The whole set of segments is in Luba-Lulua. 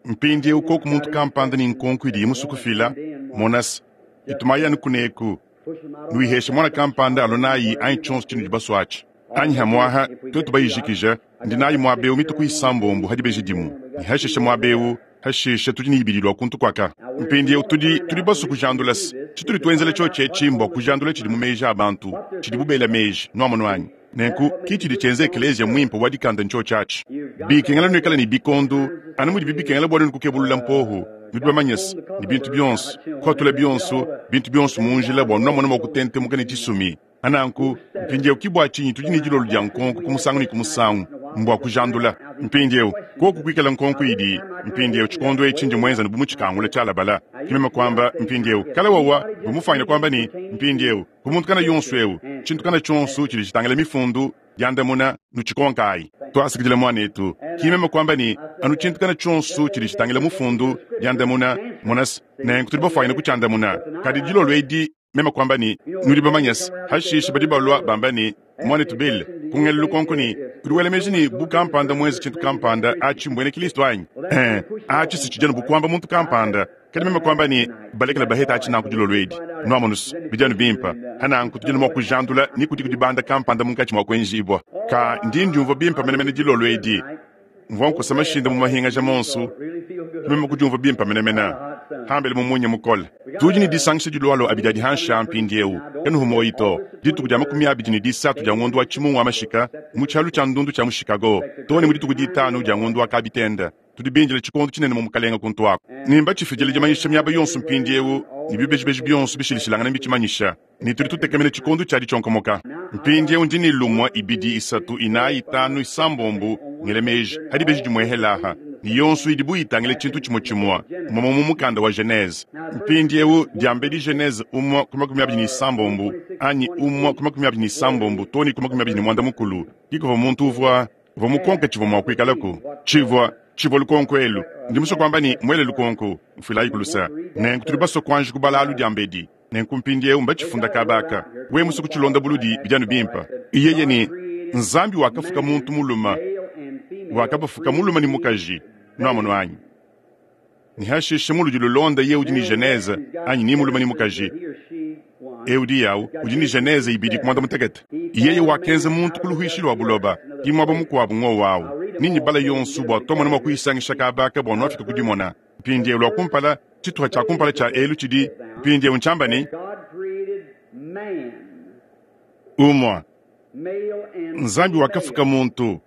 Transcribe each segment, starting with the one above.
Mpindyewu kwoku muntu kampanda ne nkonko idiye muswe kufila, mona's, itumaayi anu kuneeku, nuyiheshe mwana kampanda alwe naayi anyi cyonso cinudi baswe aci. Anyi hamwaha, twetu bayijikija, ndi naayi mwaba ewu mituku isambombo ha dibeji dimwe, ne hashishe mwaba ewu, hashishe tudi ne ibidi lwa kuntu kwaka. Mpindyewu tudi, tudi baswe kujandula's. Citudi twenzela cyoci eci mbwa kujandula cidi mu meeji a bantu, cidibu beela meeji. Nwamonu anyi? Nenku ki cidi cyenza ekeleeziya mwimpe wa dikanda ncyoci aci. Bikengela nwikale ne bikondu, anu mudibi bikengela bwa nwenu kukebulula mpoohu, nudi bamanye's, ne bintu byonso, kuhatula byonso, bintu byonso mu njila bwa nwamona mwa kutentemuka ne cisumi. Pa nanku, mpindyewu ki bwa cinyi tudi ne dilolo dya nkonko ku musangu ne ku musangu, mbwa kujandula. Mpindyewu, kwoku kwikala nkonko idi, mpindyewu, cikondo eci ndi mwenza anu bu mucikangula cyalabala. Ki meme kwamba, mpindyewu, kale wawa, mvwa mufwanyine kwamba ne, Mpindyewu, ku muntu kana yonso ewu, cintu kana cyonso cidi citangila Mifundu, dyandamuna, nucikonkaayi. Twasakidila, mwaneetu. Ki meme kwamba ne, Anu cintu kana cyonso cidi citangila Mufundu, dyandamuna, mona's, nenku tudi bafwanyine kucyandamuna. Kadi dilolo edi, Meme kuamba ne, Nudi bamanye's, hashishe badi balua bamba ne, Muanetu Bill, kungela lukonko ne, udi wela meji ne, bu kampanda muenze tshintu kampanda, atshi mbuena Kilisto anyi? Ee, atshi si tshidi anu bu kuamba muntu kampanda. Kadi meme kuamba ne, Balekela baheta atshi nanku dilolo edi. Nuamonu's, bidi anu bimpe. Pa nanku tudi anu mua kujandula ne kudiku dibanda kampanda munkatshi mua kuenjibua. Ka, ndi ndiumvua bimpe menemene dilolo edi. Mvua nkosa mashinda mu mahingaja monso, meme kudiumvua bimpe menemene hambele mu munya mukole. Tudi ne disangisha dilualua abidi adi hanshi a mpindieu, kanuhu muoyi to, dituku dia 23 dia ngondo wa Tshimungu wa mashika mu tshialu tshia ndundu tshia mu Chicago, too ne mu dituku ditanu dia ngondo wa Kabitenda. Tudi bindile tshikondo tshinene mu Mukalenge kuntu aku. Ne mbatshifidile dimanyisha miaba yonso mpindieu, ne bibejibeji bionso bishilashilangane mbitshimanyisha. Ne tudi tutekemena tshikondo tshia ditshionkomoka. Mpindieu ndi ne lumue, ibidi, isatu, inayi, itanu, isambombo, ngela meji, pa dibeji dimue aha, ne yonso idi bu itangila tshintu tshimue tshimue, mumue mu mukanda wa Genese. Mpindieu, diambedi Genese umue ku 26, anyi umue ku 26 too ne ku 24, ki kuvua muntu uvua, uvua mukonke tshivua mua kuikalaku. Tshivua, tshivua lukonko elu. Ndi musue kuamba ne, muele lukonko. Mfuilayiku luse. Nenku tudi basue kuanji kubala alu diambedi. Nenku mpindiewu mbacifunda kaaba aka. Wewe muswe kucilonda buludi, bidi anu bimpe. Yeye ne, Nzambi wakafuka muntu mulume, wakabafuka mulume ne mukaji. Nwamonu anyi? Ne hashishe mu ludi lulonda yeye udi ne Genese, anyi ni mulume ni mukaji, eu udi awu udi ne Genese ibidi ku mwanda mutekete. Yeye wakenza muntu ku luhuishi lua buloba, ki muaba mukuabu ngowu awu. Ni nyibala yonso bua twamona mua kuyisangisha kaaba aka bua nwafika ku dimona. Mpindiewu lua kumpala, tshituha tshia kumpala tshia elu tshidi mpindiewu ntshiamba ne, Umua, Nzambi wakafuka muntu,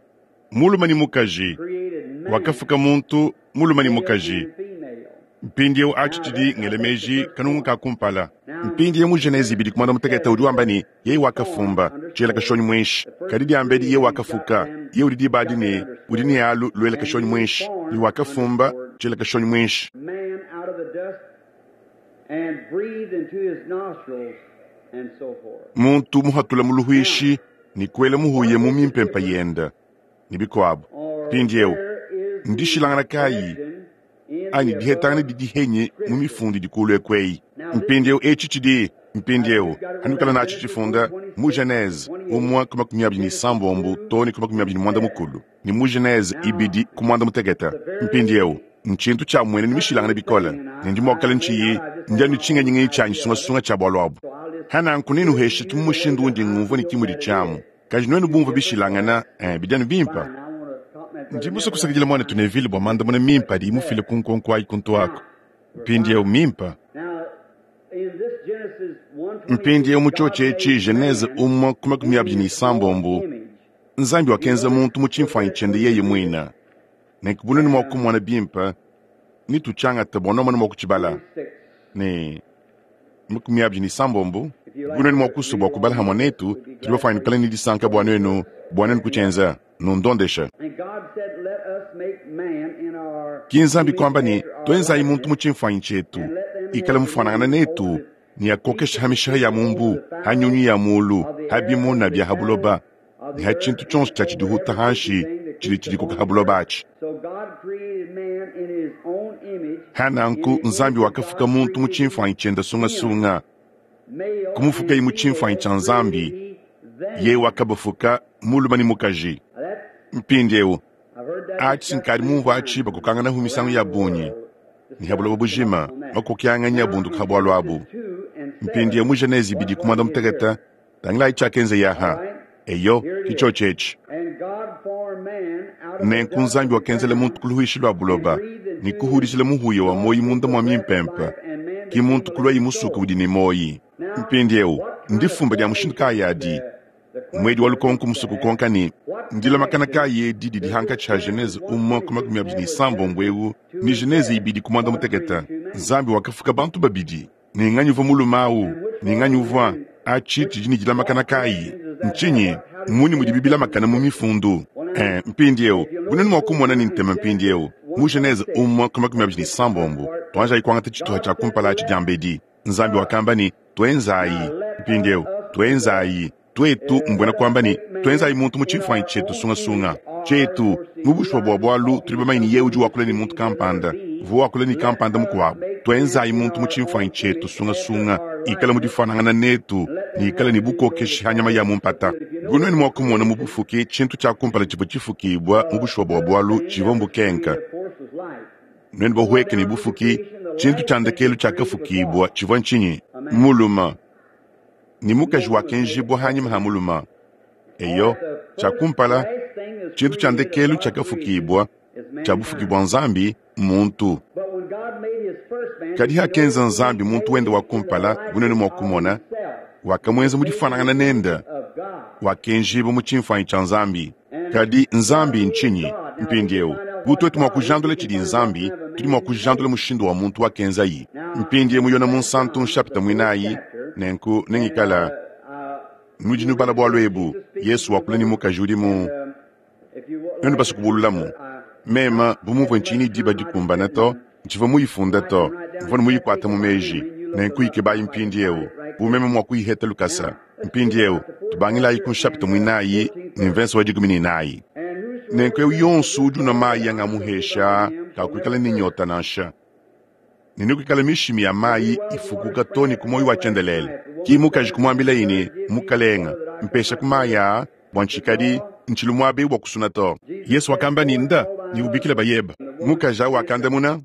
mulume ne mukaji, wakafuka muntu, mulume ne mukaji. Mpindiewu atshi tshidi, ngela meji, kanungu ka kumpala. Mpindiewu mu Genese ibidi ku muanda mutekete udi wamba ne, Yeye wakafumba, tshiela kashonyi muinshi, kadi diambedi yeye wakafuka, yeye udi diba adi ne udi ne alu luela kashonyi muinshi, ne wakafumba, tshiela kashonyi muinshi. Muntu muhatula mu luhuishi ne kuela muhuya mu mimpempa yenda, ne bikuabo. Mpindiewu, ndishilangana kayi anyi dihetangana didi henyi mu mifundu idi kulu eku eyi? Mpindiewu etshi tshidi, mpindiewu, hanuikala natshi tshifunda mu Genese umue ku 26 too ne ku 24, ne mu Genese ibidi ku 18. Mpindiewu, ntshintu tshia muenenu mishilangane bikole, ne ndi mua kukala ntshiyi ndia ne tshingenyingenyi tshianyi sungasunga tshia bualu abu. Hananku nenuheshe mu mushindu undi ngumvua ne ki mudi tshiamu. Kadi nuenu bumvue bishilangana, eh, bidi anu bimpe. Ndi musue kusakidila muanetu Neville bua mandamuna mimpe adiye mufile ku nkonko ayi kuntu aku. Mpindieu, mimpe. Mpindieu mu tshiotshi etshi, Genese umue ku 26, Nzambi wakenza muntu mu tshimfuanyi tshiende yeye muine. Nenku bu nuenu mua kumona bimpe, netutshiangate bua nuamona mua kutshibala. Ne 26. Bu nuenu mua kusua bua kubala hamue netu, tudi bafuane kale ne disanka bua nuenu, bua nuenu kutshienza. Nundondeshe. Ki Nzambi kuamba ne, Tuenzayi muntu mu tshimfuanyi tshietu, ikale mufuanangane netu, ne akokeshe ha mishiha ya mu mbu, ha nyunyu ya mulu, ha bimuna bia ha buloba, ne ha tshintu tshionso tshia tshidihuta hanshi tshidi tshidikoka ha buloba atshi. Ha nanku Nzambi wakafuka muntu mu tshimfuanyi tshiende sungasunga, kumufukaye mu tshimfuanyi tshia Nzambi, yeye wakabafuka mulume ne mukaji. Mpindieu. Atshi nkadi mumvua atshi bakokanganahu misangu ya bungi ne ha buloba bujima makokianganyi abunduka ha bualu abu. Mpindieu mu Genese ibidi ku muanda mutekete, tangilayi tshiakenzeya aha. Eyo, ke tshiotshi etshi. Nenku Nzambi wakenzela muntu ku luhuishi lua buloba ne kuhudishila muhuya wa muoyo munda mua mimpempe, ke muntu kuluaye musuke udi ne muoyo. Mpindieu, ndifumba dia mushindu kayi adi? Muedi wa lukonko musue kukonka ne, Ndilamakana kayi edi didi hankatshi ha Genese umue ku 26 eu ne Genese ibidi ku muanda mutekete? Nzambi wakafuka bantu babidi, ne nganyi uvua mulume au ne nganyi uvua? Atshi tshidi ne dilamakana kayi? Ntshinyi? Mmunyi mudibi bilamakana mu Mifundu? Ee, mpindieu, bu nuenu mua kumona ne ntema mpindieu, mu Genese umue ku 26, tuanjayi kuangata tshituha tshia kumpala atshi diambedi. Nzambi wakamba ne, Tuenzayi. Mpindieu, tuenzayi. Tuetu, mbuena kuamba ne, tuenzayi muntu mu tshimfuanyi tshietu sungasunga. Tshietu, mu bushuwa bua bualu, tudi bamanye ne yeye udi wakula ne muntu kampanda, uvua wakula ne kampanda mukuabu. Tuenzayi muntu mu tshimfuanyi tshietu sungasunga, ikale mu difuanangana netu, ne ikale ne bukokeshi ha nyama ya mu mpata. Bu nuenu mua kumona mu bufuki, tshintu tshia kumpala tshivua tshifukibua mu bushuwa bua bualu tshivua mbukenka. Nuenu bahueke ne bufuki, tshintu tshia ndekelu tshiakafukibua tshivua ntshinyi? Mulume. Ne mukaji wakenjibua hanyima ha mulume. Eyo, tshia kumpala, tshintu tshia ndekelu tshiakafukibua tshia bufuki bua Nzambi mmuntu. Kadi hakenza Nzambi muntu wende wa kumpala, bu nuenu mua kumona, wakamuenza mu difuanangana nende, wakenjibua mu tshimfuanyi tshia Nzambi. Kadi Nzambi ntshinyi? Mpindieu, bu tuetu mua kujandula tshidi Nzambi, tudi mua kujandula mushindu wa muntu wakenzayi. Mpindieu mu Yona Munsantu nshapita muinayi, nenku nengikala nudi nubala bualu ebu, Yesu wakula ne mukaji udi mu nuenu basue kubululamu. Mema bu muvua ntshiyi ne diba dikumbana to, ntshivua muyifunda to, mvua ne muyikuata mu meji. Nenku yikebayi mpindieu, bu meme mua kuyiheta lukasa. Mpindieu, tubangilayi ku nshapita muinayi ne mvese wa 14. Nenku eu yonso udi unua mayi angamuhesha kakuikala ne nyota nansha, ne nekuikale mishimi ya mayi ifukuka to ne ku muoyo wa tshiendelele. Ki mukaji kumuambilaye ne, Mukalenga, mpeshaku mayi aa, bua ntshikadi ntshilu muaba eu bua kusuna to. Yesu wakamba ne, Nda ne ubikile bayebe. Mukaji au wakandamuna.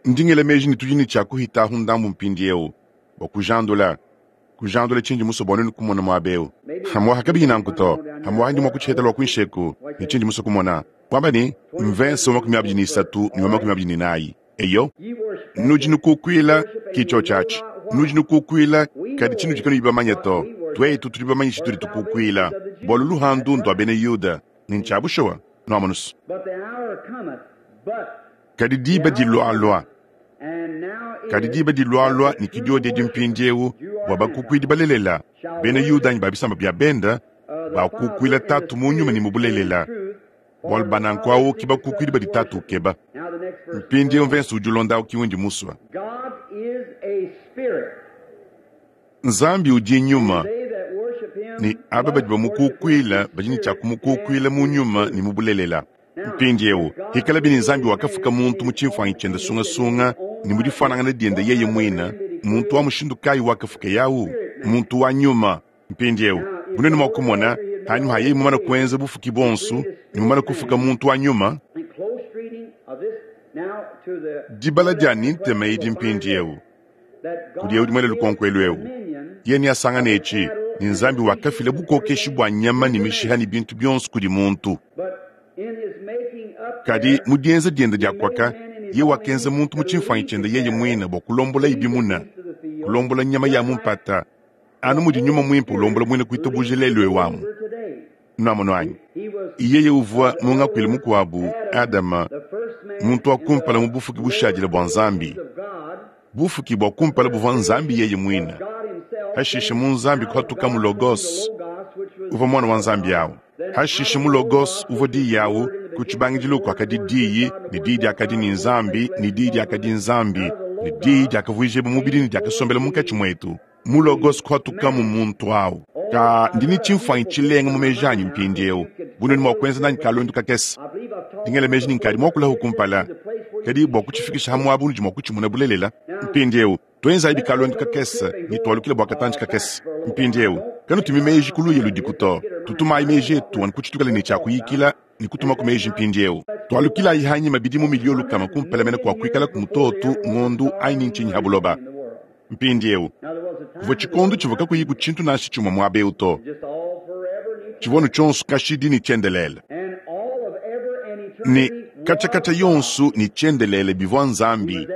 Ndi ngela meji ne tudi ne tshia kuhitahu ndambu mpindieu bua kujandula, kujandula tshindi musue bua nuenu kumona muaba eu. Hamuaha kabiyi nanku to, hamuaha ndi mua kutshiheta lua kuinshi eku ne tshindi musue kumona, kuamba ne, mvese wa 23 ne wa 24. Eyo, nudi nukukuila, ki tshiotshi atshi, nudi nukukuila, kadi tshinudi kanuyi bamanye to. Tuetu tudi bamanye tshitudi tukukuila, bualu luhandu ndua bena Yuda, ne ntshia bushuwa. Nuamonu's. Kadi diba dilualua, kadi diba dilualua ne ke diodi edi mpindieu, bua bakukuidi balelela, bena Yuda anyi ba bisamba bia benda, bakukuila Tatu mu nyuma ne mu bulelela, bualu ba nanku au ke bakukuidi badi Tatu ukeba. Mpindieu mvese udi ulonda au ke undi musue. Nzambi udi nyuma, ne aba badi bamukukuila badi ne tshia kumukukuila mu nyuma ne mu bulelela. Mpindieu, hikalabi ne Nzambi wakafuka muntu mu tshimfuanyi tshiende sungasunga ne mu difuanangana diende yeye muine, muntu wa mushindu kayi wakafukeye au? Muntu wa nyuma. Mpindieu, bu nuenu mua kumona, panyima ha yeye mumane kuenza bufuki buonso ne mumane kufuka muntu wa nyuma, dibala dia ne ntema edi mpindieu kudi eu udi muele lukonko elu eu, yeye neasangane etshi ne Nzambi wakafila bukokeshi bua nyama ne mishiha ne bintu bionso kudi muntu. Kadi mu dienza diende dia kuaka, yeye wakenza muntu mu tshimfuanyi tshiende yeye muine bua kulombolaye bimuna, kulombola nyama ya mu mpata, anu mudi Nyuma Muimpe ulombola muena kuitabuja lelu eu amu. Nuamonu anyi? Yeye uvua mu ngakuilu mukuabu Adama, muntu wa kumpala mu bufuki bushadile bua Nzambi. Bufuki bua kumpala buvua Nzambi yeye muine. Hashishe mu Nzambi kuhatukamu Logos, uvua muana wa Nzambi au. Hashishe mu Logos uvua Diyi au, ku tshibangidilu kuakadi Diyi, ne Diyi diakadi ne Nzambi, ne Diyi diakadi Nzambi, ne Diyi diakavuijibua mubidi ne diakasombela munkatshi muetu. Mu Logos kuhatukamu muntu au. Ka ndi ne tshimfuanyi tshilenga mu meji anyi mpindieu, bu nuenu mua kuenza nanyi kaluendu kakese. Ndi ngela meji ne nkadi muakulahu kumpala, kadi bua kutshifikisha ha muaba unudi mua kutshimuna bulelela. Mpindieu, tuenzayi kaluendu kakese ne tualukile bua katantshi kakese. Mpindieu, Kanutumi meji ku luya ludiku to. Tutumayi meji etu anu ku tshitukale ne tshia kuyikila ne kutumaku meji mpindieu. Tualukilayi hanyima bidimu miliyo lukama kumpala mene kua kuikalaku mutoto, ngondu anyi ni ntshinyi ha buloba. Mpindieu, kuvua tshikondo tshivua kakuyiku tshintu nansha tshimue muaba eu to. Tshivua anu tshionso kashidi ne tshiendelele. Ne katshia-katshia yonso ne tshiendelele bivua Nzambi,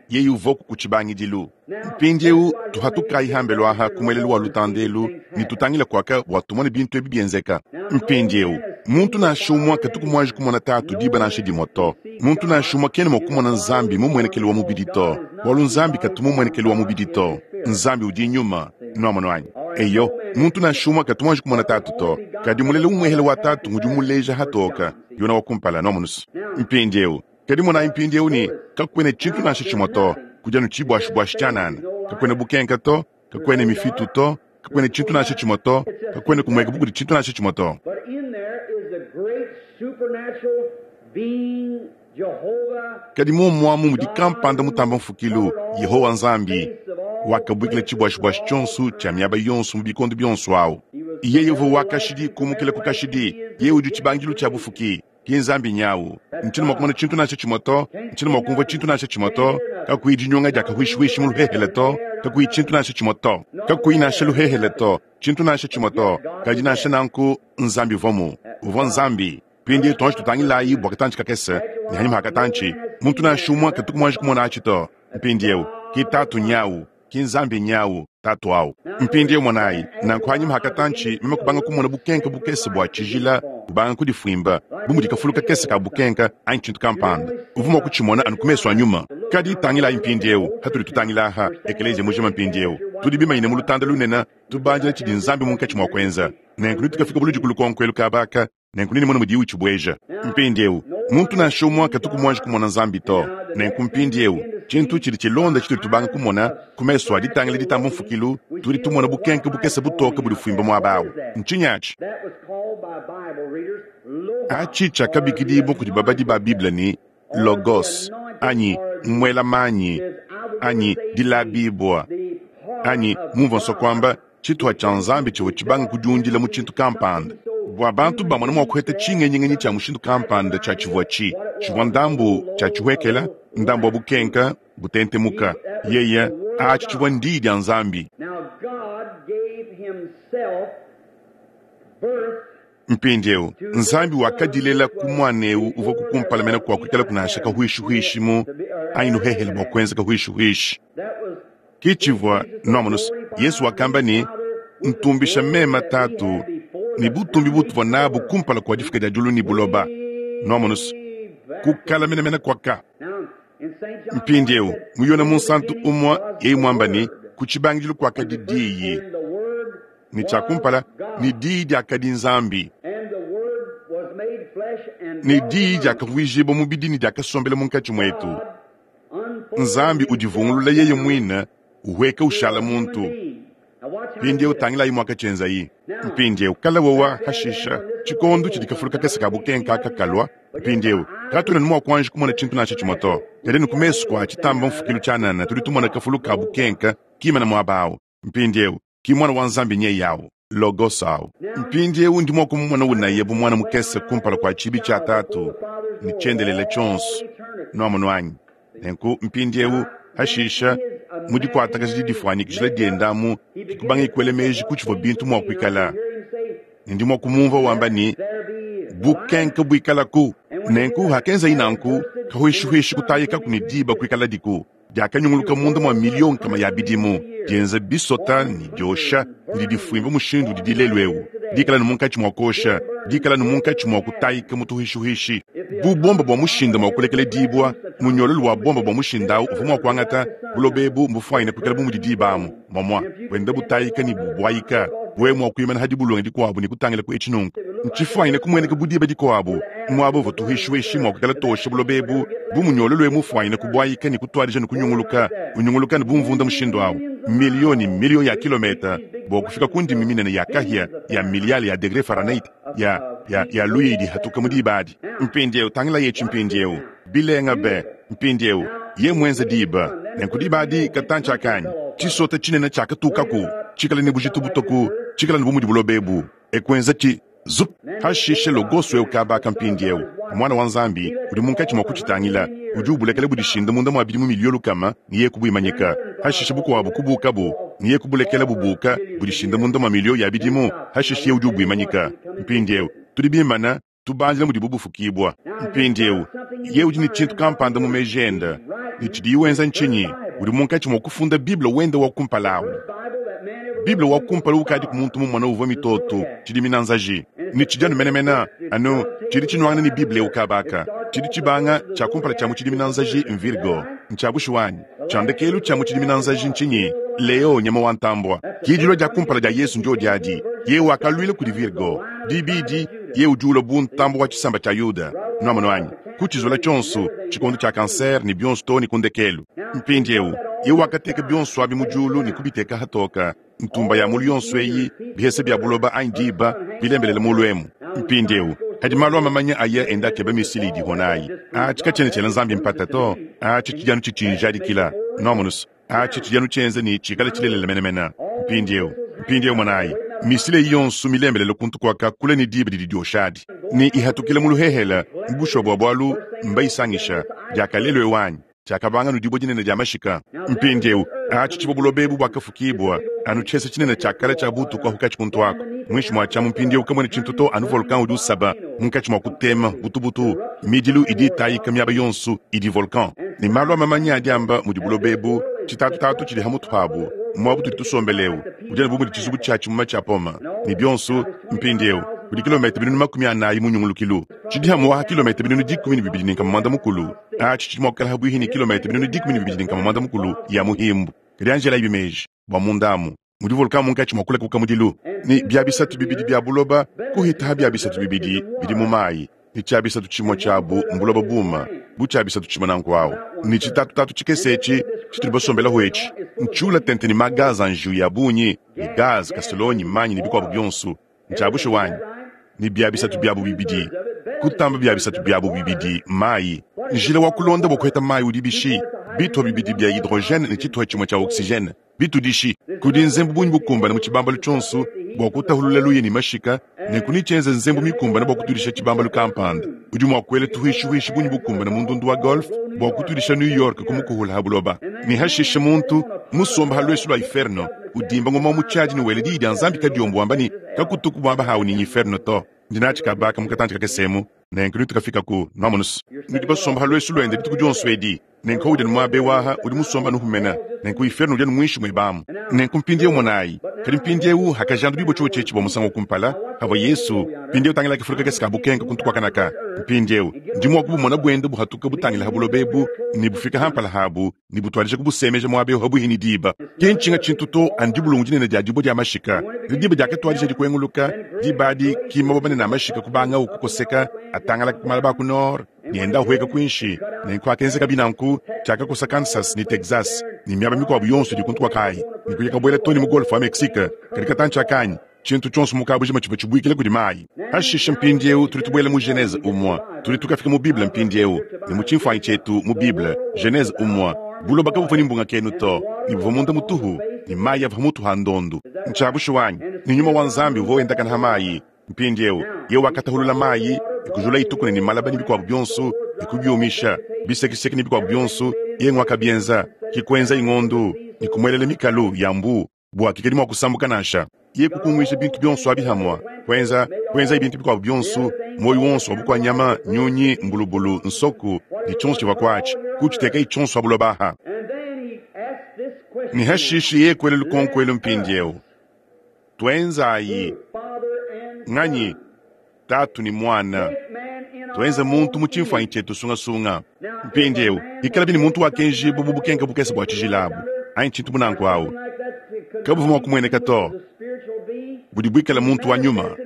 yeye uvuaku ku tshibangidilu. Mpindieu tuhatukayi hambelu aha ku muelelu wa lutanda elu ne tutangile kuaka bua tumone bintu ebi bienzeka. Mpindieu, muntu nansha umue katuku muanji kumona Tatu diba nansha dimue to. Muntu nansha umue kena mua kumona Nzambi mu mmuenekelu wa mubidi to, bualu Nzambi katu mu mmuenekelu wa mubidi to. Nzambi udi Nyuma. Nuamonu anyi? Eyo, muntu nansha umue katu muanji kumona Tatu to, kadi mulela umuehele wa Tatu ngudi umuleja hatoka. Yona wa kumpala, nuamonu's. Mpindieu, Kadi monayi mpindieu ne, kakuena tshintu nansha tshimue to, kudi anu tshibuashibuashi tshianana. Kakuena bukenka to, kakuena mifitu to, kakuena tshintu nansha tshimue to, kakuena kumueka bu kudi tshintu nansha tshimue to. Kadi muomu amu mudi kampanda mutamba mfukilu, Yehowa Nzambi, wakabuikila tshibuashibuashi tshionso tshia miaba yonso mu bikondo bionso awu. Yeye uvua wa kashidi kumukila ku kashidi. Yeye udi tshibangidilu tshia bufuki. Ki Nzambi nyawu. Ntshiena mua kumona tshintu nansha tshimue to, ntshiena mua kumvua tshintu nansha tshimue to, kakuyi dinyunga dia kahuishihuishi mu luhehele to, kakuyi tshintu nansha tshimue to, kakuyi nansha luhehele to, tshintu nansha tshimue to. Kadi nansha nanku, Nzambi uvuamu. Uvua Nzambi. Mpindieu tuanji tutangilayi bua katantshi kakese, ne hanyima ha katantshi, muntu nansha umue katuku muanji kumona atshi to. Mpindieu, ki Tatu nyawu. Ki Nzambi nyawu, Tatu awu. Mpindieu monayi, nanku hanyima ha katantshi, meme kubanga kumona bukenka bukese bua tshijila bubanga kudifuimba, bu mudi kafulu kakese ka bukenka anyi tshintu kampanda. Uvua mua kutshimona anu ku mesu a nyuma. Kadi tangilayi mpindieu, hatudi tutangila aha, ekeleziya mujima mpindieu, tudi bimanyine mu lutanda lunene, tubandila tshidi Nzambi munkatshi mua kuenza. Nenku netukafika buludi ku lukonko elu kaba aka. Nenku nenemone mudiye utshibueja. Mpindiewu, muntu nansha umue katuku muanji kumona Nzambi to. Nenku mpindiewu, tshintu tshidi tshilonda tshitudi tubanga kumona, ku mesu a ditangila ditamba mfukilu, tudi tumona bukenke bukese butoke budifuimba muaba awu. Ntshinyi atshi? Atshi tshiakabikidibua kudi babadi ba Bible ne, Logos, anyi muela manyi, anyi dilabibua, anyi mumvua nsua kuamba, tshituha tshia Nzambi tshivua tshibanga kudiundila mu tshintu kampanda bua bantu bamone mua kuheta tshingenyingenyi tshia mushindu kampanda tshia tshivua tshi tshivua ndambu tshia tshihuekela, ndambu wa bukenka butentemuka. Yeye atshi tshivua ndiyi dia Nzambi. Mpindieu, Nzambi wakadilela ku muana eu uvua ku kumpala mene kua kuikalaku nansha kahuishihuishi mu anyi luhehele bua kuenza kahuishihuishi. Ke tshivua nuamonu's, Yesu wakamba ne, Ntumbisha meme Tatu ne butumbi butuvua nabu kumpala kua difuka dia diulu ne buloba. Nuamonu's, ku kala menemene kuaka. Mpindieu, mu Yone Munsantu umue yeye muamba ne, Ku tshibangidilu kuakadi Diyi. Ne tshia kumpala, ne Diyi diakadi Nzambi. Ne Diyi diakavuijibua mubidi ne diakasombela munkatshi muetu. Nzambi udivungulula yeye muine, uhueka ushala muntu. Mpindieu tangilayi muakatshienzayi. Mpindieu kala wowa hashisha tshikondo tshidi kafulu kakese ka bukenka aka kalua. Mpindieu katuena mua kuanji kumona tshintu nansha tshimue to, kadi anu ku mesu kua tshitamba mfukilu tshianana tudi tumona kafulu ka bukenka kimana muaba au. Mpindieu ki Muana wa Nzambi nyeye au, Logos au. Mpindieu ndi mua kumumona unaya bu muana mukese kumpala kua tshibi tshia Tatu ne tshiendelele tshionso. Nuamonu anyi? Nenku mpindieu, hashisha, mu dikuatakaja didifuanyikijila dienda amu, ke kubangaye kuela meji ku tshivua bintu mua kuikala. Ne ndi mua kumumvua wamba ne, Bukenke buikalaku. Nenku hakenzayi nanku, kahuishihuishi kutayikaku ne diba kuikaladiku. Diakanyunguluka munda mua miliyo nkama ya bidimu, dienza bisota ne diosha ne didifuimba mushindu udidi lelu'eu, dikala ne munkatshi mua kuosha, dikala ne munkatshi mua kutayika mu tuhuishihuishi. Bu bomba bua mushinda mua kulekeledibua, munyololu wa bomba bua mushinda au uvua mua kuangata buloba ebu mbufuanyine kuikala bu mudi diba amu muamua, buenda butayika ne bubuayika. Wewe mua kuimana ha dibulunge dikuabu ne kutangila ku etshi nunku, ntshifuanyine kumueneka bu diba dikuabu, muaba uvua tuhuishihuishi mua kuikala tuosha buloba ebu, bu munyololu eu mufuanyine kubuayika ne kutuadija ne kunyunguluka, unyunguluka ne bu mvunda mushindu au, miliyo ne miliyo ya kilometa bua kufika ku ndimi minene ya kahia ya miliyale ya degre Fahrenheit ya, ya, ya luya idi ihatuka mu diba adi. Mpindieu, tangilayi etshi mpindieu. Bilenga be! Mpindieu, ye muenze diba, nenku diba adi katantshi akanyi, tshisota tshinene tshiakatukaku. Tshikale ne bujitu butoku, tshikale anu bu mudi buloba ebu. E kuenza tshi zup! Hashishe Logos eu kabaka mpindieu, Muana wa Nzambi, udi munkatshi mua kutshitangila, udi ubulekela budishinda munda mua bidimu miliyo lukama ne yeye kubuimanyika. Hashishe bukuabu kubukabu ne yeye kubulekela bubuka budishinda munda mua miliyo ya bidimu, hashishe yeye udi ubuimanyika. Mpindieu tudi bimana tubandila mudibu bufukibua. Mpindieu yeye udi ne tshintu kampanda mu meji ende, ne tshidiye wenza ntshinyi? Udi munkatshi mua kufunda Bible wende wa kumpala au. Bible wa kumpala ukadiku muntu mumone uvua mitoto, tshidimina nzaji, ne tshidi anu menemene anu tshidi tshinuangana ne Bible eu kaba aka. Tshidi tshibanga tshia kumpala tshia mu tshidimina nzaji m'Virgo. Ntshia bushuwa anyi? Tshia ndekelu tshia mu tshidimina nzaji ntshinyi? Leo, nyama wa ntambua. Ki dilua dia kumpala dia Yesu ndiodi adi. Yeye wakaluila kudi Virgo. Dibidi, yeye udi ulua bu ntambua wa tshisamba tshia Yuda. Nuamonu anyi? Ku tshizola tshionso, tshikondo tshia kansere ne bionso too ne ku ndekelu. Mpindieu, yeye wakateka bionso abi mu diulu ne kubiteka hatoka, ntumba ya mulu yonso eyi, bihese bia buloba anyi diba, bilembelele mulu emu. Mpindieu, hadi malu a mamanya aya enda akeba misile idiho nayi. Atshi katshiena tshiela Nzambi mpata to. Atshi tshidi anu tshitshinjadikila. Nuamonu's? Atshi tshidi anu tshienza ne tshikale tshilelela menemene. Mpindieu, mpindieu monayi, misile eyi yonso milembelele kuntu kuaka kule ne diba didi dioshadi ne ihatukila mu luhehele, mu bushuwa bua bualu mbayisangisha. Diakalelu eu anyi? Tshiakabanga anu dibue dinene dia mashika. Mpindieu, atshi tshivua buloba ebu buakafukibua, anu tshiesa tshinene tshia kale tshia butuku ahu katshi kuntu aku. Muinshi mua tshiamu mpindieu kamuena tshintu to, anu volcan udi usaba munkatshi mua kutema butubutu, midilu idi itayika miaba yonso idi volcan. Ne malu a mamanya adi amba mudi buloba ebu, tshitatutatu tshidi ha mutu habu, muaba utudi tusombela eu, udi anu bu mudi tshizubu tshia tshimuma tshia poma, ne bionso. Mpindieu kudi kilometa 400,000 mu nyungulukilu. Tshidi amu ha kilometa 123,600. Atshi tshidi mua kuikala habuihi ne kilometa 126,600 ya muhimbu. Kadi anji elayibi meji bua munda amu mudi volcan munkatshi mua kulakuka mudilu, ne bia bisatu bibidi bia buloba kuhita ha bia bisatu bibidi bidi mu mayi, ne tshia bisatu tshimue tshiabu mbuloba buma bu tshia bisatu tshimue nanku awu, ne tshitatutatu tshikese etshi tshitudi basombelaho etshi ntshiula tente ne magaza a njiwu ya bungi, ne gaz, kasolonyi, manyi ne bikuabu bionso. Ntshia bushuwa anyi? Ne bia bisatu biabu bibidi kutamba bia bisatu biabu bibidi mayi. Njila wa kulonda bua kuheta mayi udi bishi? Bituha bibidi bia hydrogene ne tshituha tshimue tshia oxygene bitudishi. Kudi nzembu bungi bukumbane mu tshibambalu tshionso bua kutahulula luya ne mashika, nenku netshienze nzembu mikumbane bua kutudisha tshibambalu kampanda. Udi mua kuela tuhuishihuishi bungi bukumbane mu ndundu wa golf bua kutudisha New York ku mukuhula ha buloba. Ne hashishe muntu musomba ha luesu lua iferno udimba ngoma wa mu tshiadi ne wela diyi dia Nzambi kadiombo wamba ne, Kakutuku muaba hawu ne nyiferno to. Ndi natshi kabaka mu katantshi kakese emu, nenku netukafikaku. Nwamonu's? Nudi basomba ha luesu luende dituku dionso edi. Nenku udi anu muaba eu aha, udi musomba anu humena. Nenku iferno udi anu muinshi muebe amu. Nenku mpindieu monayi. Kadi mpindieu hakajandudibua tshiotshi etshi bua musangu wa kumpala, pavua Yesu, mpindieu tangila kafulu kakese ka bukenka kuntu kuakanaka. Mpindieu ndi mua kubumona buenda buhatuka butangila ha buloba ebu ne bufika ha mpala habu ne butuadija kubusemeja muaba eu habuihi ne diba. Ki ntshinga tshintu to, anu dibulungu dinene dia dibue dia mashika. Kadi diba diakatuadija dikuenguluka, diba adi ki mabue manene a mashika kubangawu kukoseka atangalaka ku malaba a ku nord ne enda ahueka kuinshi. Nenku akenzekabi nanku, tshiakakosa Kansas ne Texas ne miaba mikuabu yonso idi kuntu kua kayi ne kuya kabuela too ne mu Golfe wa Mexique. Kadi katantshi aka anyi tshintu tshionso mu kabujima tshivua tshibuikila kudi mayi. Pashishe mpindieu tudi tubuela mu Genese umue. Tudi tukafika mu Bible mpindieu, ne mu tshimfuanyi tshietu mu Bible, Genese umue. Buloba kabuvua ne mbungakenu to, ne buvua munda mutuhu, ne mayi avua mutu ha ndondu. Ntshia bushuwa anyi? Ne Nyuma wa Nzambi uvua wendakana ha mayi. Mpindieu yeye wakatahulula mayi ne kujula itukuna ne malaba ne bikuabu bionso ne kubiumisha, bisekiseki ne bikuabu bionso, yeye nguakabienza. Ke kuenzaye ngondu ne kumuelela mikalu ya mbuu bua kikadi mua kusambuka nansha. Yeye kukunguija bintu bionso abi hamue, kuenza kuenzaye bintu bikuabu bionso, muoyo wonso wa bukua nyama, nyunyi, mbulubulu, nsoku ne tshionso tshivua kuatshi, kutshitekaye tshionso ha buloba aha. Ne hashishe yeye kuela lukonko elu mpindieu, Tuenzayi nganyi? Tatu ne Muana. Tuenze muntu mu tshimfuanyi tshietu sungasunga. Mpindieu, bikalabi ne muntu wakenjibua bu bukenke bukese bua tshijila abu, anyi tshintu bu nanku awu, kabuvua mua kumueneka to. Budi buikale muntu wa nyuma.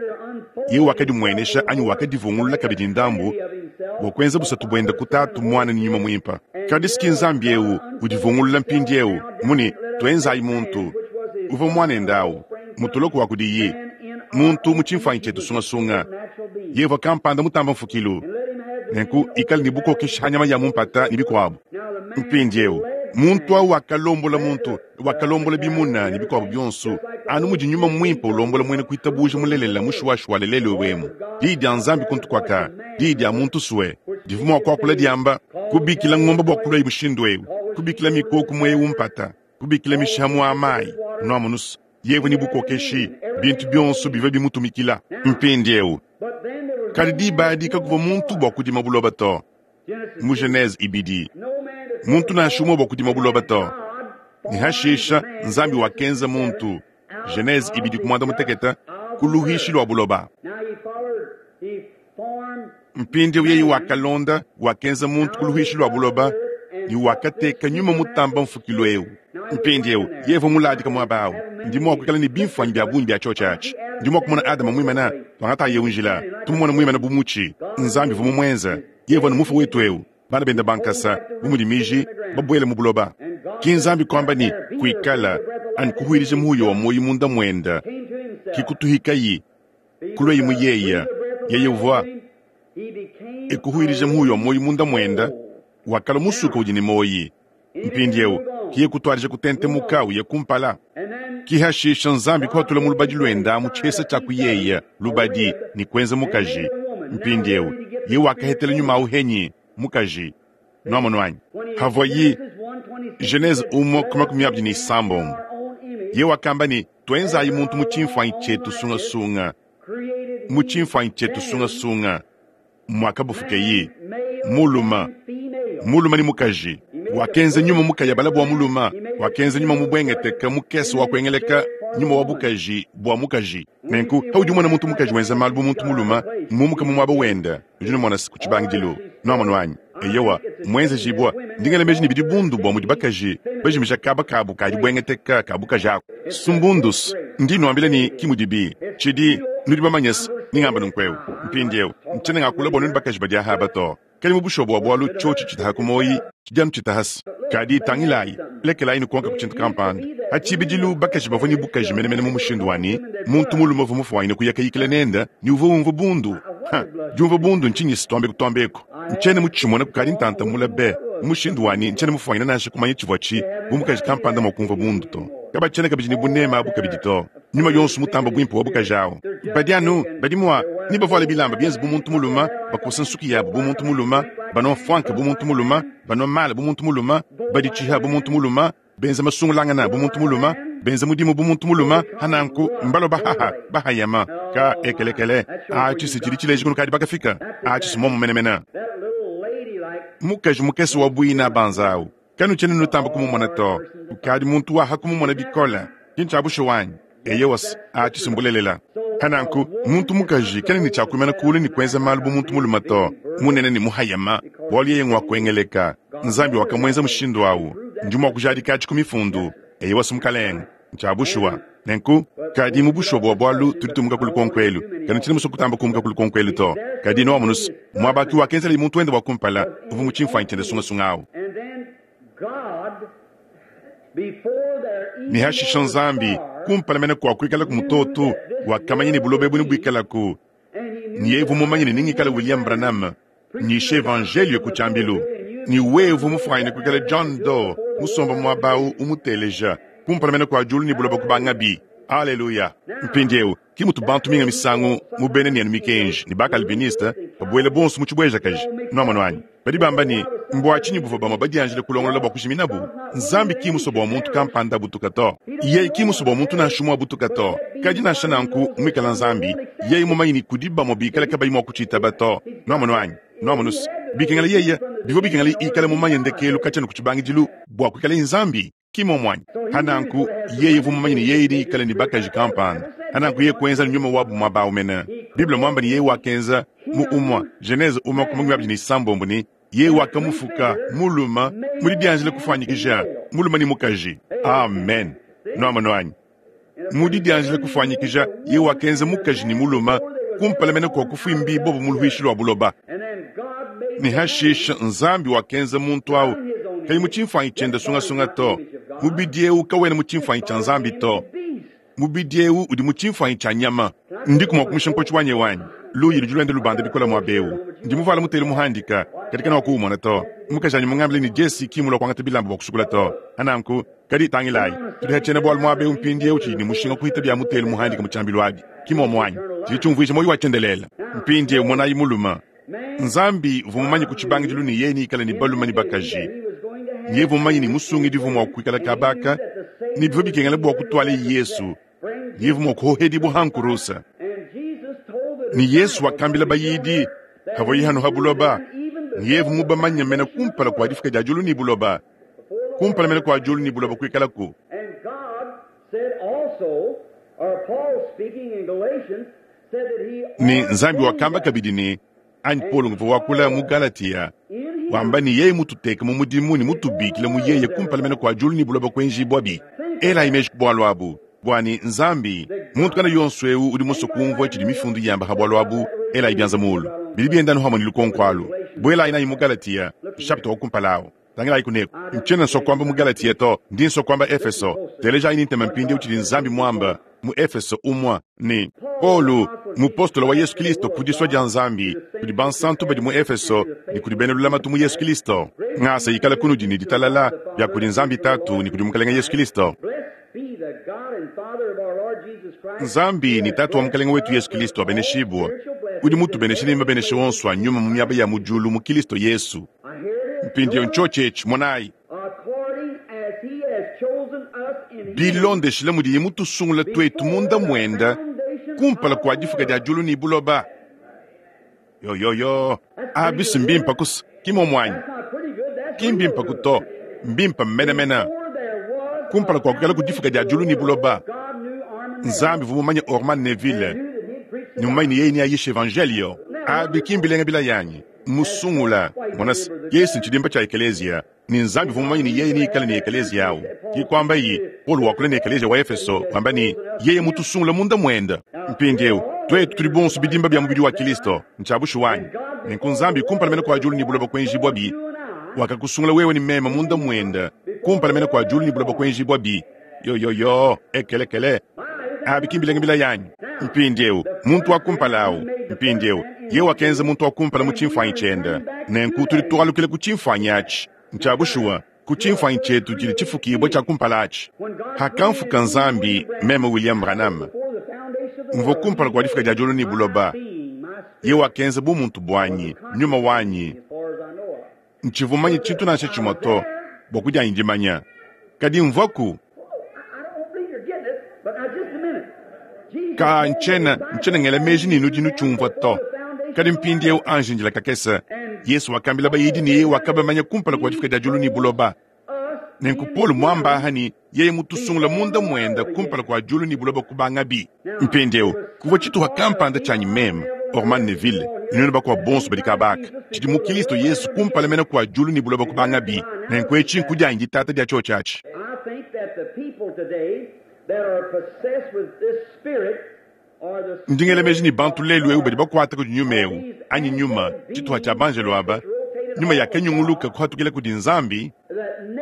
Yeye wakadimuenesha anyi wakadivungulula kabidi ndambu bua kuenza busatu buende ku Tatu, Muana ne Nyuma Muimpe. Kadi si ki Nzambi eu udivungulula mpindieu mu ne, Tuenzayi muntu. Uvua muanende au, mutoloku wa kudiyi, muntu mu tshimfuanyi tshietu sungasunga. Yeye uvua kampanda mutamba mfukilu, nenku ikale ne bukokeshi ha nyama ya mu mpata ne bikuabu. Mpindieu muntu au wakalombola muntu, wakalombola bimuna ne bikuabu bionso. Anu mudi Nyuma Mwimpe ulombola mwena kwitabuuja mulelela mushuwashuwale lelu ewu emu, Diyi dya Nzambi kuntu kwaka, diyi dya muntu swe, divwa mwa kwakula dyamba, Kubikila ngombe bwa kulwayi mushindu ewu, kubikila mikooku mu ewu mpata, kubikila mishiha mu a mayi, nwamonu's, yevwa ne bukookeshi, bintu byonso bivwa bimutumikila. Mpindyewu, kadi diba adi kakuvwa muntu bwa kudima buloba to. Mu Genese ibidi, muntu nansha umue bua kudima buloba to. Ne hashisha Nzambi wakenza muntu, Genese ibidi ku muanda mutekete, ku luhishi lua buloba. Mpindieu yeye wakalonda, wakenza muntu ku luhishi lua buloba ne wakateka nyuma mutamba mfukilu eu. Mpindieu yeye muladika muaba au, ndi mua kuikala ne bimfuanyi bia bungi bia tshiotshi atshi. Ndi mua kumona Adama muimana, tuangatayi eu njila, tumumona muimana bu mutshi. Nzambi uvua mumuenze. Yeye uvua ne mufue wetu eu, bana bende ba nkasa, bu mudi miji, babuele mu buloba. Ki Nzambi kuamba ne, Kuikala, anyi kuhuilija muhuya wa muoyo munda muende, ki kutuhikayi, kulueyi mu yeye. Yeye uvua e kuhuilija muhuya wa muoyo munda muende, wakalua musuka udi ne muoyi. Mpindieu, kiye kutuadija kutentemuka uya kumpala. Ki hashisha Nzambi kuhatula mu lubadi luenda mu tshihesa tshia kuyeya lubadi ne kuenza mukaji. Mpindieu, ye wakahetela nyuma au henyi? Mukaji. Nuamonu anyi? Havuayi, Genese umue ku makumi abidi ne isambombo, ye wakamba ne, Tuenzayi muntu mu tshimfuanyi tshietu sungasunga, mu tshimfuanyi tshietu sungasunga. Muakabufukeyi, muluma, muluma ne mukaji. Wakenza nyuma mukayabala bua muluma, wakenza nyuma mubwengeteka mukese wa kuengeleka nyuma wa bukaji bua mukaji. Nenku paudi umona muntu mukaji wenza malu bu muntu muluma, mumuka mu muaba wende, nudi numona ku tshibangidilu. Nuamonu anyi? Eyowa, muenzejibua. Ndi ngela meji ne bidi bundu bua mudi bakaji bajimija kaba kabu ka dibwengeteka ka bukaji aku. Sumbundus, ndi nnuambila ne ki mudibi. Tshidi, nudi bamanye's, ndi ngamba nunku'eu. Mpindiewu, ntshiena ngakula bua nuenu bakaji badi aha aba to. Kadi mu bushuwa bua bualu tshiotshi tshitaha ku muoyi, tshidi anu tshitahase. Kadi tangilayi, lekelayi nukonka ku tshintu kampanda. Pa tshibidilu bakaji bavua ne bukaji menemene mu mushindu wa ne, muntu mulume uvua mufuanyine kuya kayikila nende ne uvua umvua bundu. Ha, diumvua bundu ntshinyi-se? Tuambeku tuambeku, ntshiena mutshimone kukadi ntanta mule be, mu mushindu wa ne, ntshiena mufuanyine nansha kumanya tshivua tshi bu mukaji kampanda mua kumvua bundu to. Kabatshiena kabidi ne buneme abu kabidi to. Nyuma yonso mutamba buimpe wa bukaji awu. Badi anu, badi mua, ne bavuale bilamba bienze bu muntu mulume, bakosa nsuki yabu bu muntu mulume, banua mfuanka bu muntu mulume, banua mala bu muntu mulume, baditshiha bu muntu mulume, benza masungulangana bu muntu mulume, benza mudimu bu muntu mulume, ha nanku mbalua bahaha, bahayama, ka ekelekele. Atshi si tshidi tshileja kunukadi bakafika. Atshi si muomu menemene. Mukaji mukese wa buina banza awu, kanutshiena nutamba kumumona to. Ukadi muntu waha kumumona bikole. Ki ntshia bushuwa anyi? Eyowa, atshi si mbulelela. Ha nanku, muntu mukaji kena ne tshia kuimana kulu ne kuenza malu bu muntu mulume to, munene ne muhayama, bualu yeye ngua kuengeleka. Nzambi wakamuenza mushindu awu. Ndi mua kujadika atshi ku Mifundu. Eyowa, si Mukalenge. Ntshia bushuwa. Nenku, kadi mu bushuwa bua bualu tudi tumuka ku lukonko elu. Kanutshiena musue kutamba kumuka ku lukonko elu to. Kadi nuamonu's, muaba ki wakenzelaye muntu wende wa kumpala, uvua mu tshimfuanyi tshiende sungasunga awu. Ne hashisha Nzambi, kumpala mene kua kuikalaku mutoto, wakamanya ne buloba ebu nebuikalaku, ne yeye uvua mumanye ne nengikale William Branham nyisha evanjeliyo ku tshiambilu, ne wewe uvua mufuanyine kuikala John Doe musomba muaba au umuteleja, kumpala mene kua diulu ne buloba kubangabi. Aleluya! Mpindieu, ki mutu bantu minga misangu mu bena nenu mikenji ne ba-Calviniste babuele bonso mu tshibuejakaji. Nuamonu anyi? Badi bamba ne, Mbua tshinyi buvua bamue badianjile kulongolola bua kujiminabu? Nzambi ki mmusue bua muntu kampanda abutuka to. Yeye ki mmusue bua muntu nansha umue abutuka to. Kadi nansha nanku, muikala Nzambi, yeye mumanye ne kudi bamue bikale kabayi mua kutshitaba to. Nuamonu anyi? Nuamonu's, bikengela yeye, bivua bikengela ikale mumanye ndekelu katshia ne ku tshibangidilu bua kuikalaye Nzambi. Ki muomu anyi? Pa nanku, yeye uvua mumanye ne yeye neikale ne bakaji kampanda. Pa nanku yeye kuenza ne nyuma wabu muaba awu mene. Bible muamba ne yeye wakenza, mu umue, Genese umue ku makumi abidi ne isambombo ne, Yeye wakamufuka, mulume, mu didianjila kufuanyikija, mulume ne mukaji. Amen. Nuamonu anyi? Mu didianjila kufuanyikija, yeye wakenza mukaji ne mulume, kumpala mene kua kufuimbibuabu mu luhuishi lua buloba. Ne hashishe Nzambi wakenza muntu au kayi mu tshimfuanyi tshiende sungasunga to. Mubidi eu kawena mu tshimfuanyi tshia Nzambi to. Mubidi eu udi mu tshimfuanyi tshia nyama. Ndiku mua kumusha nkotshi wanyi eu anyi? Luyi ludi luenda lubanda bikole muaba eu. Ndi muvuale mutelu muhandika. Kadi kanuakuwumona to. Mukajanyi mungambile ne Jesse ki mmulua kuangata bilamba bua kusukula to. Nanku, kadi tangilayi, tudi ha tshiena-bualu muaba eu mpindieu tshidi ne mushinga kuhita bia mutelu muhandika mu tshiambilu abi. Ki muomu anyi? Tshidi tshiumvuija muoyo wa tshiendelele. Mpindieu monayi mulume. Nzambi uvua mumanye ku tshibangidilu ne yeye neikale ne balume ne bakaji. Yeye uvua mumanye ne musungidi uvua mua kuikala kaba aka, ne bivua bikengela bua kutualaye Yesu, yeye uvua mua kuhohedibua ha nkurusa. Ne Yesu wakambila bayidi havuaye hano ha buloba, ne yeye uvua mubamanye mena kumpala kua difuka dia diulu ne buloba, kumpala mena kua diulu ne buloba kuikalaku. Ne Nzambi wakamba kabidi ne, anyi Paulo nguvua wakula mu Galatia, wamba ne yeye mututeke mu mudimu ne mutubikile mu yeye kumpala mene kua diulu ne buloba kuenjibuabi. Elayi meji ku bualu abu, bua ne Nzambi, muntu kana yonso eu udi musue kumvua tshidi mifundu yamba ha bualu abu, elayi bianza mulu. Bidi bienda anu hamue ne lukonko alu. Buelayi nayi mu Galatia, nshapita wa kumpala au. Tangilayi kuneku. Ntshiena nsua kuamba mu Galatia to, ndi nsua kuamba Efeso. Telejayi ne ntema mpindieu tshidi Nzambi muamba mu Efeso umua ne, Paulo, mupostolo wa Yesu Kilisto ku disua dia Nzambi, kudi bansantu badi mu Efeso ne kudi bena lulamatu mu Yesu Kilisto. Ngasa ikale kunudi ne ditalala bia kudi Nzambi Tatu ne kudi Mukelenge Yesu Kilisto. Nzambi ne Tatu wa Mukelenge wetu Yesu Kilisto abeneshibue, udi mutubeneshe ne mabenesha onso a nyuma mu miaba ya mu diulu mu Kilisto Yesu. Mpindieu ntshiotshi etshi, monayi. Bilondeshile mudiye mutusungule tuetu munda muende kumpala kua difuka dia diulu ne buloba. Yoyoyo, abi si mbimpe kusa, ki muomu anyi? Ki mbimpe ku to, mbimpe menemene. Kumpala kua kuikala ku difuka dia diulu ne buloba, Nzambi uvua mumanye Orman Neville ne mumanye ne yeye neayishe evanjeliyo. Abi ki mbilenga bilayanyi? Musungula. Mona se, Yesu ntshidimba tshia ekeleziya, ne Nzambi uvua mumanye ne yeye neikale ne ekeleziya awu. Ke kuambaye, Paulo wakula ne ekeleziya wa Efeso, wamba ne, Yeye mutusungula munda muende. Mpindieu, tuetu tudi bonso bidimba bia mubidi wa Kilisto. Ntshia bushuwa anyi? Nenku Nzambi, kumpala mene kua diulu ne buloba kuenjibuabi, wakakusungula wewe ne meme munda muende, kumpala mene kua diulu ne buloba kuenjibuabi. Yoyoyo, ekelekele. Abi ki mbilenga bilaya anyi? Mpindieu, muntu wa kumpala au, mpindieu, yeye wakenza muntu wa kumpala mu tshimfuanyi tshiende. Nenku tudi tualukila ku tshimfuanyi atshi. Ntshia bushuwa, ku tshimfuanyi tshietu tshidi tshifukibua tshia kumpala atshi. Hakamfuka Nzambi, meme William Branham, mvua kumpala kua difuka dia diulu ne buloba, yeye wakenza bumuntu buanyi, nyuma wanyi. Ntshivua mumanye tshintu nansha tshimue to bua kudianyi dimanya, kadi mvuaku. Ka, ntshiena, ntshiena ngela meji ne nudi nutshiumvua to. Kadi mpindieu anji ndila kakese. Yesu wakambila bayidi ne yeye wakabamanya kumpala kua difika dia diulu ne buloba. Nenku Paulo muamba aha ne yeye mutusungula munda muende kumpala kua diulu ne buloba kubangabi. Mpindieu, kuvua tshituha kampanda tshianyi meme, Orman Neville, ne nuenu bakuabu bonso badi kaba aka, tshidi mu Kilisto Yesu kumpala mene kua diulu ne buloba kubangabi. Nenku etshi nkudianyi ditata dia tshiotshi atshi. Ndi ngela meji ne bantu lelu eu badi bakuata kudi nyuma eu, anyi nyuma, tshituha tshia banjelo aba, nyuma yakanyunguluka kuhatukila kudi Nzambi,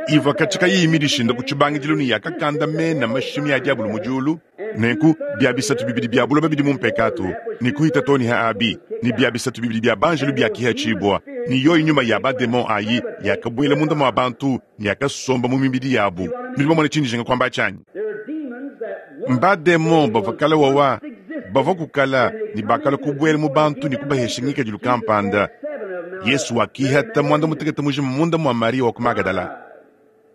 ivua katshia kayiyi midishinda ku tshibangidilu ne yakakandamena mashimi a diabolo mu diulu. Nenku, bia bisatu bibidi bia buloba bidi mu mpekatu, ne kuhita too ne ha abi, ne bia bisatu bibidi bia banjelu biakihatshibua, ne yoyi nyuma ya bademon ayi yakabuela munda mua bantu ne yakasomba mu mibidi yabu. Nudi bamone tshindi njinga kuamba atshi anyi? Mbademon bavua kale wawa, bavua kukala ne bakalua kubuela mu bantu ne kubahesha ngikadilu kampanda. Yesu wakihata muanda mutekete mujima munda mua Mariya wa ku Magadala.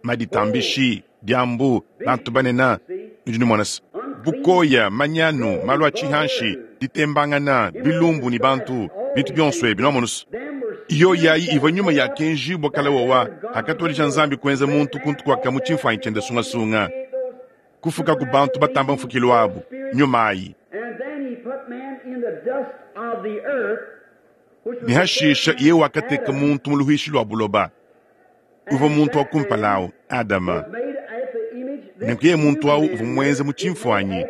Maditambishi, diambu, bantu banene, nudi numona se, bukoya, manyanu, malu a tshihanshi, ditembangana, bilumbu ne bantu, bintu bionso ebi, nuamonu se, yoyi ayi ivua nyuma yakenjibua kale wawa hakatuadija Nzambi kuenza muntu kuntu kuaka mu tshimfuanyi tshiende sungasunga, kufukaku bantu batamba mfukilu abu, nyuma ayi. Ne hashisha yeye wakateka muntu mu luhuishi lua buloba. Uvua muntu wa kumpala au, Adama. Nenku yeye muntu au uvua muenza mu tshimfuanyi.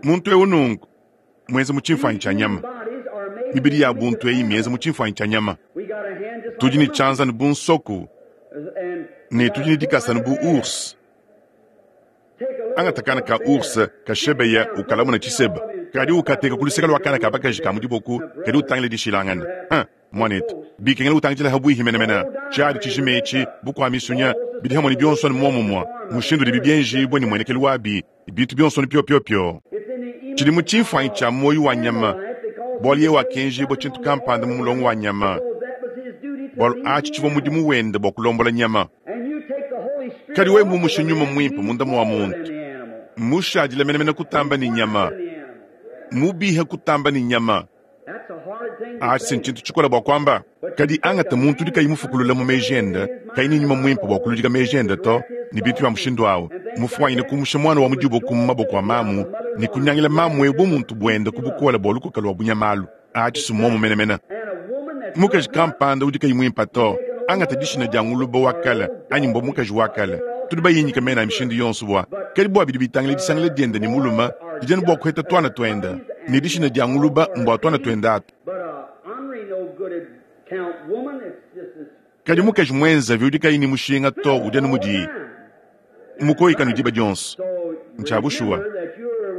Muntu eu nunku muenza mu tshimfuanyi tshia nyama. Mibidi ya buntu eyi mienza mu tshimfuanyi tshia nyama. Tudi ne tshianza ne bu nsoku, ne tudi ne dikasa ne bu ours. Angata kana ka ours kashebeya ukalamuna tshiseba, kadi ukateka ku luseke lua kana ka bakaji ka mu diboko kadi utangile dishilangana. Mwanetu, bikengela utangidila habwihi menemene. Tshiadi tshijima etshi, bukwa misunya, bidi hamwe ne bionso anu muomumue, mushindu udibi bienjibue ne muenekelu wabi, ne bintu bionso anu piopio-pio. Tshidi mu tshimfuanyi tshia muoyo wa nyama, bualu yeye wakenjibua tshintu kampanda mu mulongo wa nyama, bualu atshi tshivua mudimu wende bua kulombola nyama. Kadi wewe mumushe nyuma muimpe munda mua muntu, mmushadile menemene kutamba ne nyama, mubihe kutamba ne nyama. Atshi si ntshintu tshikole bua kuamba. Kadi angata muntu udi kayi mufukulula mu meji ende, kayi ne nyuma muimpe bua kuludika meji ende to, ne bintu bia mushindu au, mufuanyine kumusha muana wa mu diboko mu maboko a mamu ne kunyangila mamu eu bumuntu buende ku bukole bua lukuka lua bunyamalu. Atshi si mmuomu menemene. Mukaji kampanda udi kayi muimpe to, angata dishina dia nguluba wa kale anyi mbua mukaji wa kale, tudi bayinyike mena a mishindu yonso bua, kadi bua bidi bitangila disangila diende ne mulume, didi anu bua kuheta tuana tuende, ne dishina dia nguluba mbua tuana tuende atu. Kadi mukaji muenzavi udi kayi ne mushinga to udi anu mudiyi mukoyikanu diba dionso. Ntshia bushuwa.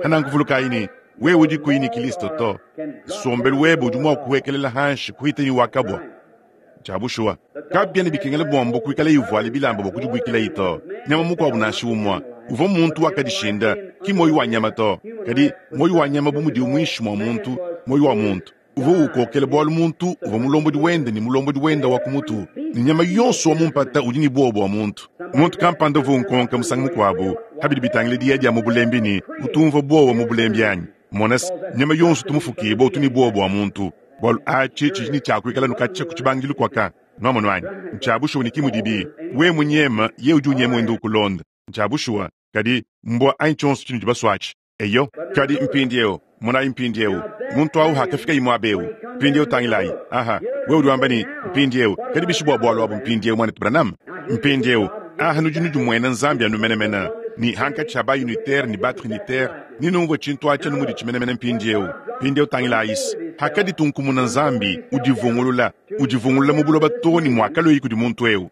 Hananku vulukayi ne, wewe udi kuyi ne Kilisto to, nsombelu webe udi mua kuhuekelela hanshi kuhita ne wa kabua. Ntshia bushuwa. Kabiena bikengela bua mbua kuikala ivuala bilamba bua kudibuikilayi to. Nyama mukuabu nansha umue uvua muntu wakadishinda, ki muoyo wa nyama to, kadi muoyo wa nyama bu mudiwu muinshi mua muntu, muoyo wa muntu uvua ukokela bualu muntu uvua mulombodi wende ne mulombodi wende wa ku mutu, ne nyama yonso wa mu mpata udi ne buowa bua muntu. Muntu kampanda uvua unkonka musangu mukuabu pa bidi bitangila diya dia mu bulembi ne, Utu umvua buowa mu bulembi anyi? Mona se, nyama yonso utu mufukibue utu ne buowa bua muntu, bualu atshi tshidi ne tshia kuikala anu katshia ku tshibangidilu kuaka. Nuamonu anyi? Ntshia bushuwa ne ki mudibi. Wewe munyeme, yeye udi unyema wenda ukulonda. Ntshia bushuwa. Kadi mbua anyi tshionso tshinudi basue atshi. Eyo. Kadi mpindieu, monayi mpindieu, muntu awu hakafikayi muaba eu. Mpindieu tangilayi. Aha, wewe udi wamba ne, Mpindieu, kadi bishi bua bualu abu mpindieu, Muanetu Branham? Mpindieu, aha nudi nudimuena Nzambi anu menemene, ne hankatshi ha ba-unitaire ne ba-trinitaire, ne numvue tshintu atshi anu muditshi menemene mpindieu. Mpindieu tangilayi's, hakaditunkumuna Nzambi, udivungulula, udivungulula mu buloba too ne muakalueyi kudi muntu eu.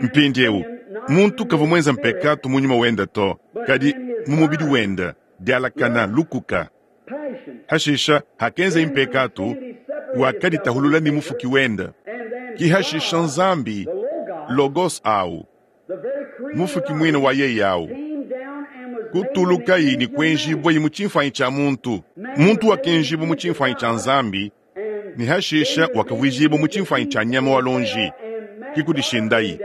Mpindieu, muntu kavua muenza mpekatu mu nyuma wende to, kadi mu mubidi wende, dialakana, lukuka. Hashisha, hakenzaye mpekatu, wakaditahulula ne Mufuki wende. Ki hashisha Nzambi, Logos au, Mufuki muine wa yeye au, kutulukayi ne kuenjibuayi mu tshimfuanyi tshia muntu. Muntu wakenjibua mu tshimfuanyi tshia Nzambi, ne hashisha wakavuijibua mu tshimfuanyi tshia nyama wa luonji, ki kudishindayi.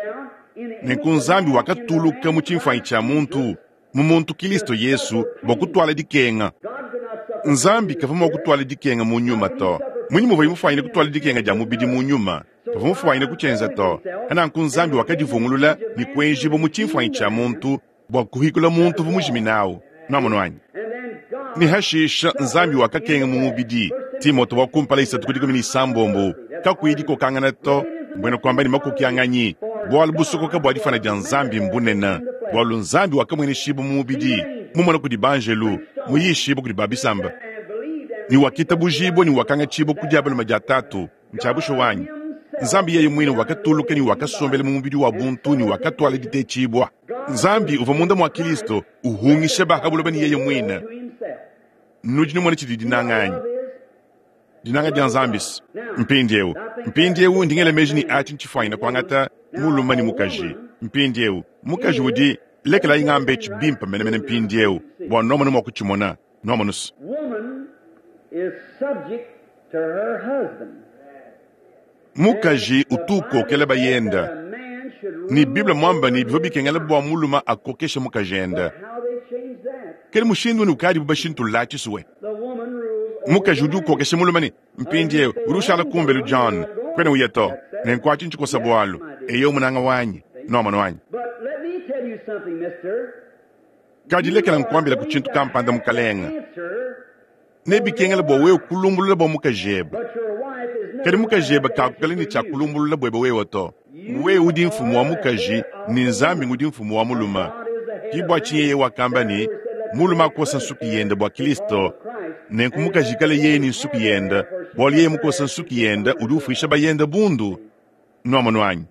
Nenku Nzambi wakatuluka mu tshimfuanyi tshia muntu, mu muntu Kilisto Yesu, bua kutuala dikenga. Nzambi kavua mua kutuala dikenga mu nyuma to. Munyi muvuaye mufuanyine kutuala dikenga dia mubidi mu nyuma? Kavua mufuanyine kutshienza to. Nanku Nzambi wakadivungulula ne kuenjibua mu tshimfuanyi tshia muntu bua kuhikula muntu uvua mujimine au. Nuamonu anyi? Ne hashisha Nzambi wakakenga mu mubidi. Timote wa kumpala isatu ku dikumi ne isambombo, kakuyi dikokangana to, mbuena kuamba ne makokianganyi, bualu busokoka bua difana dia Nzambi mbunene, bualu Nzambi wakamueneshibua mu mubidi, mumona kudi banjelu, muyishibue kudi ba bisamba, ne wakitabujibua ne wakangatshibua ku dia balume dia Tatu. Ntshia bushuwa anyi? Nzambi yeye muine wakatuluka ne wakasombela mu mubidi wa buntu ne wakatuala ditetshibua. Nzambi uvua munda mua Kilisto uhungisha ba ha buloba ne yeye muine. Nudi numona tshidi dinanga anyi? Dinanga dia Nzambi. Mpindieu, mpindieu ndi ngela meji ne atshi ntshifuanyine kuangata mulume ne mukaji. Mpindieu, mukaji udi, lekelayi ngambe etshi bimpe menemene mpindieu bua nuamone mua kutshimona. Nuamonu se. Mukaji utu ukokela bayende, ne Bible muamba ne bivua bikengela bua mulume akokeshe mukajende. Kadi mushindu uni ukadibu bashintulula tshisue. Mukaji udi ukokesha mulume ne mpindieu udi ushala kumbelu John, kuena uya to. Nenku atshi ntshikosa bualu. Eyo munanga wanyi. Nuamonu anyi? Kadi lekela nkuambilaku tshintu kampanda mukalenge. Nebikengele bua wewe kulumbulula bua mukajebe. Kadi mukajebe kakukala ne tshia kulumbulula buebe wewe to. Wewe udi mfumu wa mukaji ne Nzambi ngudi mfumu wa mulume. Ki bua tshinyi yeye wakamba ne, mulume akosa nsuki yende bua Kristo, nenku mukaji ikale yeye ne nsuki yende, bualu yeye mukosa nsuki yende udi ufuisha bayende bundu. Nuamonu anyi?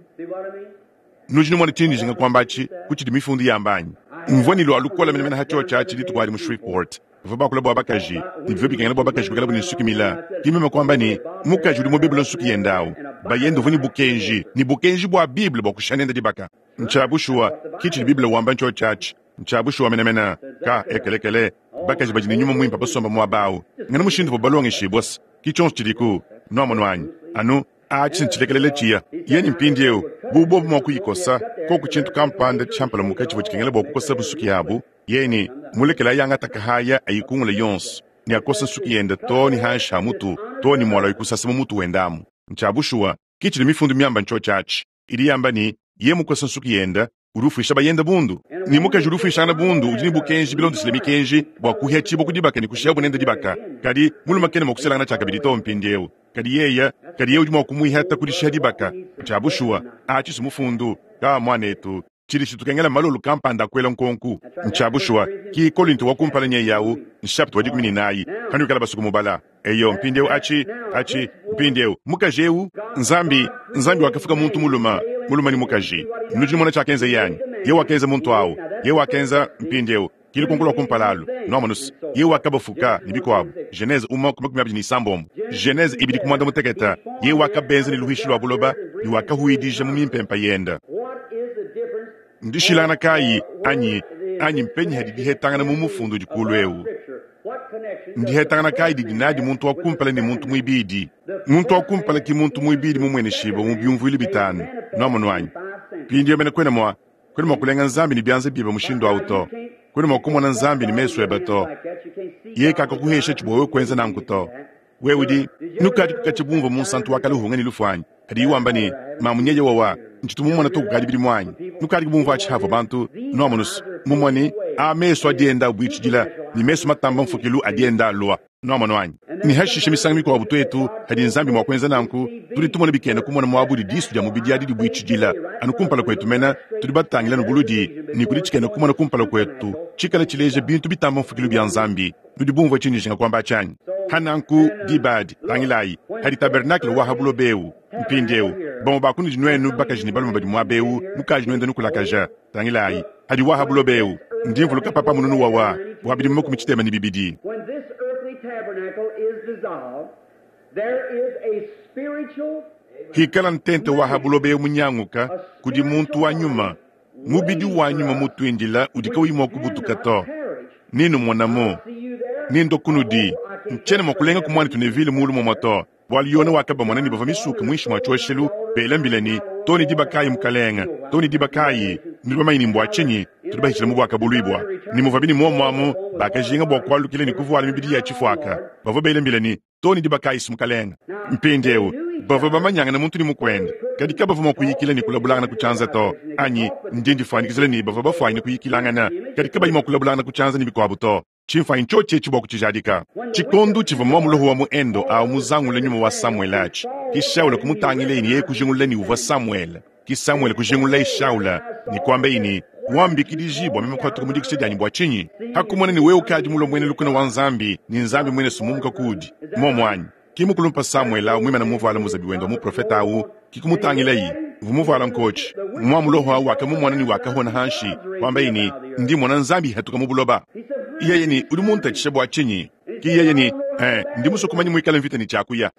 Nudi numona tshindi njinga kuamba atshi ku tshidi Mifundu yamba anyi? Mvua ne lua lukola menemene ha tshiotshi atshi dituku adi mu Shreveport. Bavua bakula bua bakaji, ne bivua bikengela bua bakaji kuikalabu ne nsuki mila. Ke meme kuamba ne, Mukaji udi mubebula nsuki yende awu, bayende uvua ne bukenji, ne bukenji bua Bible bua kushiha nende dibaka. Ntshia bushuwa, ke tshidi Bible wamba ntshiotshi atshi. Ntshia bushuwa menemene. Ka, ekelekele, bakaji badi ne Nyuma Muimpe basomba muaba awu. Ngena mushindu uvua balongeshibua-se. Ke tshionso tshidiku. Nwamonu anyi? Anu. Atshi ntshilekelele tshiya. Yeye mpindieu, bu bobu mua kuyikosa, koku tshintu kampanda tshiampalamuka tshivua tshikengela bua kukosa nsuki yabu, yeye ne mulekele ayangata kahaya ayikungula yonso ne akosa nsuki yende too ne hanshi ha mutu, too ne mualua kusasa mu mutu wende amu. Ntshia bushuwa, ke tshidi Mifundu miamba ntshiotshi atshi. Idi yamba ne, Yeye mukose nsuki yende, udi ufuisha bayende bundu, ne mukaji udi ufuishangana bundu udi ne bukenji bilondeshile mikenji bua kuhiatshibua ku dibaka ne kushihabu nende dibaka. Kadi mulume kena mua kuselangana tshiakabidi to mpindieu, kadi yeye kadi yeye udi mua kumuihata ku dishiha dibaka. Ntshia bushuwa, atshi si mufundu. Ka, muanetu, tshidi tshitukengela mmalolu kampanda a kuela nkonku. Ntshia bushuwa, ki Kolinto wa kumpala nyeye au, nshapita wa 14, panuikala basue kumubala. Eyo, mpindieu atshi, atshi, mpindieu, mukaji eu, Nzambi, Nzambi wakafuka muntu mulume, mulume ne mukaji. Nudi numona tshiakenzeye anyi? Yeye wakenza muntu au. Yeye wakenza, mpindieu, ki lukonko lua kumpala alu, nwamonu's, Yeye wakabafuka, ne bikuabu. Genese umue ku 21. Genese ibidi ku muanda-mutekete, Yeye wakabenza ne luhuishi lua buloba, ne wakahuidija mu mimpempe yende. Ndishilangana kayi, anyi, anyi mpenyi hadi dihetangana mu mufundu udi kulu eu? Ndihetangana kayi didi nadi muntu wa kumpala ne muntu muibidi? Muntu wa kumpala ki muntu muibidi mumueneshibue mu biumvuilu bitanu. Nuamonu anyi? Mpindieu mene kuena mua, kuena mua kulenga Nzambi ne bianza biebe mushindu au to. Kuena mua kumona Nzambi ne mesu ebe to. Yeye kakakuhesha bua wewe kuenza nanku to. Wewe udi nukadi kukatshia bumvua munsantu wa kale uhunga ne lufu anyi? Kadi wamba ne, Mamu nyeye wawa, ntshitu mumona to kukadi bidimu anyi? Nukadi bumvua atshi havua bantu, nuamonu's, mumue ne, a mesu adi enda abuitshidila, ne mesu matamba mfukilu adi enda alua. Nuamonu anyi? Ne hashishe misangu mikuabu tuetu, hadi Nzambi mua kuenza nanku, tudi tumona bikena kumona muaba udi disu dia mubidi adi dibuitshidila, anu kumpala kuetu mene, tudi batangila anu buludi, ne kudi tshikena kumona kumpala kuetu, tshikale tshileja bintu bitamba mfukilu bia Nzambi. Nudi bumvue tshindi njinga kuamba atshi anyi? Ha nanku, diba adi, tangilayi, hadi tabernakle wa ha buloba ewu mpindiewu, bamue ba kunudi nuenu bakaji ne balume badi muaba ewu nukaji nuenda nukulakaja, tangilayi, hadi wa ha buloba ewu. Ndi mvuluka papa mununu wawa wa bidimu 62. When this earthly tabernacle is dissolved, there is a spiritual Hikala ntente wa ha buloba ewu munyanguka, kudi muntu wa nyuma, mubidi wa nyuma mutuindila udi kauyi mua kubutuka to. Nenumonamu. Nendua kunudi. Ntshiena mua kulenga ku muanetu Neville muulu mumue to, bualu Yone wakabamona ne bavua misuke muinshi mua tshioshelu, bela mbila ne, Too ne diba kayi, Mukalenge? Too ne diba kayi? Nudi bamanye ne mbua tshinyi tudi bahitshila mu buakabuluibua? Ne muvuabi ne muomu amu, bakajinga bua kualukila ne kuvuala mibidi ya tshifuaka. Bavua bela mbila ne, Too ne diba kayi, Mukalenge? Mpindieu, bavua bamanyangana muntu ne mukuende, kadi kabavua mua kuyikila ne kulabulangana ku tshianza to. Anyi ndi ndifuanyikijila ne, bavua bafuanyine kuyikilangana, kadi kabayi mua kulabulangana ku tshianza ne bikuabu to. Tshimfuanyi ntshiotshi etshi bua kutshijadika. Tshikondo tshivua mua muloho wa mu Endo au muzangule nyuma wa Samuele atshi, ke Shaula kumutangileye ne yeye kujingulula ne, uvua Samuele. Ke Samuele kujingululaye Shaula ne kuambaye ne, Wambikidiji bua meme kuhatuka mu dikisha dianyi bua tshinyi? Hakumona ne wewe ukadi mulue muena lukuna wa Nzambi, ne Nzambi muine sumumuka kuudi. Muomu anyi? Ke mukulumpa Samuele au muimane muvuale muzabi wende wa muprofete au, ke kumutangilaye, uvua muvuale nkotshi. Mua muloho au wakamumona ne wakahona hanshi, kuambaye ne, Ndi mmona Nzambi ihatuka mu buloba. Yeye ne, Udi muntatshisha bua tshinyi? Ke yeye ne, Eh, ndi musue kumanya muikala mvita ne tshiakuya.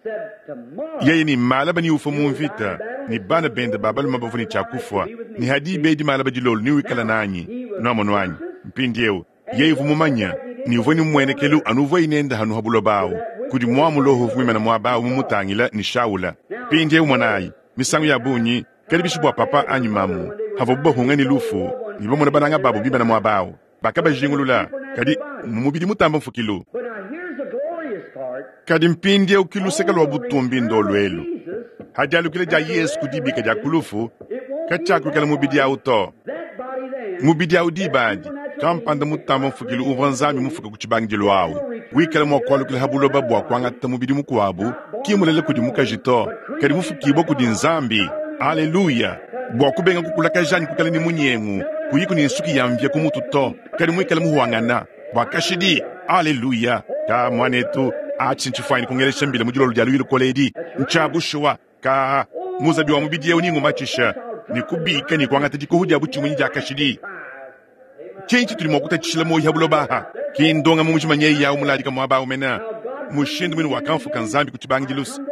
Yeye ne, Malaba neufue mu mvita, ne bana bende ba balume bavua ne tshia kufua, ne ha diba edi malaba dilolo newikale nanyi. Nuamonu anyi? Mpindieu, yeye uvua mumanye ne uvua ne mmuenekelu anu uvuaye nende hanu ha buloba awu, kudi mua muloho uvua muimane muaba awu mumutangile, ne Shaula. Mpindieu monayi, misangu ya bungi, kadi bishi bua papa anyi mamu, havuabu bahunga ne lufu, ne bamona bananga babu bimane muaba awu, bakabajingulula, kadi mu mubidi mutamba mfukilu. But now here's the glorious part. Kadi mpindieu ki luseke lua butumbi ndolu elu. Ha dialukila dia Yesu ku dibika dia ku lufu, katshiakuikala mubidi au to. That body then, Mubidi au diba adi, kampanda mutamba mfukilu uvua Nzambi mufuke ku tshibangidilu au, wikala mua kualukila ha buloba bua kuangata mubidi mukuabu, ki mulela kudi mukaji to, kadi mufukibue kudi Nzambi. Aleluya! Bua kubenga kukulakaja anyi kuikala ne munyengu, kuyiku ne nsuki ya mvia ku mutu to, kadi muikale muhuangana bua kashidi. Aleluya! Ka muanetu, atshi ntshifuanyine kungelesha mbila mu dilolo dia luyi lukole edi. Ntshia bushuwa. Ka muzabi wa mubidi eu ningumatshisha ne kubika ne kuangata dikoho dia butshimunyi dia kashidi. Ntshinyi tshitudi mua kutatshishila muoyi ha buloba aha? Ki ndongamu mujima nyeyi yawu muladika muaba awu mena, mushindu muine wakamfuka Nzambi ku tshibangidilu se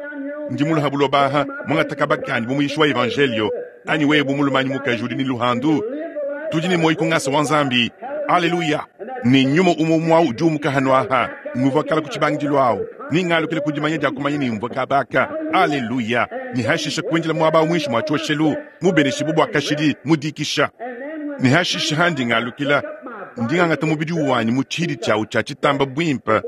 ndi mulue ha buloba aha, muangata kaba kandi bu muyishi wa evanjelio, anyi wewe bu mulume anyi mukaji udi ne luhandu, tudi ne muoyi ku ngasa wa Nzambi. Aleluya! Ne nyuma umue umue awu udi umuka hanu aha, nguvua kala ku tshibangidilu awu, ne ngalukila ku dimanya dia kumanya ne mvua kaba aka. Aleluya! Ne hashisha kuindila muaba awu muinshi mua tshioshelu, mubeneshibue bua kashidi mu dikisha. Ne hashishe handi ngalukila, ndi ngangata mubidi wanyi mu tshihidi tshiawu tshia tshitamba buimpe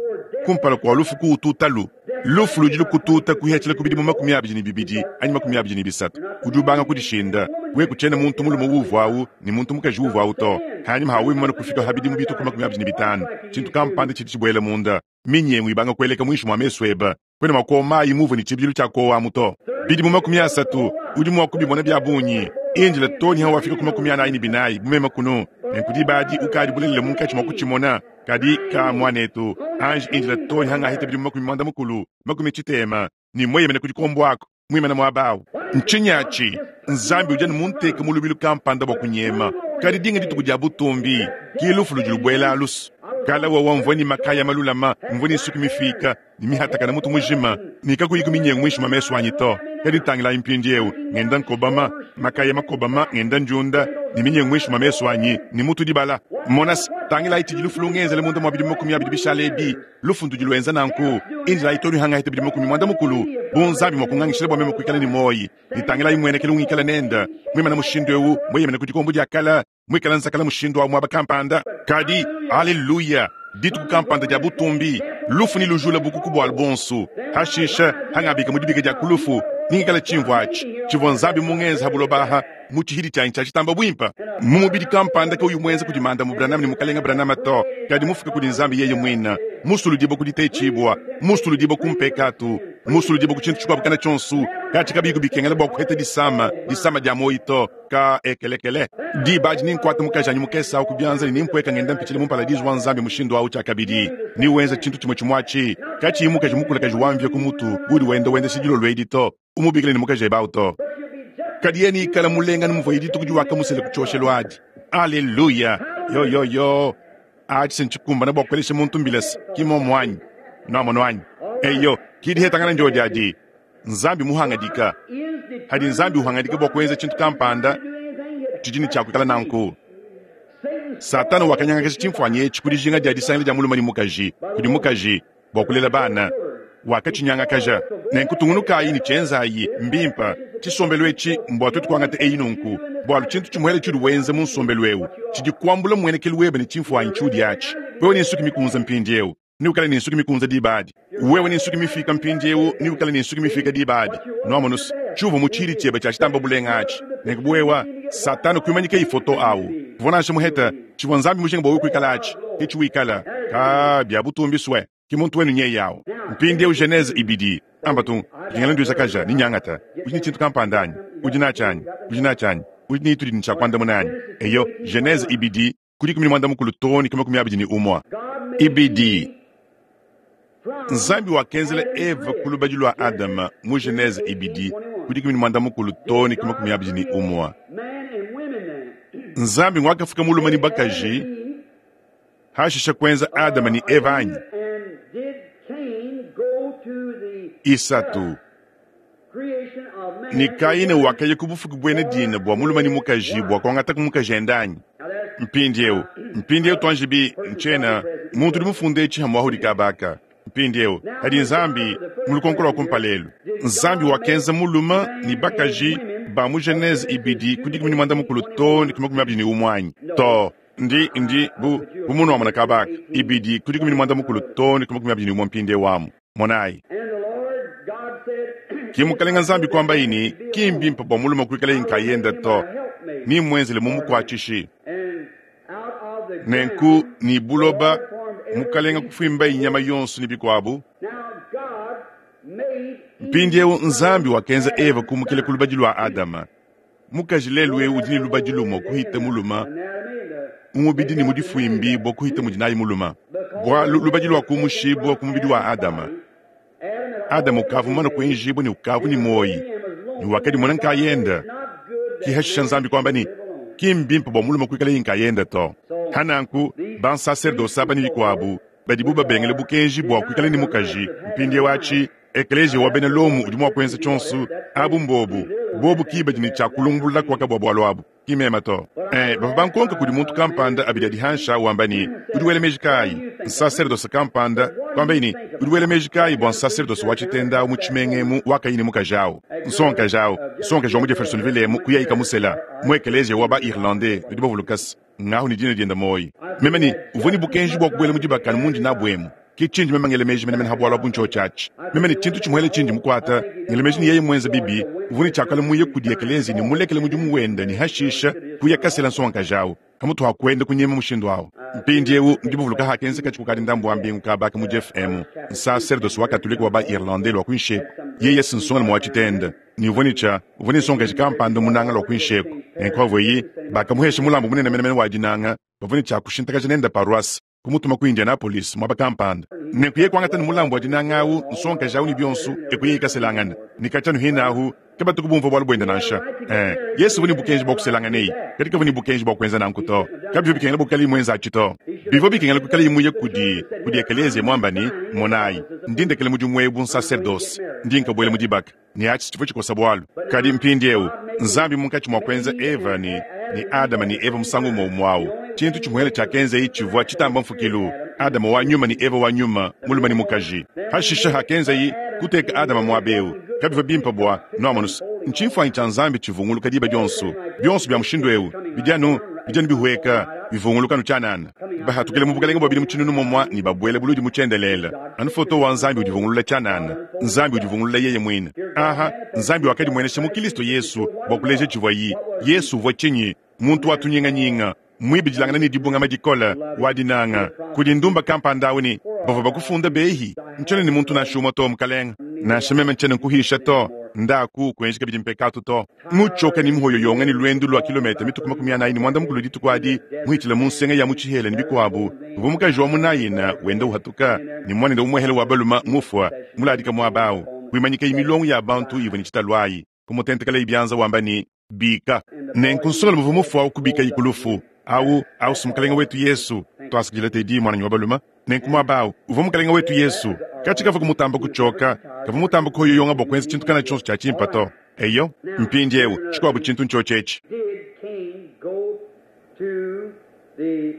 kumpala kua lufu kuwututalu. Lufu ludi lukututa kuhiatshila ku bidimu 22 anyi 23, udi ubanga kudishinda. Wewe kutshiena muntu mulume uvuawu ne muntu mukaji uvuawu to. Hanyima ha wewe mumane kufika ha bidimu bitue ku 25, tshintu kampanda tshidi tshibuela munda, minyengu ibanga kueleka muinshi mua mesu ebe. Kuena mua kuowa mayi muuvua ne tshibidilu tshia kuowamu to. Bidimu 30 udi mua kubimona bia bungi. Indila too ne hawafika ku 44 bu meme kunu, nenku diba adi ukadi bulelela munkatshi mua kutshimona. Kadi ka, muanetu, anji indila too ne hangahita bidimu 60, 60, ne mueyemene ku dikombo aku, muimane muaba awu. Ntshinyi atshi? Nzambi udi anu munteke mu lubilu kampanda bua kunyema, kadi dinga dituku dia butumbi, ki lufu ludi lubuela alusu. Kala wawa mvua ne makaya malulama, mvua ne nsuki mifiika, ne mihatakana mutu mujima, ne kakuyiku minyengu muinshi mua mesu anyi to. Kadi tangilayi mpindieu, ngenda nkobama, makaya makobama, ngenda ndiunda, ne minyengu muinshi mua mesu anyi, ne mutu dibala. Mona se, tangilayi tshidi lufu lungenzele munda mua bidimu 20 bishale ebi. Lufu ndudi luenza nanku. Indilayi too ne hangahita bidimu 60, bu Nzambi mua kungangishila bua meme kuikala ne muoyi, ne tangilayi muenekelu ungikala nende, muimane mushindu eu, mueyemene ku dikombo dia kale, muikale nzakala mushindu wa muaba kampanda. Kadi, aleluya, dituku kampanda dia butumbi, lufu nelujule bukuku bualu buonso. Hashishe, hangabika mu dibika dia ku lufu, nengikale tshimvua atshi tshivua Nzambi mungenze ha buloba aha, mu tshihidi tshianyi tshia tshitamba buimpe, mu mubidi kampanda kauyi muenza kudi Mandamu Branham ne Mukalenge Branham to, kadi mufuka kudi Nzambi yeye muine, musuludibue ku ditetshibua, musuludibue ku mpekatu, musuludibue ku tshintu tshikuabu kana tshionso, katshi kabiyiku bikengela bua kuheta disama, disama dia muoyo to. Ka ekelekele. Diba adi nenkuate mukajanyi mukese awu ku bianza ne nempueka ngenda mpitshila mu mparadizu wa Nzambi mushindu awu tshiakabidi. Newenza tshintu tshimue tshimue atshi, katshiyi mukaji mukulakaji wa mvia ku mutu udi wenda wendesha dilolo edi to, umubikile ne mukajebe awu to. Kadi yeye neikale mulenga anu muvuaye dituku diwakamusela ku tshioshelu adi. Aleluya! Yo, yo, yo! Atshi se ntshikumbane bua kuelesha muntu mbila se, ki mmuomu anyi? Nuamonu anyi? Eyo, ki dihetangana ndiodi adi. Nzambi muhangadika. Hadi Nzambi uhangadika bua kuenza tshintu kampanda, tshidi ne tshia kuikala nanku. Satana wakanyangakaja tshimfuanyi etshi ku dijinga dia disangila dia mulume ne mukaji kudi mukaji bua kulela bana. Wakatshinyangakaja. Nenku tungunukayi ne tshienzayi. Mbimpe. Tshisombelu etshi mbua tuetu kuangata eyi nunku, bualu tshintu tshimuele tshiudi wenza mu nsombelu eu tshidi kuambula mmuenekelu webe ne tshimfuanyi tshiudi atshi. Wewe ne nsuki mikunze mpindieu, Neukale ne nsuki mikunze diba adi. Wewe ne nsuki mifiika mpindiewu, neukale ne nsuki mifiika diba adi. Nwamonu-se, tshiuvua mu tshiidi tshiebe tshia tshitamba bulenga atshi. Nenku bu wewe, Satana kuimanyika ifoto awu. Kuvua nansha muhete tshivua Nzambi mujinga bua wewe kuikala atshi, ke tshiwikala. Kaa, bia butumbi swe, ki muntu wenu nyeye awu. Mpindiewu Genese ibidi. Amba tung, dingela nduisakaja ne nyangata. Udi ne tshintu kampanda anyi? Udi natshi anyi? Udi natshi anyi? Udi ne itudi ne tshia kuandamuna anyi? Eyo, Genese ibidi. Ku 16 too ne ku 21. Ibidi. Nzambi wakenzela Eva ku lubadi lua Adama mu Genese ibidi ku 16 too ne ku 21. Nzambi nguakafuka mulume ne bakaji, hashishe kuenza Adama ne Eva anyi? Isatu. Ne Kaina wakaya ku bufuki buena dina bua mulume ne mukaji bua kuangataku mukajende anyi? Mpindieu, mpindieu tuanjibi, ntshiena muntu udi mufunde etshi hamuahudi kabaka. Mpindieu, kadi Nzambi, mu lukonko lua kumpala elu, Nzambi wakenza mulume ne bakaji ba mu Genese ibidi ku 16 too ne ku 21 anyi? Too. Ndi, ndi, bu, bu munuamona kabaka, ibidi ku 16 too ne ku 21 mpindieu amu. Monayi. Ke Mukalenga Nzambi kuambaye ne, Ki mbimpe bua mulume kuikalaye nkayende to, nemmuenzele mumukuatshishi. Nenku ne buloba, Mukalenga kufuimbaye nyama yonso ne bikuabu. Mpindieu Nzambi wakenza Eva kumukila ku lubadi lua Adama. Mukaji lelu eu udi ne lubadi lumue kuhita mulume mu mubidi ne mu difuimbibua kuhita mudi nayi mulume, bualu lubadi luakumushibua ku mubidi wa Adama. Adama ukavua mumane kuenjibua ne ukavua ne muoyi ne wakadimona nkayende. Ke hashisha Nzambi kuamba ne, Ki mbimpe bua mulume kuikalaye nkayende to. Pa nanku, bansaserdose aba ne bikuabu, badibu babengele bukenji bua kuikala ne mukaji, mpindieu atshi, Ekeleziya wa bena Lomo udi mua kuenza tshionso, abu mbobu, bobu ki badi ne tshia kulumbulula kuaka bua bualu abu, ki meme to. Ee, bavua bankonka kudi muntu kampanda abidi adi hanshi awu wamba ne, Udi wela meji kayi? Nsaserdose kampanda, kuambaye ne, Udi wela meji kayi bua nsaserdose wa tshitenda awu mu tshimenga emu wakayi ne mukaji awu? Nsongakaji awu, nsongakaji wa mu Jeffersonville emu, kuyayi kamusela, mu ekeleziya wa ba-Irlandais, nudi bavuluka's. Ngahu ne dina diende muoyi. Meme ne, Uvua ne bukenji bua kubuela mu dibaka anu mundi nabu emu. Ke tshindi meme ngela meji menemene ha bualu abu ntshiotshi atshi. Meme ne tshintu tshimuele tshindi mukuate, ngela meji ne yeye muenze bibi, uvua ne tshiakala muye kudi ekeleziya ne mulekele mudimu wende ne hashisha kuya kasela nsongakaji awu, pamutu ha kuenda kunyema mushindu awu. Mpindiewu nudi buvuluka hakenzeka tshikukadi ndambu wa mbingu kaba aka mu Jeff emu, nsaserdose wa Katolike wa ba-Irlandais lua kuinshi eku, yeye si nsongalume wa tshitende, ne uvua ne tshia, uvua ne nsongakaji kampanda munanga lua kuinshi eku. Nenku havuaye, bakamuhesha mulambu munene menemene wa dinanga, bavua ne tshia kushintakaja nende paroisse, kumutuma ku Indianapolis, muaba kampanda. Nenku yeye kuangata ne mulambu wa dinanga awu, nsongakaji awu ne bionso, eku yeye kaselangana. Ne katshia anu hine ahu, kabatuku bumvua bualu buende nansha. Ee, Yesu uvua ne bukenji bua kuselanganeyi, kadi kavua ne bukenji bua kuenza nanku to. Kabivua bikengela bua kuikalaye muenze atshi to. Bivua bikengela kuikalaye muye kudi, kudi ekeleziya muamba ne, Monayi, ndi ndekela mudimu ewu bu nsaserdose. Ndi nkabuela mu dibaka. Ne atshi tshivua tshikosa bualu. Kadi mpindiewu, Nzambi munkatshi mua kuenza Eva ne, ne Adama ne Eva musangu umue umue awu, tshintu tshimuele tshiakenzaye tshivua tshitamba mfukilu, Adama wa nyuma ne Eva wa nyuma, mulume ne mukaji. Pashishe hakenzaye, kuteka Adama muaba eu, kabivua bimpe bua, nuamonu's, ntshimfuanyi tshia Nzambi tshivunguluka diba dionso. Bionso bia mushindu eu bidi anu, bidi anu bihueka, bivunguluka anu tshianana. Bahatukile mu bukelenge bua bidimu tshinunu mumue ne babuele buludi mu tshiendelele. Anu foto wa Nzambi udivungulula tshianana, Nzambi udivungulula yeye muine. Aha, Nzambi wakadimuenesha mu Kilisto Yesu bua kuleja tshivuaye. Yesu uvua tshinyi? Muntu wa tunyinganyinga, muibidilangane ne dibungama dikole, wa dinanga. Kudi ndumba kampanda awu ne, Bavua bakufunda behi? Ntshiena ne muntu nansha umue to, Mukalenge. Nansha meme ntshiena nkuhisha to. Ndaku, kuenji kabidi mpekatu to. Mutshioka ne muhoyoyonga ne luendu lua kilometa mituku 41 dituku adi, muhitshile mu nsenga ya mu tshihela ne bikuabu, uvua mukaji wa mu Naina wenda uhatuka ne muanende umuehele wa balume mufua, muladika muaba au. Kuimanyikaye milongo ya bantu ivua ne tshitalu ayi, kumutentekelaye bianza wamba ne, Bika! Nenku nsongalume uvua mufue au kubikaye ku lufu. Au, au si Mukalenge wetu Yesu! Tuasakidila Teddy, muananyi wa balume. Nenku muaba au uvua Mukalenge wetu Yesu. Katshi kavua kumutamba kutshioka, kavua mutamba kuhoyoyonga bua kuenza tshintu kana tshionso tshia tshimpe to. Eyo, mpindieu, tshikuabu tshintu ntshiotshi etshi. Did Cain go to the,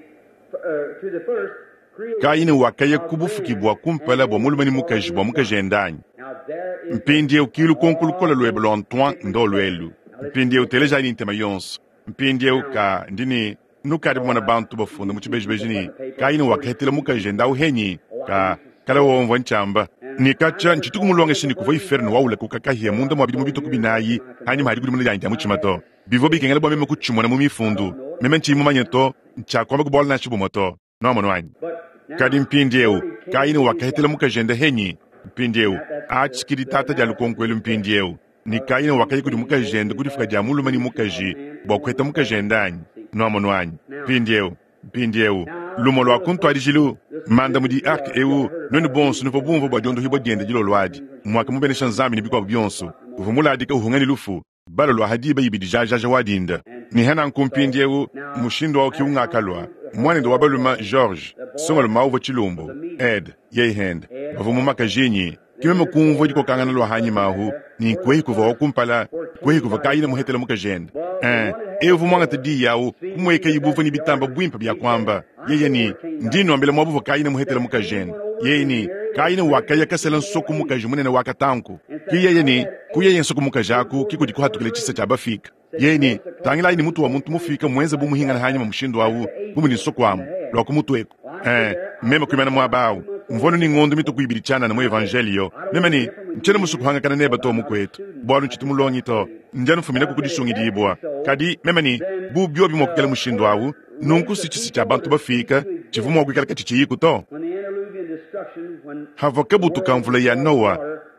to the first creation Kayine wakaya ku of bufuki man bua kumpala and bua mulume ne did mukaji bua for mukajende anyi? Now there is a Mpindieu ki lukonko lukole luebe lua Antoine secret ndoluelu. question. Now listen Mpindieu to this. telejayi ne ntema yonso. Mpindieu ka ndi ne nukadi bamona bantu bafunda mu tshibejibeji ne, Kayine wakahetela mukajende awu henyi? Ka kala womvua ntshiamba ne katshia ntshituku mulongeshe ne kuvua iferno waula kukakahia munda mua bidimu bituku binayi hanyima hadi kudimuna dianyi dia mutshima to. Bivua bikengela bua meme kutshimona mu mifundu. Meme ntshiyi mumanye to, ntshiakuamba ku bualu nansha bumue to. Nuamonu anyi? But Kadi now, mpindieu, where did Cain Kayine get his wakahetela wife? mukajende henyi? Mpindieu, That, that's atshi the, ki the, ditata now dia that's lukonko elu the question. mpindieu. Ne Kayine wakaya kudi Did Cain go mukajende to ku difuka the dia mulume ne creation of mukaji man bua and kuheta woman? mukajende anyi? See. Nuamonu anyi? Now, Mpindieu, mpindieu, now lumue lua the ku first, ntuadijilu, this, manda this mudi is uh, arke y'all eu, heard nuenu about bonso Jesus nuvua bumvua bua diondohibua diende dilolo adi, muakamubenesha Nzambi ne bikuabu bionso, uvua muladika uhunga ne lufu, balo lua hadiba ibidi jajaja wa dinda. Ne hananku So mpindieu, now mushindu awu ki that ungakalua. comes to the first Muanende wa boy, balume George, the boy songalume awu uvua was tshilumbu, a medium. Ed, yeye hende, Ed bavua mu was makajinyi. the Kimeme other kumvua boy dikokangana lua hanyima ahu, ne nkuehi kuvua wa kumpala, where kuehi Cain kuvua got his Kayine wife. muhetele mukajende. Well, the Eh, one that had eu the uvua muangate sword, diyi awu, seemed to be kumueka the ibuvua best ne bitamba judge. buimpe bia He said, kuamba. I Yeye know ne, where Cain got ndi his nuambila wife. muaba uvua Kayine muhetele That Cain mukajende. went over Yeye and ne, married a Kayine great wakaya big kasela female nsoku ape mukaji munene wa katanku. and Ki said, yeye Out ne, of that kuyeye ape nsoku mukaji came aku forth ki the kudi kuhatukila first tshisa race. tshia bafika. Said, Yeye ne, notice the color tangilayi ne of mutu wa the muntu man mufika muenze bu like muhingana that. hanyima mushindu That's awu, the ape bu mudi and nsoku amu, the head. lua ku mutu eku. Well, I stood Eh, there. I meme was kuimana just muaba about awu. 2 months old Mvua in ne the ngondo gospel. mituku ibidi tshianana mu I said, evangelio. I don't Meme want to ne, differ with ntshiena you, musue man, kuhangakana nebe because to I'm not a mukwetu. student. Bualu I ntshitu just got mulongi to. saved. Ndianu mfumina But ku I said, if that kudisungidibua. be so, Kadi meme ne, then bu biobi mua kuikala the mushindu first awu, nunku race si of tshisi tshia people bantu to cease bafika, to tshivua exist mua kuikala katshitshiyiku to. when the antediluvian destruction, when Havua the kabutu ka world mvula ya was Noa, water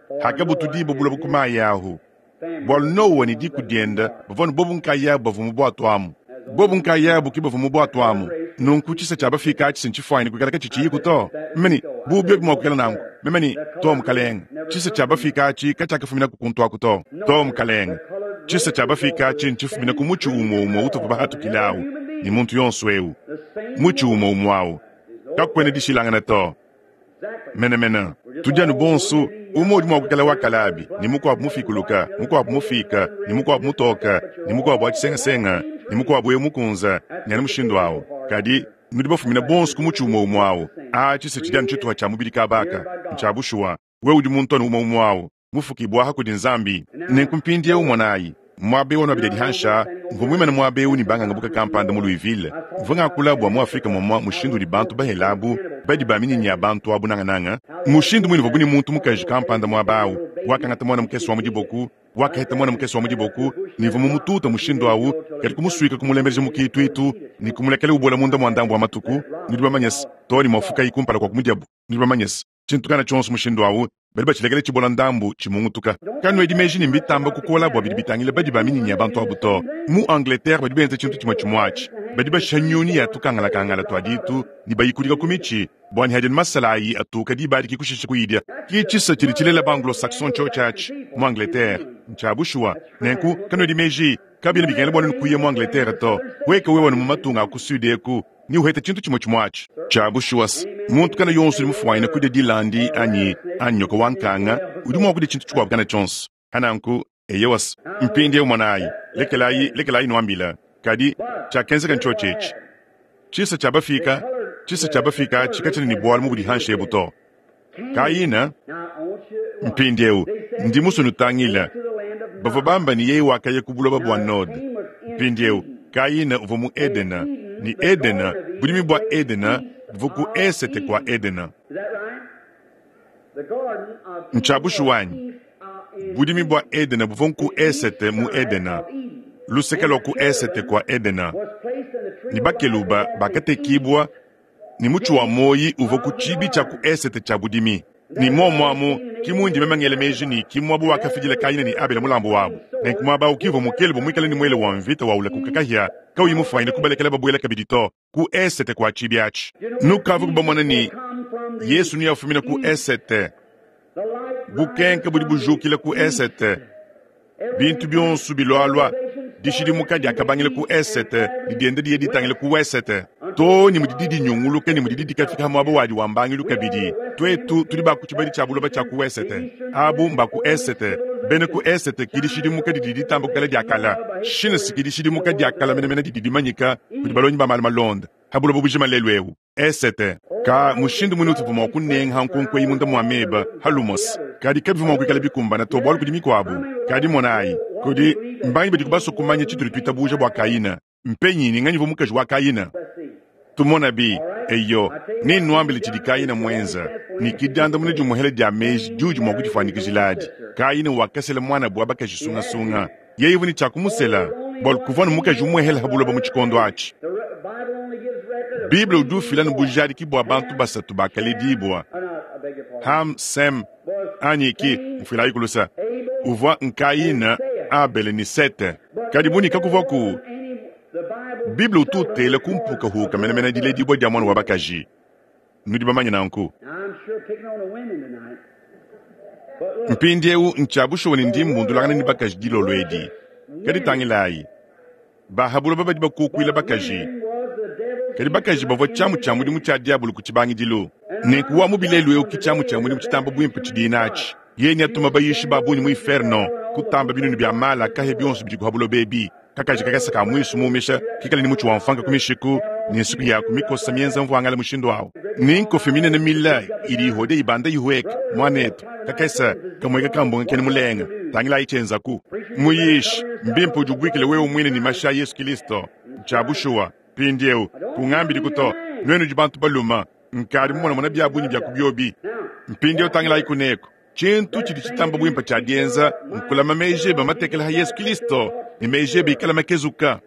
for Noah hakabutudibua and buloba ku his mayi ahu. family Bualu was the Noa only ne ones diku that was in the diende ark. bavua ne bobu nkayabu bavua mu bwato amu. As only Bobu one nkayabu ki bavua mu That bwato first amu. race to Nunku cease tshisa to tshia exist. bafika atshi sintshifuanyine kuikala I katshitshiyiku said, to. if that be Meme so, I bu said, biobi mua no, kuikala nanku. sir. Meme ne, The to colored race mukalenge. never Tshisa come tshia from there. bafika atshi katshiakafumina ku kuntu aku to. No, To sir. mukalenge. The colored Tshisa race tshia is bafika of atshi the ntshifumina ku same mutshi tree umue umue utuvua of an bahatukile every awu. human ne muntu yonso eu. Mutshi umue umue au. Kakuena dishilangana to. Menemene. Tudi anu bonso, umue udi mua kuikala wa kalabi, ne mukuabu mufikuluka, mukuabu mufiika, ne mukuabu mutoka, ne mukuabu wa tshisengasenga, ne mukuabu eu mukunza, ne anu mushindu au. Kadi nudi bafumine bonso ku mutshi umue umue au. Atshi se tshidi anu tshituha tshia mubidi kaba aka. Ntshia bushuwa. Wewe udi muntu anu umue umue au, mufukibua aha kudi Nzambi. Nenku mpindieu monayi, muaba eu wa nuabidi adi hanshi aa, mvua muimane muaba eu ne bangangabuka kampanda mu Louisville. Mvua ngakula bua mu Afrike muamua mushindu udi bantu bahela abu, badi ba minyinyi ya bantu abu nangananga. Mushindu muine uvuabu ne muntu mukaji kampanda muaba au, wakangata muana mukese wa mu diboku, wakaheta muana mukese wa mu diboku, ne mvua mumututa mushindu au, kadi kumusuika kumulembeleja mu kiituitu ne kumulekela ubola munda mua ndambu wa matuku, nudi bamanye se, too ne muafukayi kumpala kua kumudiabu. Nudi bamanye se, tshintu kana tshionso mushindu au, badi batshilekela tshibola ndambu, tshimungutuka. Kanuedi meji ne mbitamba kukola bua bidi bitangila badi ba minyinyi ya bantu abu to. Mu Angleterre badi benza tshintu tshimue tshimue atshi. Badi bashiha nyunyi ya tukangalakangala tua ditu ne bayikudika ku mitshi bua ne hadi anu masala ayi atuka diba adi ki kushisha kuyidia. Ki tshisa tshidi tshilela ba Anglo-Saxon ntshiotshi atshi mu Angleterre. Ntshia bushuwa. Nenku kanuedi meji, kabiena bikengela bua nuenu kuya mu Angleterre to. Weka wewe anu mu matunga a ku Sud eku Neuhete tshintu tshimue tshimue atshi. Tshia bushuwa se, muntu kana yonso udi mufuanyine kudia dilandi anyi, anyi nyoka wa nkanga, udi mua kudia tshintu tshikuabu kana tshionso. Pa nanku, eyowa se, mpindieu monayi, lekelayi, lekelayi nuambila. Kadi, tshiakenzeka ntshiotshi etshi. Tshisa tshia bafika, tshisa tshia bafika atshi katshiena ne bualu mu budihanshi ebu to. Kayina, mpindieu, ndi musue nutangile. Bavua bamba ne yeye wakaya ku buloba bua Node. Mpindieu, Kayina uvua mu Edena, ne Edena, budimi bua Edena buvua ku esete kua Edena. Ntshia bushuwa anyi? Budimi bua Edena buvua nku esete mu Edena, luseke lua ku esete kua Edena, ne bakeluba bakatekibua ne mutshi wa muoyi uvua ku tshiibi tshia ku esete tshia budimi. Ne muomu amu ki mundi meme ngela meji ne ki mmuaba wakafidila Kayina ne Abele mulambu wabu. Nenku muaba au ki uvua mukeluba muikale ne muele wa mvita wa ulakuka kahia kauyi mufuanyine kubalekela babuela kabidi to, ku esete kua tshiibi atshi. Nukavuku bamone ne, Yesu neafumine ku esete. Bukenke budi bujukila ku esete. Bintu bionso bilualua, dishidimuka diakabangila ku esete ne dienda diya ditangila ku wesete, too ne mudidi dinyunguluka ne mudidi dikafika ha muaba wadi wa mbangilu kabidi. Tuetu tudi ba ku tshibadi tshia buloba tshia ku wesete, abu mba ku esete. Bena ku esete ki dishidimuka didi ditamba kukala dia kala. Shines ki dishidimuka dia kala menemene didi dimanyika kudi balongi ba malu malonda ha buloba bujima lelu eu. Esete. Ka mushindu muine utuvua mua kunenga nkonko eyi munda mua meba ha lumose, kadi kabivua mua kuikala bikumbana to bualu kudi mikuabu. Kadi monayi, kudi mbangi badiku basue kumanya tshitudi tuitabuja bua Kayina. Mpenyi ne nganyi uvua mukaji wa Kayina? Tumonabi. Eyo, nennuambile tshidi Kayina muenza, ne ki diandamuna dimuehela dia meji diudi mua kudifuanyikijila adi. Kayina wakasela muanabu wa bakaji sungasunga. Yeye uvua ne tshia kumusela, bualu kuvua anu mukaji umuehela ha buloba mu tshikondo atshi. Bible udi ufila ne bujadiki bua bantu basatu bakaledibua, Ham, Sem, anyi ki mfuilayi ku lusa, uvua Nkayina, Abele ne Sete. Kadi bu ne kakuvuaku, Bible utu utela ku mpukahuka menemene diledibua dia muana wa bakaji. Nudi bamanye nanku. Mpindieu ntshia bushuwa ne ndi mbundulangana ne bakaji dilolo edi. Kadi tangilayi, ba ha buloba badi bakukuila bakaji, kadi bakaji bavua tshiamu tshia mudimu tshia diabolo ku tshibangidilu. Nenku wa mubi lelu eu ki tshiamu tshia mudimu tshitamba buimpe tshidiye natshi. Yeye neatuma bayishi ba bungi mu inferno, kutamba binunu bia mala kahia bionso bidi ku ha buloba ebi. Kakaji kakese ka muisu muumisha kikale ne mutshi wa mfanka ku mishiku ne nsuki yaku mikosa mienza mvuangala mushindu au, ne nkofi minene mile idi ihodia ibanda ihueka. Muanetu, kakese kamueka ka mbonga kena mulenga. Tangilayi tshienzaku. Muyishi, mbimpe udibuikile wewe muine ne mashi a Yesu Kilisto. Ntshia bushuwa. Mpindieu, kungambidiku to, nuenu nudi bantu balume. Nkadi mumonamona bia bungi bia ku biobi. Mpindieu tangilayi kuneku. Tshintu tshidi tshitamba buimpe tshia dienza nkulama meji ebe matekela ha Yesu Kilisto ne meji ebe ikala makezuka.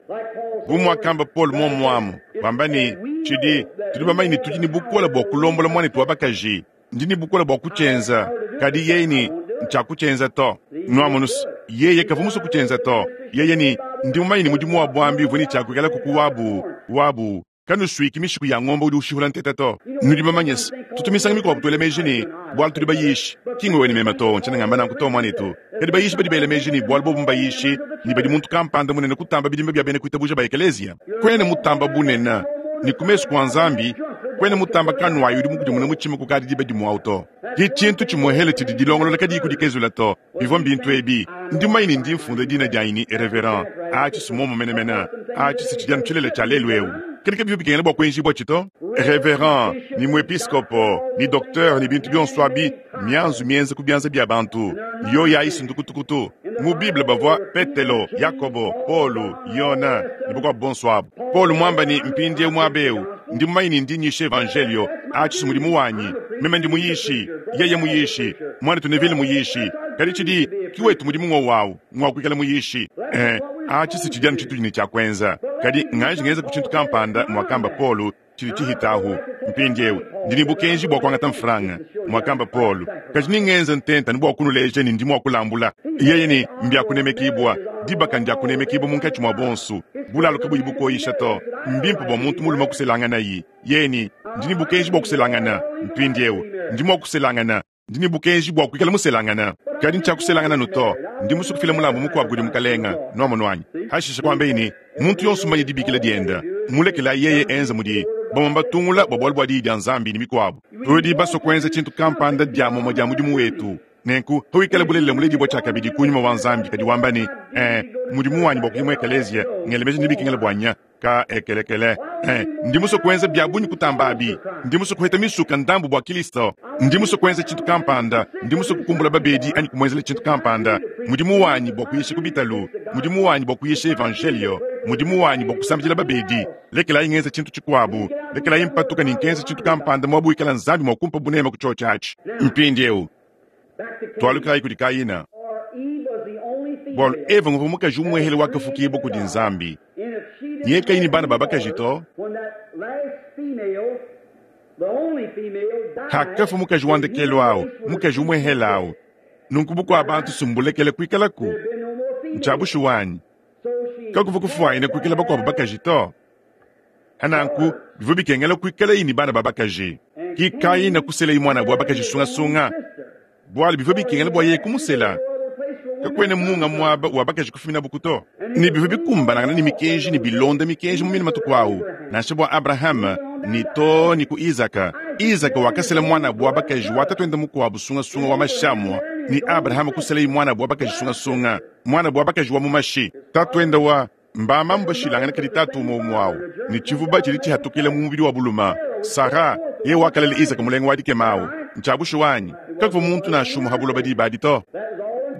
Bu muakamba Paulo muomuamu, wamba ne, Tshidi, tudi bamanye ne tudi ne bukole bua kulombola muanetu wa bakaji. Ndi ne bukole bua kutshienza, kadi yeye ne, ntshiakutshienza to. Nuamonus, yeye kavua musue kutshienza to. Yeye ne, ndi mumanye ne mudimu wa buambi uvua ne tshiakuikala kuku wabu, wabu. Kanusuiki mishiku ya ngombe udi ushihula ntete to. Nudi bamanye se, tutu misangu mikuabu tuela meji ne, bualu tudi bayishi, ki ngwewe ne meme to, ntshiena ngamba nanku to, muanetu. Kadi bayishi badi bela meji ne, bualu bobu mbayishi, ne badi muntu kampanda munene kutamba bidimba bia bena kuitabuja ba ekeleziya. Kuena mutamba bunene, ne ku mesu kua Nzambi, kuena mutamba kanuayi udi mukudimune mutshima kukadi diba dimue au to. Ki tshintu tshimuehele tshidi dilongolola kadiyi kudikezula to. Bivua mbintu ebi. Ndi mumanye ne ndi mfunda dina dianyi ne Reverend. Atshi si muomu menemene. Atshi si tshidi anu tshilele tshia lelu eu. Kadi kabivua bikengela bua kuenjibuatshi to. Reverend, ne muepiskopo, ne doktere, ne bintu bionso abi, mianzu mienza ku bianza bia bantu. Yoyi ayi si ndukutukutu. Mu Bible bavua Petelo, Yakobo, Paulo, Yone, ne bakuabu bonso abu. Paulo muamba ne, Mpindieu muaba eu, ndi mumanye ne ndi nyisha Evanjeliyo. Atshi si mudimu wanyi. Meme ndi muyishi, yeye muyishi, muanetu Neville muyishi. Kadi tshidi, ki wetu mudimu ng'wowu au, ng'wa kuikala muyishi. Ee, atshi si tshidi anu tshitudi ne tshia kuenza. Kadi nganji ngenzaku tshintu kampanda, muakamba Paulo, tshidi tshihitahu. Mpindieu ndi ne bukenji bua kuangata mfranga, muakamba Paulo, kadi ningenze ntenta anu bua kunuleja ne ndi mua kulambula. Yeye ne, Mbia kunemekibua, dibaka ndia kunemekibua munkatshi mua bonso, bulalu kabuyi bukoyisha to. Mbimpe bua muntu mulume kuselanganayi. Yeye ne, Ndi ne bukenji bua kuselangana. Mpindieu ndi mua kuselangana. Ndi ne bukenji bua kuikala muselangana, kadi ntshiakuselangana anu to. Ndi musue kufila mulambu mukuabu kudi Mukalenga. Nuamonu anyi? Hashishe kuambaye ne, Muntu yonso mmanye dibikila diende, mulekelayi yeye enze mudi bamue batungula bua bualu bua Diyi dia Nzambi ne mikuabu. Tudi basue kuenza tshintu kampanda dia mumue dia mudimu wetu. Nenku, pawikala bulelela muledibua tshiakabidi ku Nyuma wa Nzambi, kadi wamba ne, Ee, mudimu wanyi bua kuya mu ekeleziya, ngela meji ne bikengela bua nya. Ka ekelekele. Eh, ndi musue kuenza bia bungi kutamba abi. Ndi musue kuheta misuka ndambu bua Kilisto. Ndi musue kuenza tshintu kampanda. Ndi musue kukumbula babedi anyi kumuenzela tshintu kampanda. Mudimu wanyi bua kuyisha ku bitalu. Mudimu wanyi bua kuyisha evanjelio. Mudimu wanyi bua kusambidila babedi. Lekelayi ngenza tshintu tshikuabu. Lekelayi mpatuka ne nkenza tshintu kampanda muaba wikala Nzambi mua kumpa bunema ku tshiotshi atshi. Mpindieu, tualukilayi kudi Kayina. Bualu Eva nguvua mukaji umuehele wakafukibua kudi Nzambi. Nyeye kayi ne bana ba bakaji to. Hakafua mukaji wa ndekelu au, mukaji umuehele au, nunku bukua bantu sumbulekele kuikalaku. Ntshia bushuwa anyi? Kakuvua kufuanyine kuikala bakuabu bakaji to. Nanku bivua bikengela kuikalayi ne bana ba bakaji. Ki Kayina kuselayi muanabu wa bakaji sungasunga, bualu bivua bikengela bua yeye kumusela. Kakuena munga muaba wa bakaji kufuminabuku to. Ne bivua bikumbanangana ne mikenji ne bilonda mikenji mu mine matuku au, nansha bua Abrahame ne too ne ku Izaka. Izaka wakasela muanabu wa bakaji wa tatuende mukuabu sungasunga wa mashamua, ne Abrahame kuselayi muanabu wa bakaji sungasunga, muanabu wa bakaji wa mu mashi, tatuende wa Mbamamu bashilangane kadi tatu umue umue au, ne tshivuba tshidi tshihatukila mu mubidi wa buluma. Sara, yeye wakalela Isaka mulenga wa dikema au. Ntshia bushuwa anyi? Kakuvua muntu nansha umue ha buloba diba adi to.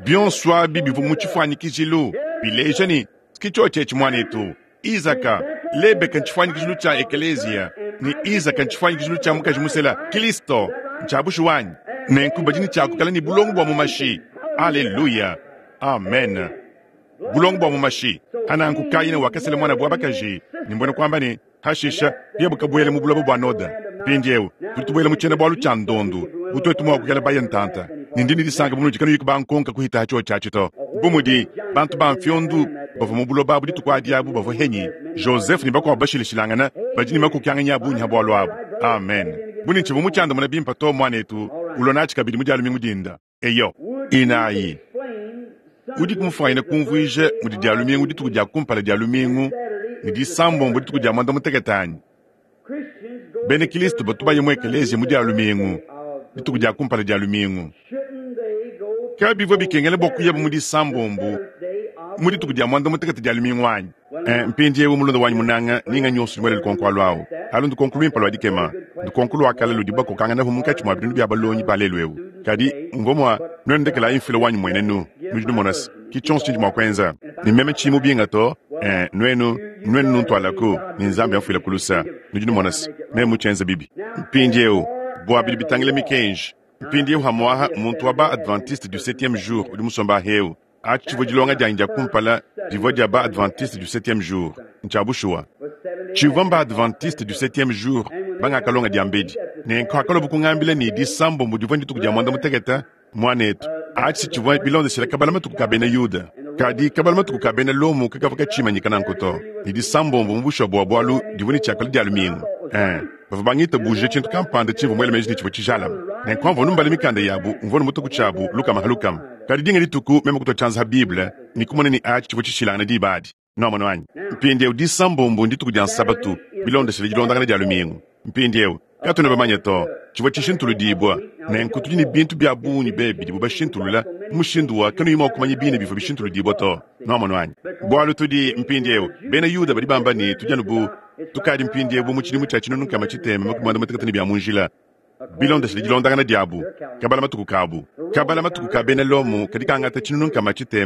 Bionso abi bivua mu tshifuanyikijilu, bileja ne, ki tshiotshi etshi muanetu. Isaka, Lebeka ntshifuanyikijilu tshia ekeleziya, ne Isaka ntshifuanyikijilu tshia mukaji musela, Kilisto. Ntshia bushuwa anyi? Nenku badi ne tshia kuikala ne bulongo bua mu mashi. Aleluya! Amen. Bulongo bua mu mashi. Hananku Kayina wakasela muanabu wa bakaji, ne mbuena kuamba ne, hashisha kuyabu kabuela mu buloba bua Noda. Mpindieu tudi tubuela mu tshiena-bualu tshia ndondu, bu tuetu mua kuikala baya ntanta, ne ndi ne disanka bu munudi kanuyi kubankonka kuhita ha tshiotshi atshi to. Bu mudi bantu ba mfiondu bavua mu buloba abu dituku adi abu bavua henyi Joseph ne bakuabu bashilashilangana badi ne makokianganyi a bungi ha bualu abu. Amen. Bu ne tshivua mutshiandamuna bimpe to, muanetu, ulua natshi kabidi mu Dia lumingu dinda. Eyo. Inayi. Udiku mufuanyine kumvuija mudi Dia lumingu dituku dia kumpala dia lumingu ne Disambombo dituku dia muanda mutekete anyi? Bena Kristo batu baya mu ekeleziya mu Dia lumingu, dituku dia kumpala dia lumingu. Kabivua bikengela bua kuyabu mu Disambombo mu dituku dia muanda mutekete dia lumingu anyi? Eh, mpindieu mulunda wanyi munanga, ninga nyonso udi muele lukonko alu au. Alu ndukonko luimpe lua dikema, ndukonko lua kale ludibu bakokanganapu munkatshi mua binunu bia balongi ba lelu eu. Kadi mvua mua nuenu ndekelayi mfila wanyi mmuenenu. Nudi numona se, ki tshionso tshindi mua kuenza. Ne meme tshiyi mubinga to, eh, nuenu, nuenu nuntualaku, ne Nzambi amfuileku lusa. Nudi numona se, meme mutshienze bibi. Mpindieu, bua bidi bitangila mikenji, mpindieu hamuaha muntu wa ba Adventiste du Septieme Jour udi musomba aheu. Atshi tshivua dilonga dianyi dia kumpala divua dia ba Adventiste du Septieme Jour. Ntshia bushuwa. Tshivua mba Adventiste du Septieme Jour bangakalonga diambedi. Nenku hakaluabu kungambila ne Disambombo divua ndituku dia muanda-mutekete, muanetu, atshi tshivua bilondeshile kabala matuku ka bena Yuda. Kadi kabala matuku ka bena Lomo kakavua katshimanyika nanku to, ne disambombo mu bushuwa bua bualu divua ne tshiakala dia lumingu. Ee, bavua bangitabujija tshintu kampanda tshimvua muele meji ne tshivua tshijalame. Nenku amvua numbala mikanda yabu, mvua numutue ku tshiabu lukama ha lukama. Kadi dinga dituku meme kutua tshianza ha Bible ne kumona ne atshi tshivua tshishilangane diba adi. Nuamonu anyi? Mpindieu disambombo ndituku dia Nsabatu bilondeshile dilondangana dia lumingu. Mpindieu, katuena bamanye to tshivua tshishintuludibua. Nenku tudi ne bintu bia bungi be bidibu bashintulula mu mushindu wa kanuyi mua kumanya bine bivua bishintuludibua to. Nuamonu anyi? Bualu tudi mpindieu bena Yuda badi bamba ne tudi anu bu tukadi mpindieu bu mu tshidimu tshia 1631 ne bia mu njila. Bilondeshile dilondangana diabu, kabala matuku kabu. Kabala matuku ka bena Lomo kadi kangata 653,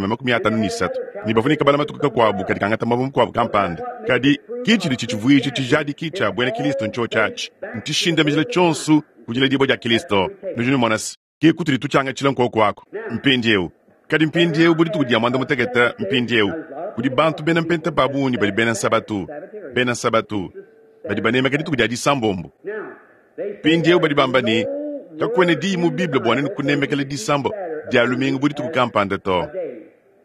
ne bavua ne kabala matuku kakuabu kadi kangata muaba mukuabu kampanda. Kadi ki tshidi tshitshivuija tshijadiki tshia buena Kilisto ntshiotshi atshi, ntshishindamijila tshionso ku diledibua dia Kilisto. Nudi numona se, ke kutudi tutshiangatshila nkuoku aku mpindieu. Kadi mpindieu bu dituku dia muanda mutekete mpindieu, kudi bantu bena mpenta ba bungi badi bena nsabatu, bena nsabatu badi banemeka dituku dia disambombo. Mpindieu badi bamba ne, kakuena diyi mu Bible bua nenu kunemekela disambo dia lumingu bu dituku kampanda to.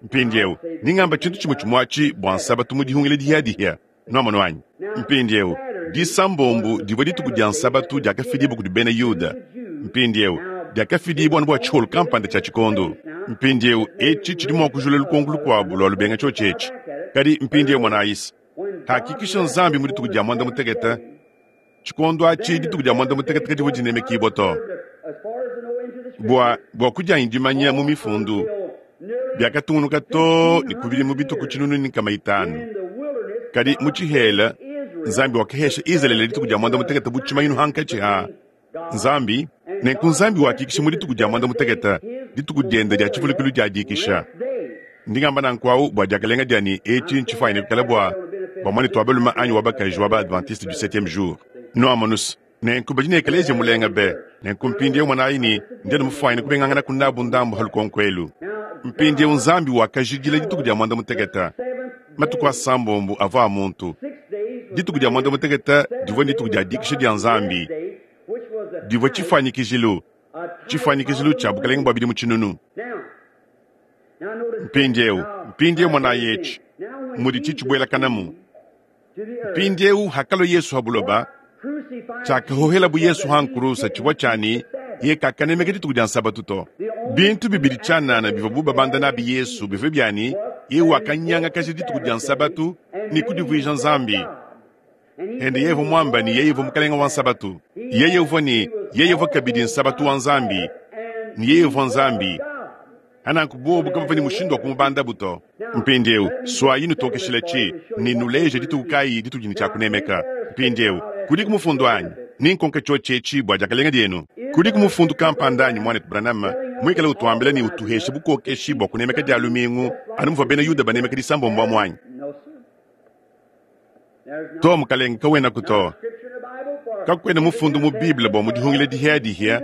Mpindieu ningamba tshintu tshimue tshimue atshi bua nsabatu mu dihungila dihiadihia. Nuamonu anyi? Mpindieu disambombo divua dituku dia nsabatu diakafidibua kudi bena Yuda. Mpindieu diakafidibua anu bua tshiholu kampanda tshia tshikondo. Mpindieu etshi tshidi mua kujula lukonko lukuabu lua lubenga tshiotshi etshi. Kadi mpindieu monayi, hakikisha Nzambi mu dituku dia muanda mutekete. Tshikondo atshi dituku dia muanda mutekete kadivua dinemekibua to. Bua bua kudianyi dimanya mu mifundu biakatungunuka too ne ku bidimu bitue ku 500. Kadi mu tshihela Nzambi wakahesha Izalele dituku dia muanda mutekete bu tshimanyinu hankatshi ha Nzambi. Nenku Nzambi wakikisha mu dituku dia muanda mutekete, dituku diende dia tshivulukilu dia dikisha. Ndi ngamba nanku awu bua diakalenga dia ne etshi ntshifuanyine kuikala bua bua muanetu wa balume anyi wa bakaji wa ba Adventiste du Septieme Jour. Nuamonus, nenku badi ne ekeleziya mulenga be. Nenku mpindieu monayi ne ndi anu mufuanyine kubenganganaku nabu ndambu ha lukonko elu. Mpindieu Nzambi wakajidila dituku dia muanda mutekete, matuku asambombo avua a muntu. Dituku dia muanda mutekete divua dituku dia dikisha dia Nzambi, divua tshifuanyikijilu, tshifuanyikijilu tshia bukalenge bua bidimu tshinunu. Mpindieu, mpindieu monayi etshi mudi tshitshibuelakanamu. Mpindieu hakalua Yesu ha buloba, tshiakahohelabu Yesu ha nkurusa tshivua tshia ne ye kakanemeka dituku dia nsabatu to. Bintu bibidi tshianana bivua babanda nabi Yesu bivua bia ne ye wakanyangakaja dituku dia nsabatu ne kudivuija Nzambi. Ende yeye uvua muamba ne yeye uvua mukalenge wa nsabatu. Yeye uvua ne yeye uvua kabidi nsabatu wa Nzambi ne yeye uvua Nzambi. Ananku bobu kabavua ne mushindu wa kumubandabu to. Mpindieu suayi nutokeshile tshi ne nuleje dituku kayi ditudi ne tshia kunemeka. Mpindieu kudiku mufundu anyi? Ninkonke tshiotshi etshi bua diakalenga dienu. Kudiku mufundu kampanda anyi, muanetu Branham, muikale utuambila ne utuhesha bukokeshi bua kunemeka dia lumingu anu muvua bena Yuda banemeka disambombo amu anyi? To, mukalenge, kawenaku to. Kakuena mufundu mu Bible bua mu dihungila dihiadihia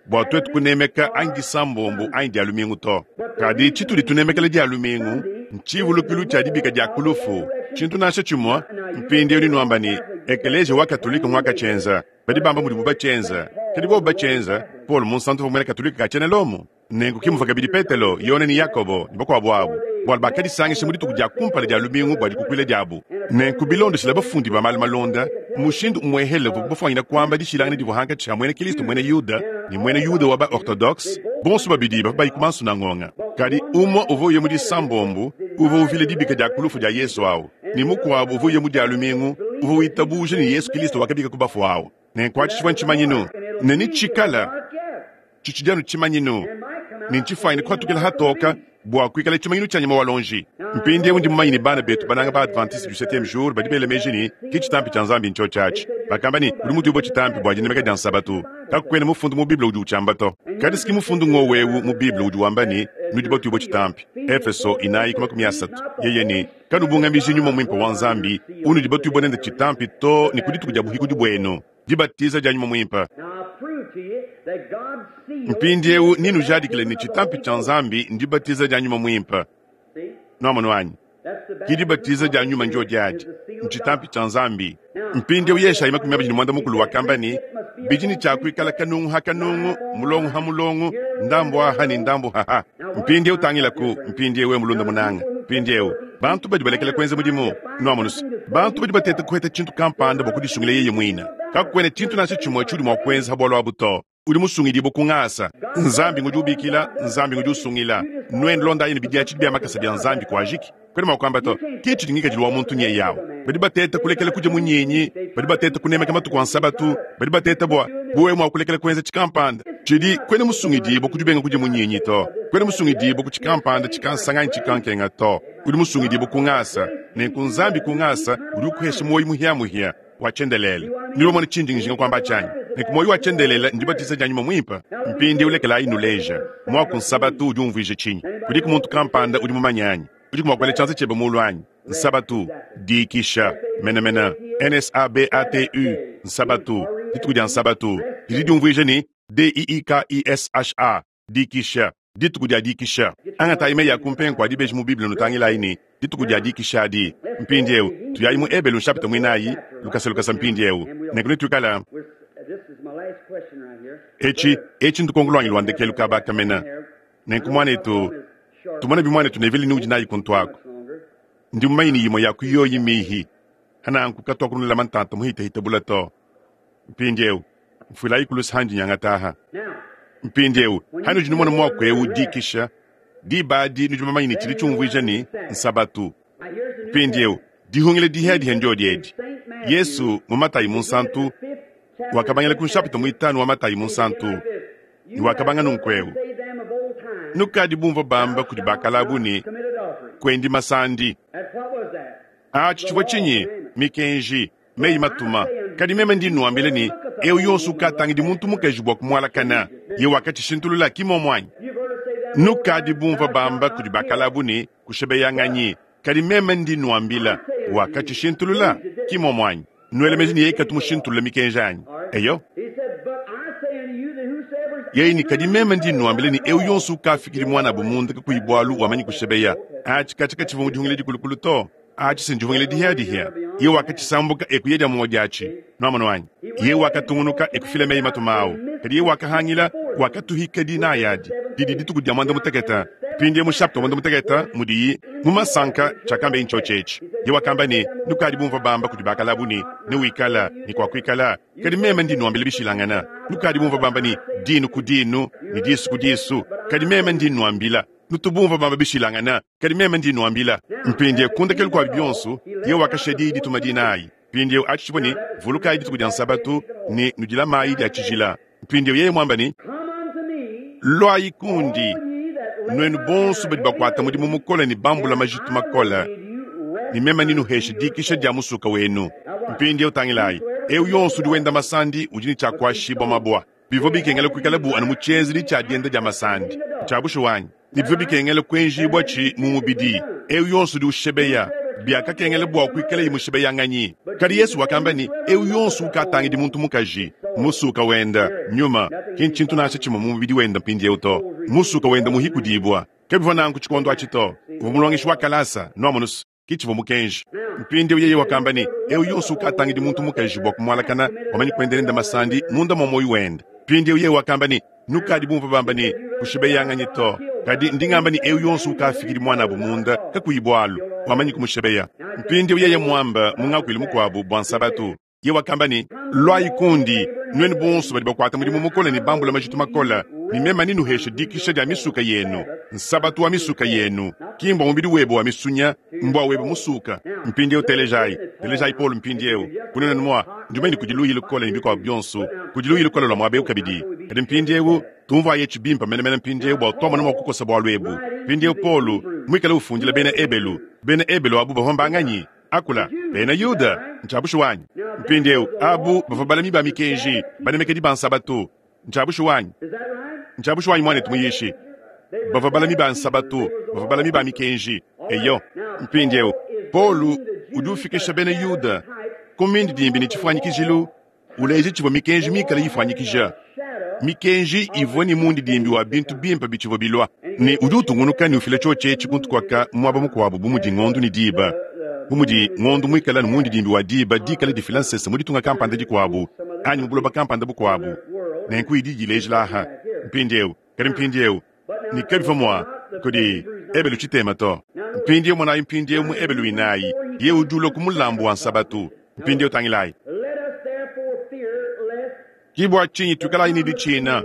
bua tuetu kunemeka anyi disambombo anyi dia lumingu to. Kadi tshitudi tunemekela dia lumingu ntshivulukilu tshia dibika dia ku lufu, tshintu nansha tshimue. Mpindieu ni nuamba ne ekeleziya wa Katolike nguakatshienza. Badi bamba mudibu batshienza, kadi bobu batshienza, Paulo Munsantu uvua muena Katolike ka tshiena Lomo. Nenku ke muvua kabidi Petelo, Yone ne Yakobo ne bakuabu abu, bualu bakadisangisha mu dituku dia kumpala dia lumingu bua dikukuila diabu. Nenku bilondeshile bafundi ba malu malonda, mushindu umuehele uvuabu bafuanyine kuamba dishilangana divua hankatshi ha muena Kristo muena Yuda ne muena Yuda wa ba-Ortodokse, bonso babidi bavua bayi ku mansunangonga. Kadi umue uvua uya mu disambombo uvua uvila dibika dia ku lufu dia Yezu au, ne mukuabu uvua uya mu dia lumingu uvua witabuja ne Yezu Kristo wakabika ku bafue au. Nenku atshi tshivua ntshimanyinu, ne netshikala tshitshidi anu tshimanyinu, ne ntshifuanyine kuhatukila hatoka bua kuikala tshimanyinu tshia nyama wa lonji. Mpindieu ndi mumanye ne bana betu bananga ba Adventiste du septieme jour badi bela meji ne ki tshitampi tshia Nzambi ntshiotshi atshi. Bakamba ne udi mutuibue tshitampi bua dinemeka dia nsabatu. Kakuena mufundu mu Bible udi utshiamba to. Kadi si ki mufundu ngowu eu mu Bible udi wamba ne nudi batuibue tshitampi. Efeso 4:30 yeye ne kanubungamiji nyuma muimpe wa Nzambi unudi batuibue nende tshitampi to ne ku dituku dia buhikudi buenu. Dibatiza dia nyuma muimpe. Mpindieu ninujadikile ne tshitampi tshia Nzambi ndibatiza dia nyuma muimpe. Nuamonu anyi? Ki dibatiza dia nyuma ndio diadi. Ntshitampi tshia Nzambi. Mpindieu Yeshayi 25 wakamba ne, Bidi ne tshia kuikala kanungu ha kanungu, mulongo ha mulongo, ndambu aha ne ndambu haha. Mpindieu tangilaku, mpindieu wewe mulunda munanga. Mpindieu, bantu badi balekela kuenza mudimu, nuamonus, bantu badi bateta kuheta tshintu kampanda bua kudisungila yeye muine. Kakuena tshintu nansha tshimue tshiudi mua kuenza ha bualu abu to. Udi musungidibue ku ngasa. Nzambi ngudi ubikila, Nzambi ngudi usungila. Nuenu londayi ne bidiatshidi bia makasa bia Nzambi kuajiki. Kuena mua kuamba to, ke tshidi ngikadilu wa muntu nyeye awu. Badi bateta kulekela kudia munyinyi, badi bateta kunemeka matuku a Nsabatu, badi bateta bua bu wewe mua kulekela kuenza tshikampanda tshidi. Kuena musungidibue ku dibenga kudia munyinyi to. Kuena musungidibue ku tshikampanda tshikansanga anyi tshikankenga to. Udi musungidibue ku ngasa. Nenku Nzambi ku ngasa udi ukuhesha muoyo muhia-muhia wa tshiendelele. Nudi bamone tshindi njinga kuamba tshianyi? Nenku muoyo wa tshiendelele ndibatiza dia Nyuma Muimpe. Mpindieu lekelayi nnuleje. Muaku Nsabatu udi umvuija tshinyi? Kudiku muntu kampanda udi mumanye anyi? Udiku mua kuela tshianza tshiebe muulu anyi? Nsabatu, diikisha, menemene. N-S-A-B-A-T-U, Nsabatu, dituku dia Nsabatu, didi diumvuija ne, D-I-I-K-I-S-H-A, dikisha, dituku dia dikisha. Angatayi meyi a kumpenga kua dibeji mu Bible nutangilayi ne, dituku dia dikisha adi. Mpindieu, tuyayi mu Ebelu nshapita muinayi, lukasa lukasa mpindieu. Nenku netuikala. Etshi, etshi ndukonko luanyi lua ndekelu kaba aka mena. Nenku, muanetu, tumone bi muanetu Neville ni udi nayi kuntu aku. Ndi mumanye ne yimue ya ku yoyi mmihi. Hananku katuakunulama ntanta muhitahita bula to. Mpindieu, mfuilayi ku luse handi nyangata aha. Mpindieu, hanudi numona muaku eu dikisha, diba adi nudi bamanye ne tshidi tshiumvuija ne, nsabatu. Mpindieu, dihungila dihiadiha ndiodi edi. Yesu, mu Matayi Munsantu, wakabangila ku nshapita muitanu wa Matayi Munsantu, ne wakabanga nunku'eu, Nukadi bumvua bamba kudi bakalabu ne, Kuendi masandi. Atshi tshivua tshinyi? Mikenji, meyi matuma. Kadi meme ndi nnuambila ne, eu yonso ukatangidi muntu mukaji bua kumualakana, ye wakatshishintulula, ki mmuomu anyi? Nukadi bumvua bamba kudi bakalabu ne, Kushebeyanganyi. Kadi meme ndi nnuambila, wakatshishintulula, ki mmuomu anyi? Nuele meji ne yeye katu mushintulule mikenji anyi? Eyo. Yeye ne, Kadi meme ndi nnuambila ne, eu yonso ukafikidi muanabu munda kakuyi bualu wamanyi kushebeya. Atshi katshia katshivua mu dihungila dikulukulu to. Atshi si ndihungila dihiadihia. Yeye wakatshisambuka e kuya dia mumue diatshi. Nuamonu anyi? Yeye wakatungunuka e kufila meyi matuma au. Kadi yeye wakahangila, wakatuhika dinayi adi, didi dituku dia muanda mutekete. Mpindieu mu shapita wa muanda mutekete mudiyi mu masanka, tshiakambeye ntshiotshi etshi. Yeye wakamba ne, Nukadi bumvua bamba kudi bakalabu ne, Newikala ne kuakuikala. Kadi meme ndi nnuambila bishilangana. Nukadi bumvua bamba ne, Dinu ku dinu ne disu ku disu. Kadi meme ndi nnuambila. Nutu bumvua bamba bishilangana. Kadi meme ndi nnuambila. Mpindieu ku ndekelu kua bionso, yeye wakashiya diyi dituma dinayi. Mpindieu atshi tshivua ne, Vulukayi dituku dia Nsabatu ne nudilamayi dia tshijila. Mpindieu yeye muamba ne, Luayi kundi, nuenu bonso badi bakuata mudimu mukole ne bambula majitu makole, ne meme nenuheshe dikisha dia musuka wenu. Mpindieu tangilayi, eu yonso udi wenda masandi udi ne tshia kuashibua mabua. Bivua bikengela kuikala bu anu mu tshienzedi tshia dienda dia masandi. Ntshia bushuwa anyi? Ne bivua bikengela kuenjibua tshi mu mubidi. Eu yonso udi ushebeya, biakakengela bua kuikalaye mushebeyanganyi. Kadi Yesu wakamba ne, eu yonso ukatangidi muntu mukaji, musuka wenda, nyuma, ki ntshintu nansha tshimue mu mubidi wenda mpindieu to. Musuka wenda muhikudibua. Kabivua nanku tshikondo atshi to. Uvua mulongeshi wa kalasa, nuamonus. Ke tshivua mukenji. Mpindieu yeye wakamba ne, Eu yonso ukatangidi muntu mukaji bua kumualakana, wamanyi kuenda nende masandi munda mua muoyo wende. Mpindieu yeye wakamba ne, Nukadi bumvue bamba ne, Kushibeyanganyi to. Kadi ndi ngamba ne, eu yonso ukafikidi muanabu munda kakuyi bualu, wamanyi kumushibeya. Mpindieu yeye muamba mu ngakuilu mukuabu bua Nsabatu. Yeye wakamba ne, Luayi kundi, nuenu bonso badi bakuata mudimu mukole ne bambula majitu makole, ne meme nenuheshe dikisha dia misuka yenu. Nsabatu wa misuka yenu, ki mbua mubidi webe wa misunya, mbua webe musuka. Mpindieu telejayi, telejayi Paulo mpindieu. Kunena mua, ndi mumanye ne kudi luyi lukole ne bikuabu bionso, kudi luyi lukole lua muaba eu kabidi. Kadi mpindieu, tumvuayi etshi bimpe menemene mpindieu bua tuamona mua kukosa bualu ebu. Mpindieu Paulo, muikale ufundila bena Ebelu, bena Ebelu abu bavua mbanganyi? Akula, bena Yuda, ntshia bushuwa anyi? Mpindieu, abu bavua balami ba mikenji, banemekedi ba nsabatu. Ntshia bushuwa anyi? Ntshia bushuwa anyi, muanetu muyishi? Bavua balami ba nsabatu, bavua balami ba mikenji. Eyo. Mpindieu, Paulo udi ufikisha bena Yuda ku mindidimbi ne tshifuanyikijilu, uleja tshivua mikenji mikale ifuanyikija. Mikenji ivua ne mundidimbi wa bintu bimpe bitshivua bilua, ne udi utungunuka ne ufila tshiotshi etshi kuntu kuaka muaba mukuabu bu mudi ngondo ne diba. Bu mudi ngondo muikale anu mundidimbi wa diba dikale difila nsese mu ditunga kampanda dikuabu anyi mu buloba kampanda bukuabu, nenku idi idilejila aha mpindieu. Kadi mpindieu, ne kabivua mua kudi Ebelu tshitema to. Mpindieu monayi mpindieu mu Ebelu inayi, yeye udi ulua ku mulambu wa Nsabatu. Mpindieu tangilayi. Let us therefore fear lest Ki bua tshinyi tuikalayi ne ditshina,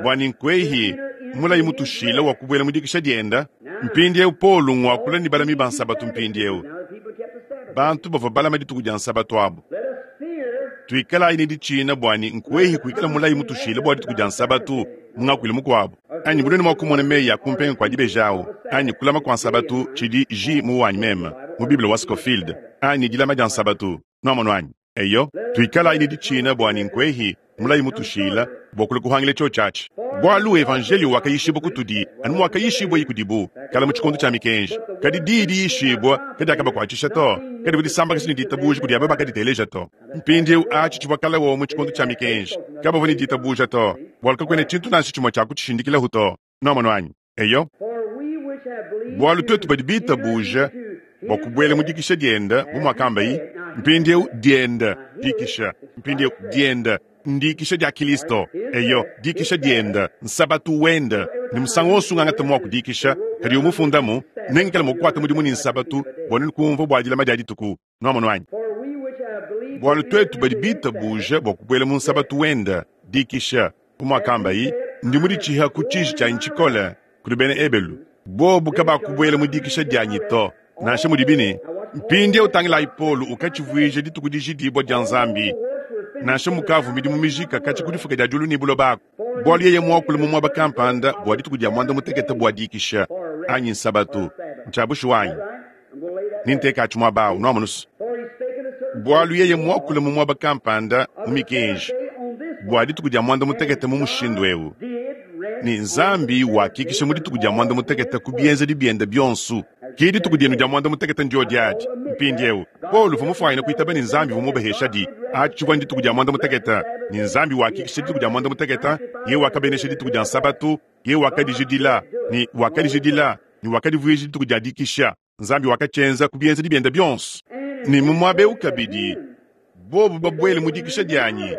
bua ne nkuehi mulayi mutushila wa kubuela mu dikisha dienda? Mpindieu Paulo nguakula ne balami ba Nsabatu mpindieu, now the people kept the Sabbath. bantu bavua balama dituku dia Nsabatu abu. Let us fear Tuikalayi ne ditshina bua ne nkuehi kuikala mulayi mutushila bua dituku dia Nsabatu mu ngakuilu mukuabu. Anyi bunene mua kumona meyi a kumpenga kua dibeji awu, anyi kulama kua Nsabatu tshidi J mu wanyi meme mu Bible wa Scofield, anyi dilama dia Nsabatu. Nuamonu anyi? Eyo, tuikalayi ne ditshina bua ne nkuehi mulayi mutushila bua kulua kuhangila tshiotshi atshi. Bualu evanjelio wakayishibua kutudi anu muakayishibua kudibu kala mu tshikondo tshia mikenji. Kadi diyi diyishibua kadiakabakuatshisha to, kadivua disambakasha ne ditabuja kudi aba bakaditeleja to. Mpindieu atshi tshivua kala wo mu tshikondo tshia mikenji, kabavua ne ditabuja to, bualu kakuena tshintu nansha tshimue tshia kutshishindikila to. Nuamonu anyi? Eyo, for we which have believed bualu to twetu badi bitabuja enter into bua his kubuela mu rest, dikisha dienda bu muakambayi mpindieu dienda dikisha mpindieu dienda ndikisha dia Kristo eyo dikisha dienda nsabatu wenda ne musangu wonso ungangata mua kudikisha kadi umufundamu nengikale mua kukuata mudimu ne nsabatu bua nenu kumvua bua dilama dia dituku nuamonu anyi for we which have believed bualu to twetu enter badi into his bitabuja bua kubuela mu nsabatu wenda dikisha bu muakambayi ndi muditshiha ku tshiji tshianyi tshikole kudi bena Ebelu bobu kabakubuela mu dikisha dianyi to nansha mudibi ne mpindieu tangilayi Paulo ukatshivuija dituku dijidibua dia Nzambi nansha mukavu midimu mijika katshi ku difuka dia diulu ne buloba aku bualu yeye muakula mu muaba kampanda bua dituku dia mwanda mutekete bua dikisha anyi nsabatu ntshia wanyi Right? I'm going to lay that. ninteka muaba awu nuamunusu For he spake in a certain bualu yeye muakula mu muaba kampanda mu of the mikenji seventh day on this bua dituku dia mwanda mutekete mu mushindu ewu did rest ne Nzambi wakikisha mu dituku dia mwanda mutekete ku bienzedi biende bionso. Ki dituku dienu dia mwanda mutekete ndio diadi. Mpindieu Paulo uvua mufuanyine kuitaba ne Nzambi uvua mubahesha di atshivua dituku dia mwanda mutekete ne Nzambi wakikisha dituku dia mwanda mutekete yeye wakabenesha dituku dia Nsabatu yeye wakadijidila ne wakadijidila ne wakadivuija dituku dia dikisha. Nzambi wakatshienza ku bienzedi biende bionso ne mu muaba eu kabidi bobu babuele mu dikisha dianyi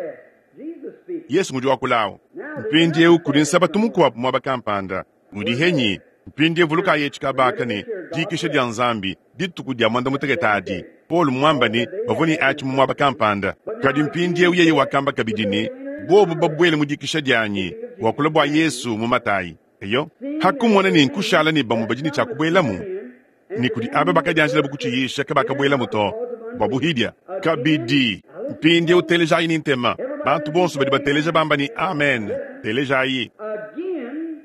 Jesus speaking. Yesu ngudi wakulawo mpindieu kudi nsabatu mukuabu muaba kampanda udi henyi mpindieu vulukayi etshi kabaka ne dikisha dia Nzambi dituku dia mwanda mutekete adi Paulo muamba ne bavua ne atshi mu muaba kampanda kadi mpindieu yeye wakamba kabidi ne bobu babuele mu dikisha dianyi wakula bua Yesu mu Matayi eyo hakumona ne nkushala ne bamue badi ne tshiakubuelamu ne kudi aba bakadianjila bukutshiyisha kabakabuelamu to bua buhidia kabidi mpindieu telejayi ne ntema bantu bonso badi bateleja bamba ne amen telejayi Again,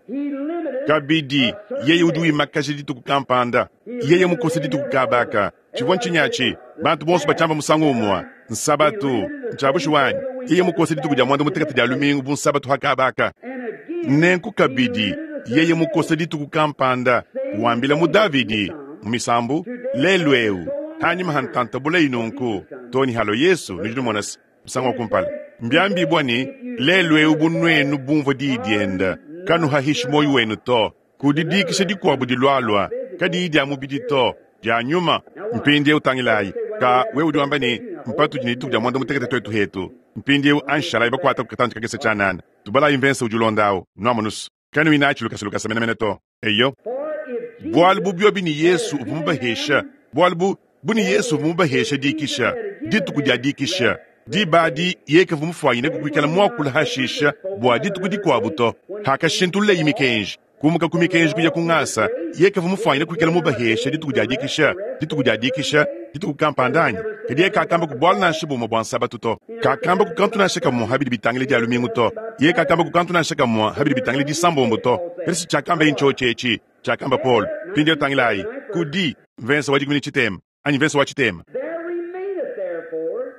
he limited kabidi yeye udi wimakaja dituku kampanda yeye mukose dituku kabaka tshivua ntshinyi bantu bonso batshiamba musangu umue nsabatu ntshiabushi wanyi yeye mukose dituku dia mwanda mutekete dia lumingu bu nsabatu hakabaka and again nenku kabidi yeye mukose dituku kampanda wambila mu Davidi mu misambu lelu eu hanyima hantantabula inunku toni halo Yesu nudi numona se musangu wa kumpala mbiambibua ne lelu eu bunuenu bumvua diyi dienda kanuhahishi moyo wenu to kudi dikisha dikuabu dilualua kadiyi dia mubidi to dia nyuma mpindieu tangilayi ka wewe udi wamba ne mpatudi ne dituku dia mwanda mutekete twetu hetu mpindieu anshalayi bakuata kukatanji kakese tshianana tubalayi mvensa udi ulondawu nuamunusu kanuinatshi lukasa lukasa menemene to eyo for if Jesus bualu bu biobi ni Yesu uvua mubahesha bualu bu bu ni Yesu uvua mubahesha dikisha dituku dia dikisha diba adi yekavua mufuanyine kukuikala muakula hashisha bua dituku dikuabu to hakashintululeyi mikenji kumuka ku mikenji kuya ku ngasa yekavua mufuanyine kuikala mubahesha dituku dia dikisha dituku dia dikisha dituku kampanda anyi kadi ye kakamba ku bualu nansha bumue bua nsabatu to kakamba ku kantu nansha kamue habidi bitangile dia lumingu to ye kakamba ku kantu nansha kamue habidi bitangile disambombo to kadi tshiakamba ye ntshiotshi etshi tshiakamba Paul mpindieu tangilayi kudi mvensa wa dikumi ne tshitema anyi mvensa wa tshitema there remaineth therefore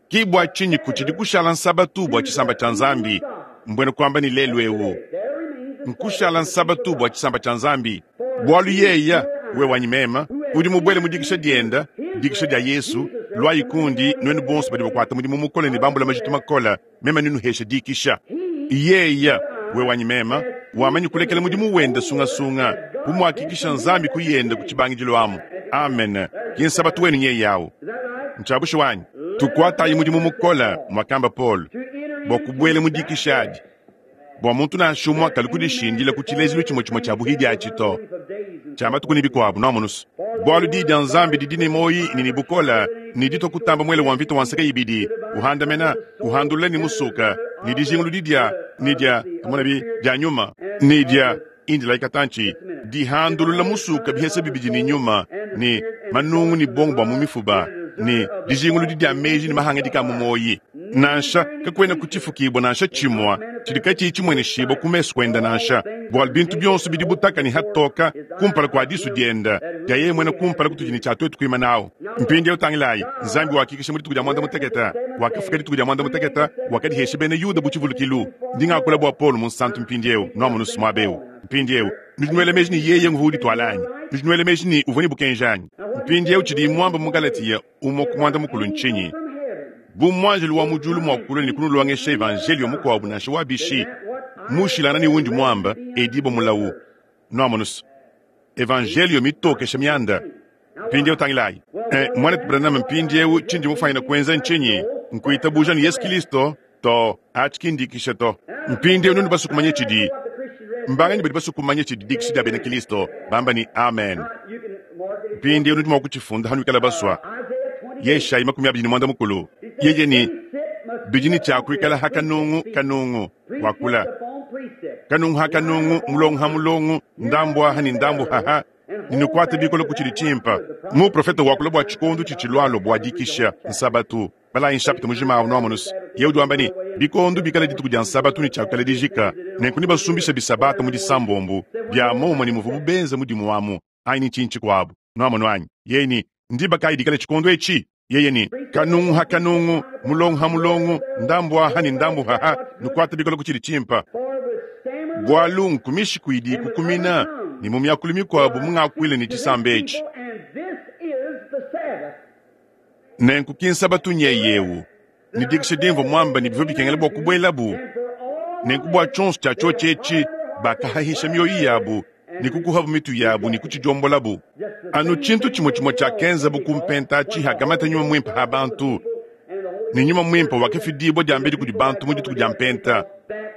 ki bua tshinyi kutshidi kushala nsabatu bua tshisamba tshia Nzambi mbwena kuamba ne lelu eu there remains a nkushala nsabatu bua tshisamba tshia Nzambi bualu yeya we wanyi mema udi mubuele mu dikisha dienda dikisha dia Yesu lwayi kundi nuenu bonso badi bakuata mudimu mukole ne bambula majitu makola mema ninuhesha dikisha yeya Wewe anyi mema, wamanyi kulekela mudimu wenda sungasunga, bu muakikisha Nzambi ku yenda ku tshibangidilu amu. Amen. Ki nsabatu wenu nyeye awu. Ntshia bushuwa anyi? Tukuatayi mudimu mukole, muakamba Paulo, bua kubuela mu dikisha adi, bua muntu nansha umue kalu kudishindila ku tshilejilu tshimue tshimue tshia buhidi atshi to, tshia matuku ne bikuabu. Nuamonu's, bualu Diyi dia Nzambi didi ne muoyi ne ne bukole, ne ditua kutamba muele wa mvita wa nseke ibidi, uhandamena, uhandulula ne musuka, ne dijinguludi dia, ne dia, tumonabi, dia nyuma, ne dia, indilayi katantshi, dihandulula musuka bihesa bibidi ne nyuma, ne manungu ne buongo bua mu mifuba, ne dijinguludi dia meji ne mahangadika a mu muoyi. Nansha, kakuena ku tshifukibua nansha tshimue tshidi katshiyi tshimueneshibua ku mesu kuende nansha, bualu bintu bionso bidi butaka ne hatoka kumpala kua disu diende dia yeye muena kumpala kutudi ne tshia tuetu kuimanawu. Mpindieu tangilayi, Nzambi wakikisha mu dituku dia muanda mutekete, wakafuka dituku dia muanda mutekete, wakadihesha bena Yuda bu tshivulukilu. Ndi ngakula bua Paulo Munsantu mpindieu, nuamonu's muaba eu. Mpindieu, nudi nuela meji ne yeye nguvua udituala anyi? Nudi nuela meji ne uvua ne bukenji anyi? Mpindieu tshidiye muambe mu Galatiya umue ku muanda mukulu ntshinyi? Bu muanjelu wa mu diulu mua kulua ne kunulongesha evanjeliyo mukuabu nansha wa bishi, mushilangane ne undi muambe, edibue mulawu. Nuamonu's, evanjeliyo mitokesha mianda. Mpindieu tangilayi. Eh, muanetu Branham, mpindieu tshindi mufanyine kuenza ntshinyi? Nkuitabuja ne Yesu Kilisto? To, atshi ki ndikisha to. Mpindieu nudi basue kumanya tshidi mbanganyi badi basue kumanya tshidi dikisha dia bena Kilisto bamba ne amen. Mpindieu nudi mua kutshifunda hanuikala basua. Yeshayi 24 yeye ne bidi ne tshia kuikala ha kanungu kanungu wakula kanungu ha kanungu mulongo ha mulongo ndambu aha ne ndambu haha ne nukuate bikole ku tshidi tshimpe. Muprofete wakula bua tshikondo tshitshilualua bua dikisha nsabatu. Balayi nshapita mujima awu nuamonus. Yeye udi wamba ne, bikondo bikala dituku dia nsabatu ne tshiakukala dijika, nenku nebasumbishe bisabata mu disambombo, bia muomumue ne muvuabu benza mudimu amu, anyi ne tshinyi tshikuabu. Nuamonu anyi? Yeye ne, Ndiba kayi dikala tshikondo etshi? Yeye ne, Kanungu ha kanungu, mulongo ha mulongo, ndambu aha ne ndambu haha, nukuate bikole ku tshidi tshimpe. Bualu nku mishiku idi ikukumina, ne mu miakulu mikuabu mungakuila ne tshisamba etshi. Nenku ki nsabatu nyeye eu, ne dikisha dimvua muambe ne bivua bikengela bua kubuelabu. Nenku bua tshionso tshia tshiotshi etshi, bakahahisha mioyo yabu ne kukuhabu mitu yabu ne kutshidiombolabo. Anu tshintu tshimue tshimue tshiakenzabu ku mpenta atshi hakamata Nyuma Muimpe ha bantu, ne Nyuma Muimpe wakafidibua diambedi kudi bantu mu dituku dia Mpenta.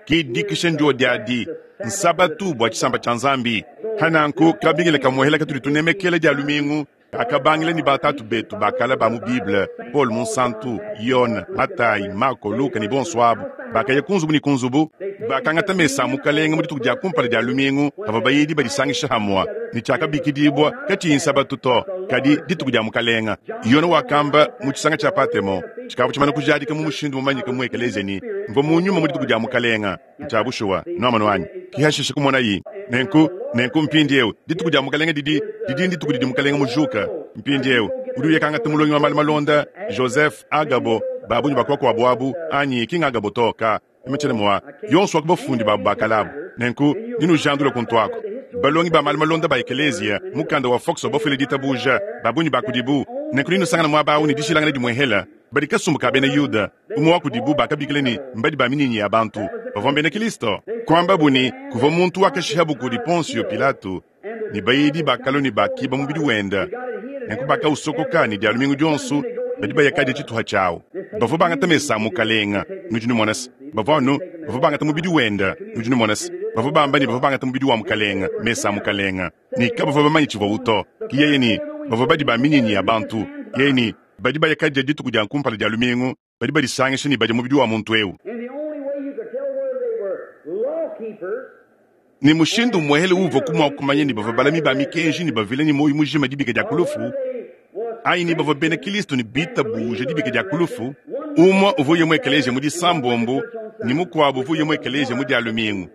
Ki dikisha ndio diadi nsabatu bua tshisamba tshia Nzambi. Hananku kabingila kamuehela katudi tunemekela dia lumingu Kakabangila ne batatu betu ba kale ba mu Bible, Paulo Munsantu, Yone, Matayi, Mako, Luka ne bonso abu, bakaya ku nzubu ne ku nzubu. Bakangata mesa a Mukalenge mu dituku dia kumpala dia lumingu pavua bayidi badisangisha hamue, ne tshiakabikidibua katshiyi Nsabatu to, kadi dituku dia Mukalenge. Yone wakamba mu tshisanga tshia Patemo tshikavua tshimana kujadika mu mushindu mumanyike mu ekeleziya ne, Mvua mu nyuma mu dituku dia Mukalenge. Ntshia bushuwa, nuamonu anyi? Ki hashishe kumonayi. Nenku, nenku mpindieu, dituku dia Mukalenge didi, didi ndituku didi Mukalenge mujuka. Mpindieu, udi uya kangata mulongi wa malu malonda, Joseph, Agabo, ba bungi ba kubakuabu abu, anyi ki ng'Agabo to, ka, meme tshiena mua, yonso wa ku bafundi babu ba kale abu. Nenku, ndi nujandula kuntu aku. Balongi ba malu malonda ba ekeleziya, mukanda wa Fox wa bafuile ditabuja, ba bungi ba kudibu. Nenku nenusangane muaba au ne dishilangana dimuehela. Badi kasumbu ka bena Yuda. Umue wa kudibu bakabikila ne, mbadi ba minyinyi ya bantu, bavua mbena Kristo. Kuambabu ne, kuvua muntu wakashihabu kudi Ponsio Pilato, ne bayidi bakalua ne bakiba mubidi wende, nenku bakausokoka, ne Dia lumingu dionso badi baya kadia tshituha tshiawu. Bavua bangata mesa a Mukalenge, nudi numona se, bavua anu bavua bangata mubidi wende, nudi numona se, bavua bamba ne bavua bangata mubidi wa Mukalenge, mesa a Mukalenge, ne kabavua bamanye tshivuawu to. Ke yeye ne, bavua badi ba minyinyi ya bantu, yeye ne, Badi baya kadia dituku dia kumpala dia lumingu, badi badisangisha ne badia mubidi wa muntu eu. Ne mushindu umuehele uvuaku mua kumanya ne bavua balami ba mikenji ne bavila ne muoyo mujima dibika dia ku lufu, anyi ne bavua bena Kristo ne bitabuja dibika dia ku lufu, umue uvua uya mu ekeleziya mu Disambombo ne mukuabu uvua uya mu ekeleziya mu Dia lumingu.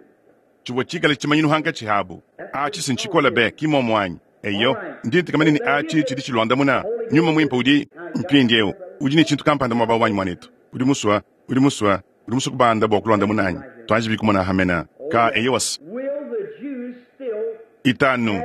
Tshivua tshikale tshimanyinu hankatshi habu. Atshi si ntshikole be, ki mmuomu anyi? Eyo, ndi ntekamana ne atshi tshidi tshiluandamuna. Nyuma Muimpe udi, mpindieu, udi ne tshintu kampanda muaba wanyi, muanetu. Udi musua, udi musua, udi musua kubanda bua kuluandamuna anyi? Tuanjibi kumona hamena. Ka, eyowas. Itanu.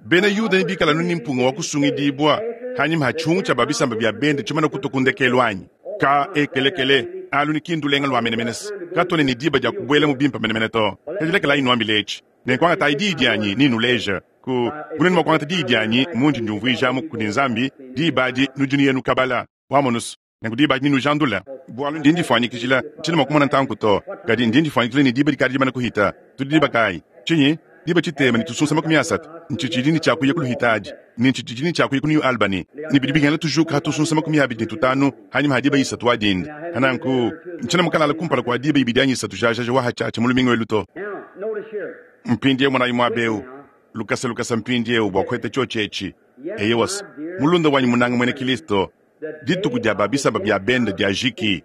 Bena Yuda nebikale anu ne mpunga wa kusungidibua hanyima ha tshihungu tshia ba bisamba bia bende tshimana kutua ku ndekelu anyi? Ka, ekelekele, alu ne ki ndulenga lua menemene se. Katwena ne diba dya kubwelamu bimpe menemene to. Kadi lekelaayi nnwambile eci. Nenku angataayi diyi dyanyi ne nnuleeja ku, bu nwenu mwa kwangata diyi dyanyi mundi ndyumvwijamu kudi Nzambi, diba adi nudi nuya nukabala. Wamonu's? Nenku diba adi nenujandule. Bualu ndi ndifwanyikijila, ntshiena mua kumona ntanku to, kadi ndi ndifwanyikijila ne diba dikadi dimane kuhita. Tudi diba kaayi? Tshinyi? Diba tshitema ne tusunsa 30. Ntshitshidi ne tshia kuya ku luhitadi, ne ntshitshidi ne tshia kuya ku New Albany, ne bidi bikengela tujuka ha tusunsa 25 hanyima ha diba isatu wa dinda. Hananku, ntshiena mukalala kumpala kua diba ibidi anyi isatu jajaja wa hatshiatshia mu lumingu elu to. Mpindiewu monayi muaba eu, lukasa lukasa mpindiewu bua kuheta tshiotshi etshi. Eyowa, mulunda wanyi munanga muena Kilisto, Dituku dia ba bisamba bia bende diajiki,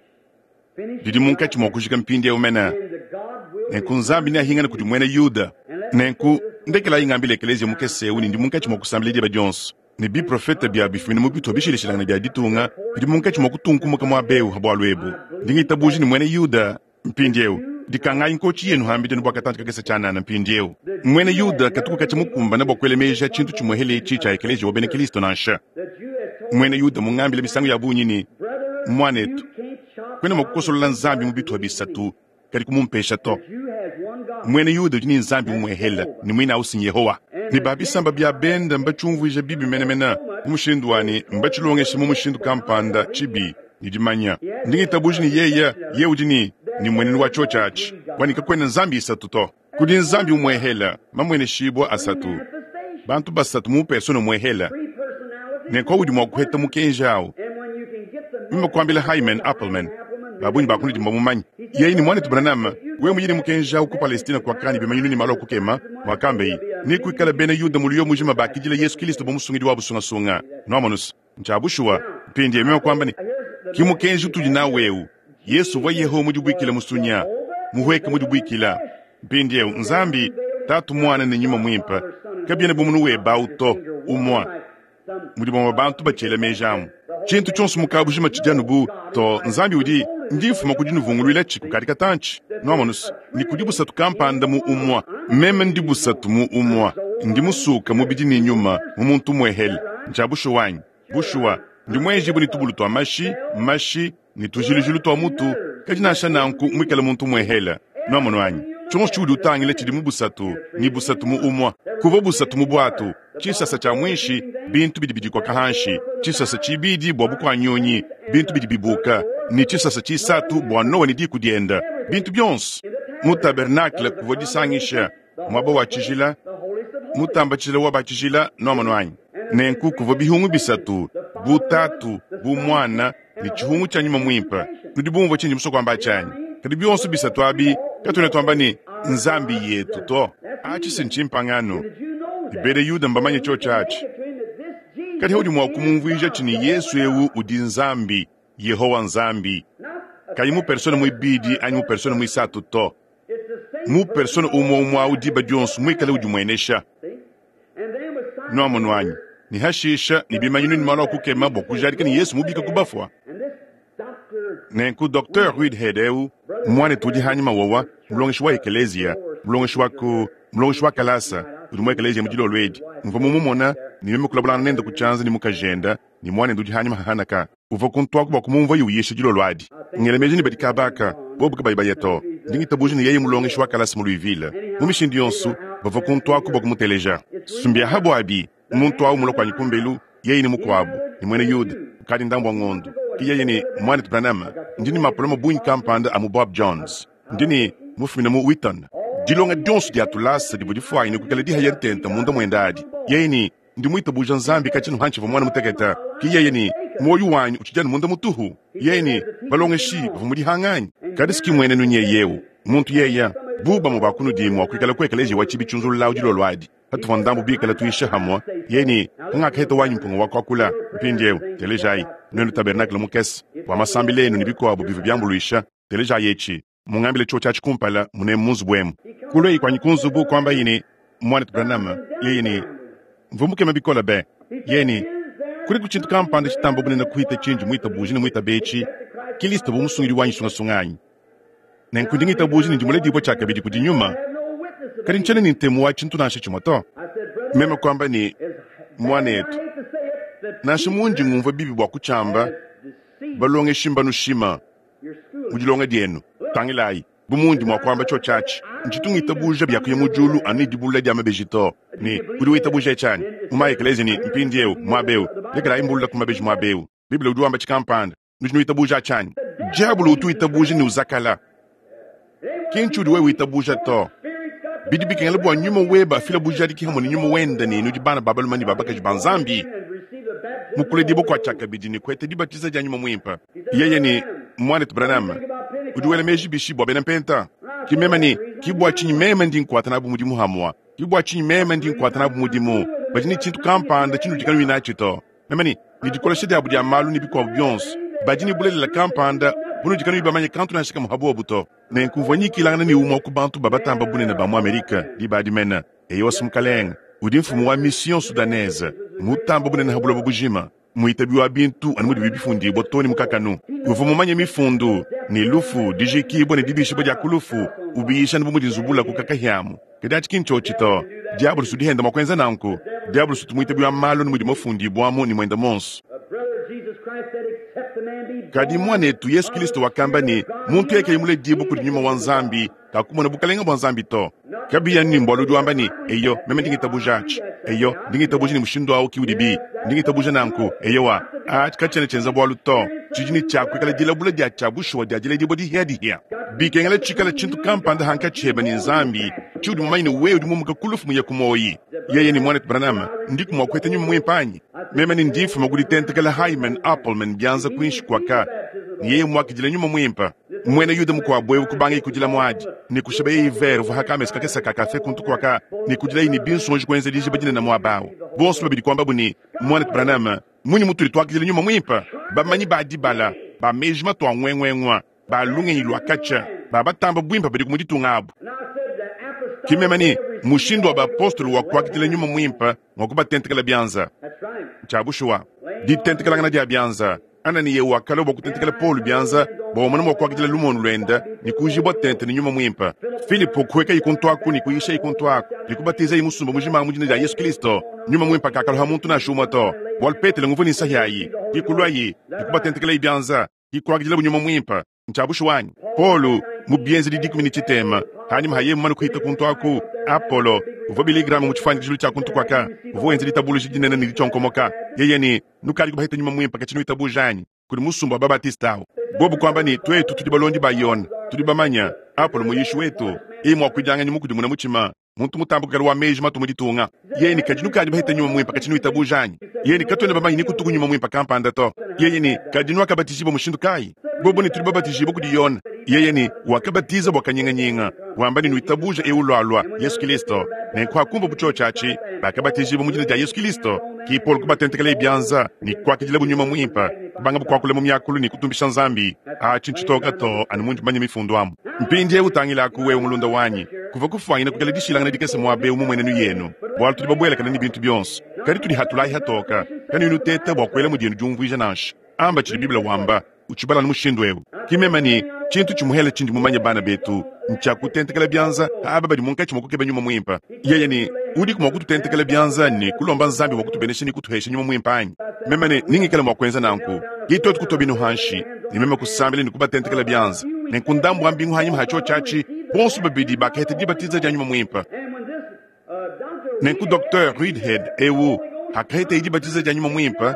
didi munkatshi mua kujika mpindieu mene. Nenku Nzambi neahingane kudi muena Yuda. Nenku, ndekelayi ngambile ekeleziya mukese eu ne ndi munkatshi mua kusambila diba dionso, ne biprofete bia bifumine mu bitupa bishilashilangane bia ditunga bidi munkatshi mua kutunkumuka muaba eu ha bualu ebu. Ndi ngitabuja ne muena Yuda. Mpindieu, dikangayi nkotshi yenu hambidi anu bua katantshi kakese tshianana mpindieu. Muena Yuda katuku katshia mukumbane bua kuela meji a tshintu tshimuehele etshi tshia ekeleziya wa bena Kristo nansha. Muena Yuda mungambile misangu ya bungi ne, Muanetu, kuena mua kukosolola Nzambi mu bitupa bisatu, kadi kumumpesha to. Muena Yuda udi ne Nzambi umuehele, ne muine au si n'Yehowa. Ne ba bisamba bia bende mbatshiumvuije bibi menemene mu mushindu wa ne, mbatshilongeshe mu mushindu kampanda tshibi. Ne dimanya. Ndi ngitabuja ne yeye, yeye udi ne, ne mmuenenu wa cyoci aci, wa ne kakwena Nzambi isatu to. Kudi Nzambi umwehela, mamweneshibwa asatu, bantu basatu mu persona umwehela. Nenku udi mwa kuheta mukenji awu. Meme kwambila Hyman Appleman, babungi ba kunudi mbamumanye. Yeye ne, Mwanetu Branham, wewe muye ne mukenji awu ku Palestine kwakani bimanyinu ne malu a kukema, mwakambaye, nekwikale bena Yuda muliyo mujima bakidila Yesu Kilisto bu Musungidi wabu sungasunga. Nwamonu's? Ncya bushuwa. Mpindyewu meme kwamba ne, Ki mukenji utudi nawu ewu. Yesu uvwa Yehowa mudibwikile musunya, muhweke mudibwikila. Mpindyewu, Nzambi, Taatu, Mwana, ne Nyuma Mwimpe kabyena bu munu webe awu to, umwa. Mudi bamwe bantu bacyela meeji amu. Cintu cyonso mu kaabujima cidi anu bu, to, Nzambi udi, ndi mfuma ku dinuvungulwilaci kukadi katanci, nwamonu's, ne kudi busatu kampanda mu umwa. Meme ndi busatu mu umwa. Ndi musuuka mubidi ne nyuma mu muntu umwehele. Ncya bushuwa anyi? Bushuwa, ndi muenjibue ne tubulu tua mashi, mashi, ne tujilujilu tua mutu, kadi nansha nanku muikale muntu umuehele. Nwamonu anyi? Tshionso tshiudi utangila tshidi mu busatu, ne busatu mu umue. Kuvua busatu mu buatu, tshisasa tshia muinshi, bintu bidi bidikoka hanshi, tshisasa tshibidi bua bukua nyunyi, bintu bidi bibuka, ne tshisasa tshisatu bua Noa ne diku diende, bintu bionso. Mu tabernakle kuvua disangisha, muaba wa tshijila, mutamba tshijila wa ba tshijila, nwamonu anyi? Nenku kuvua bihungu bisatu, bu Tatu, bu Muana, ne tshihungu tshia Nyuma Muimpe. Nudi bumvue tshindi musue kuamba atshi anyi? Kadi bionso bisatu abi, katuena tuamba ne, Nzambi yetu to. Atshi si ntshimpangano, ne bena Yuda mbamanye tshiotshi atshi. Kadi haudi mua kumumvuija tshi ne Yesu eu udi Nzambi, Yehowa Nzambi, kayi mu persona muibidi anyi mu persona muisatu to, mu persona umue umue au diba dionso muikale udimuenesha. Nwamonu anyi? Ne hashisha ne bimanyinu ne malu a kukema bua kujadika ne Yesu mubika ku bafua. Nenku Docteur Reidhead eu, muanetu udi hanyima wowa, mulongeshi wa ekeleziya, mulongeshi wa ku, mulongeshi wa kalasa, udi mu ekeleziya mu dilolo edi. Mvua mumumona ne meme kulabulangana nende ku tshianza ne mukajende ne muanende udi hanyima ha Hanaka. Uvua kuntuaku bua kumumvuaye uyisha dilolo adi. Ngela meji ne badi kaba aka, bobu kabayi baya to. Ndi ngitabuja ne yeye mulongeshi wa kalasa mu Louisville. Mu mishindu yonso, bavua kuntuaku bua kumuteleja. Sumbiahabu abi, muntu au mulua kuanyi kumbelu, yeye ne mukuabu, ne muena Yuda, kukadi ndambu wa ngondo. Ke yeye ne, Muanetu Branham, ndi ne mapolome bungi kampanda a mu Bob Jones. Ndi ne, mufumine mu Wheaton. Dilonga dionso dia tulasa divua difuanyine kuikala dihaya ntenta munda muende adi. Yeye ne, Ndi muitabuja Nzambi katshia hantshivua muana mutekete. Ke yeye ne, Muoyo wanyi utshidi anu munda mutuhu. Yeye ne, Balongeshi bavua mu dihanga anyi? Kadi si ki muenenu nyeye eu, muntu yeye, bu bamue ba kunudi mua kuikala ku ekeleziya wa tshibi tshiunzululawu dilolo adi, patuvua ndambu bikale tuyisha hamue, yeye ne, Hangakaheta wanyi mpunga wa kuakula. Mpindieu, telejayi, nuenu tabernakle mukese, bua masambila enu ne bikuabu bivua biambuluisha, telejayi etshi. Mungambile tshiotshi atshi kumpala munemu mu nzubu emu. Kulueyi kuanyi ku nzubu, kuambaye ne, Muanetu Branham, yeye ne, Mvua mukeme bikole be. Yeye ne, Kudiku tshintu kampanda tshitamba bunene kuhita tshindi muitabuje ne muitabe etshi, Kilisto bu Musungidi wanyi sungasunga anyi? Nenku ndi ngitabuja ne ndi muledibue tshiakabidi kudi Nyuma, kadi ntshiena ne ntemu wa tshintu nansha tshimue to. Meme kuamba ne, Muanetu, nansha mundi ngumvua bibi bua kutshiamba, balongeshi mbanushima mu dilonga dienu. Tangilayi. Bu mundi mua kuamba tshiotshi atshi, ntshitu ngitabuja bia kuya mu diulu anu ne dibulula dia mabeji to. Ne udi witabuja etshi anyi? Mu ma-ekeleziya ne, Mpindieu, muaba eu, lekelayi mbulula ku mabeji muaba eu. Bible udi wamba tshikampanda. Nudi nuitabuja atshi anyi? Diabolo utu witabuja ne uzakala. Ki ntshiudi wewe witabuja to. Bidi bikengela bua nyuma webe afile bujadiki hamue ne nyuma wende ne nudi bana ba balume ne ba bakaji ba Nzambi mu kuledibua kua tshiakabidi ne kuheta dibatiza dia nyuma muimpe. Yeye ne, Muanetu Branham, udi wela meji bishi bua bena Mpenta? Ki meme ne, ki bua tshinyi meme ndi nkuata nabu mudimu hamua. Ki bua tshinyi meme ndi nkuata nabu mudimu. Badi ne tshintu kampanda tshinudi kanuyi natshi to. Meme ne, ne dikolesha diabu dia malu ne bikuabu bionso, badi ne bulelela kampanda bunudi kanuyi bamanye kantu nansha kamue ha buobu to. Nenku mvua nyikilangana ne umue wa ku bantu ba batamba bunene ba mu Amerike diba adi mene, eyowa, mukalenge, udi mfumu wa Mission Soudanaise mutambe bunene ha buloba bujima, muitabi wa bintu anu mudibi bifundibua too ne mu kakanu. Uvua mumanye mifundu, ne lufu, dijikibua ne dibishibua dia ku lufu, ubiyisha anu bu mudi nzubula ku kakahiamu. Kadi atshi ki ntshiotshi to. Diabulusi udi henda mua kuenza nanku. Diabulusi utu muitabi wa malu anu mudi mafundibuamu ne muende muonso. Kadi muanetu Yesu Kilisto wakamba ne, muntu yeye kayi muledibue kudi Nyuma wa Nzambi, kakumona bukalenge bua Nzambi to. Kabiyi anu ne mbualu udi wamba ne, Eyo, meme ndi ngitabuja atshi. Eyo, ndi ngitabuja ne mushindu au ki udibi. Ndi ngitabuja nanku. Eyowa, atshi katshiena tshienza bualu to. Tshidi ne tshia kuikala dilabula dia tshia bushuwa dia diledibua dihiadihia. Bikengela tshikale tshintu kampanda hankatshi hebe ne Nzambi tshiudi mumanye ne wewe udi mumuka ku lufu muye ku muoyi. Yeye ne Muanetu Branham, ndiku mua kuheta Nyuma Muimpe anyi? Meme ne ndi mfuma ku ditentekela Hyman Appleman bianza kuinshi kuaka, ne yeye muakidile Nyuma Muimpe. Muena Yuda mukuabu eu kubangaye kudila muadi ne kushibaye vere uvua ha kamesa kakese ka kafe kuntu kuaka ne kudilaye ne binsonji kuenza dijiba dinene muaba au. Bonso babidi kuambabu ne, Muanetu Branham, mmunyi mutudi tuakidila Nyuma Muimpe? Bamanyi ba dibala, ba meji matua nguenguengua, ba lungenyi lua katshia, ba batamba buimpe badiku mu ditunga abu. Ki meme ne, mushindu wa bapostolo wa kuakidila Nyuma Muimpe ngua kubatentekela bianza. Ntshia bushuwa, ditentekelangana dia bianza. Ananiya wakalua bua kutentekela Paulo bianza bua umone mua kuakidila lumonu luende ne kuujibua tente ne Nyuma Muimpe. Filipo kuhuekaye kuntu aku ne kuyishaye kuntu aku ne kubatizaye musumba mujima mu dina dia Yesu Kristo. Nyuma Muimpe kakaluha muntu nansha umue to, bualu Petelo nguvua ne nsahi ayi. Ke kuluaye ne kubatentekelaye bianza, ke kuakidilabu Nyuma Muimpe. Ntshia bushuwa anyi? Paulo mu Bienzedi 13, hanyima ha yeye mumane kuhita kuntu aku, Apolo, uvua Billy Graham mu tshifuanyikijilu tshia kuntu kuaka, uvua wenza ditabuluja dinene ne ditshionkomoka. Yeye ne, Nukadi kubaheta Nyuma Muimpe katshi nuitabuja anyi? Kudi musumba wa Babatiste awu. Bobu kuamba ne, Tuetu tudi balondi ba Yone, tudi bamanye Apolo muyishi wetu, yeye muakuidianganyi mukudimuna mutshima, muntu mutambe kuikala wa meji matu mu ditunga. Yeye ne, Kadi nukadi baheta Nyuma Muimpe katshi nuitabuja anyi? Yeye ne, Katuena bamanye ne kutuku Nyuma Muimpe kampanda to. Yeye ne, Kadi nuakabatijibua mushindu kayi? Bobu ne, Tudi babatijibue kudi Yone. Yeye ne, Wakabatiza bua kanyinganyinga, wamba ne, Nuitabuja eu ulualua, Yesu Kilisto. Nenku hakumvua tshiotshi atshi, bakabatijibua mu dina dia Yesu Kilisto. Ki Paulo kubatentekelaye bianza ne kuakidilabu Nyuma Muimpe, kubangabu kuakula mu miakulu ne kutumbisha Nzambi. Atshi ntshitoka to, anu mundi mumanye mifundu amu. Mpindieu tangilaku, wewe mulunda wanyi, kuvua kufuanyina kuikala dishilangana dikese muaba eu mu muenenu yenu, bualu tudi babuelakane ne bintu bionso. Kadi tudi hatulayi hatoka, kanuyi nuteta bua kuela mu dienu diumvuija nansha. Amba tshidi Bible wamba, utshibala anu mushindu eu. Ki meme ne, tshintu tshimuhele tshindi mumanye bana betu, ntshia kutentekela bianza aba badi munkatshi mua kukeba Nyuma Muimpe. Yeye ne, udiku mua kututentekela bianza ne kulomba Nzambi bua kutubenesha ne kutuhesha Nyuma Muimpe anyi? Meme ne, ningikale mua kuenza nanku. Ki tuetu kutua binu hanshi, ne meme kusambila ne kubatentekela bianza. Nenku ndambu wa mbingu hanyima ha tshiotshi atshi, bonso babidi bakaheta dibatiza dia Nyuma Muimpe. Nenku Docteur Reidhead eu hakahetaye dibatiza dia Nyuma Muimpe,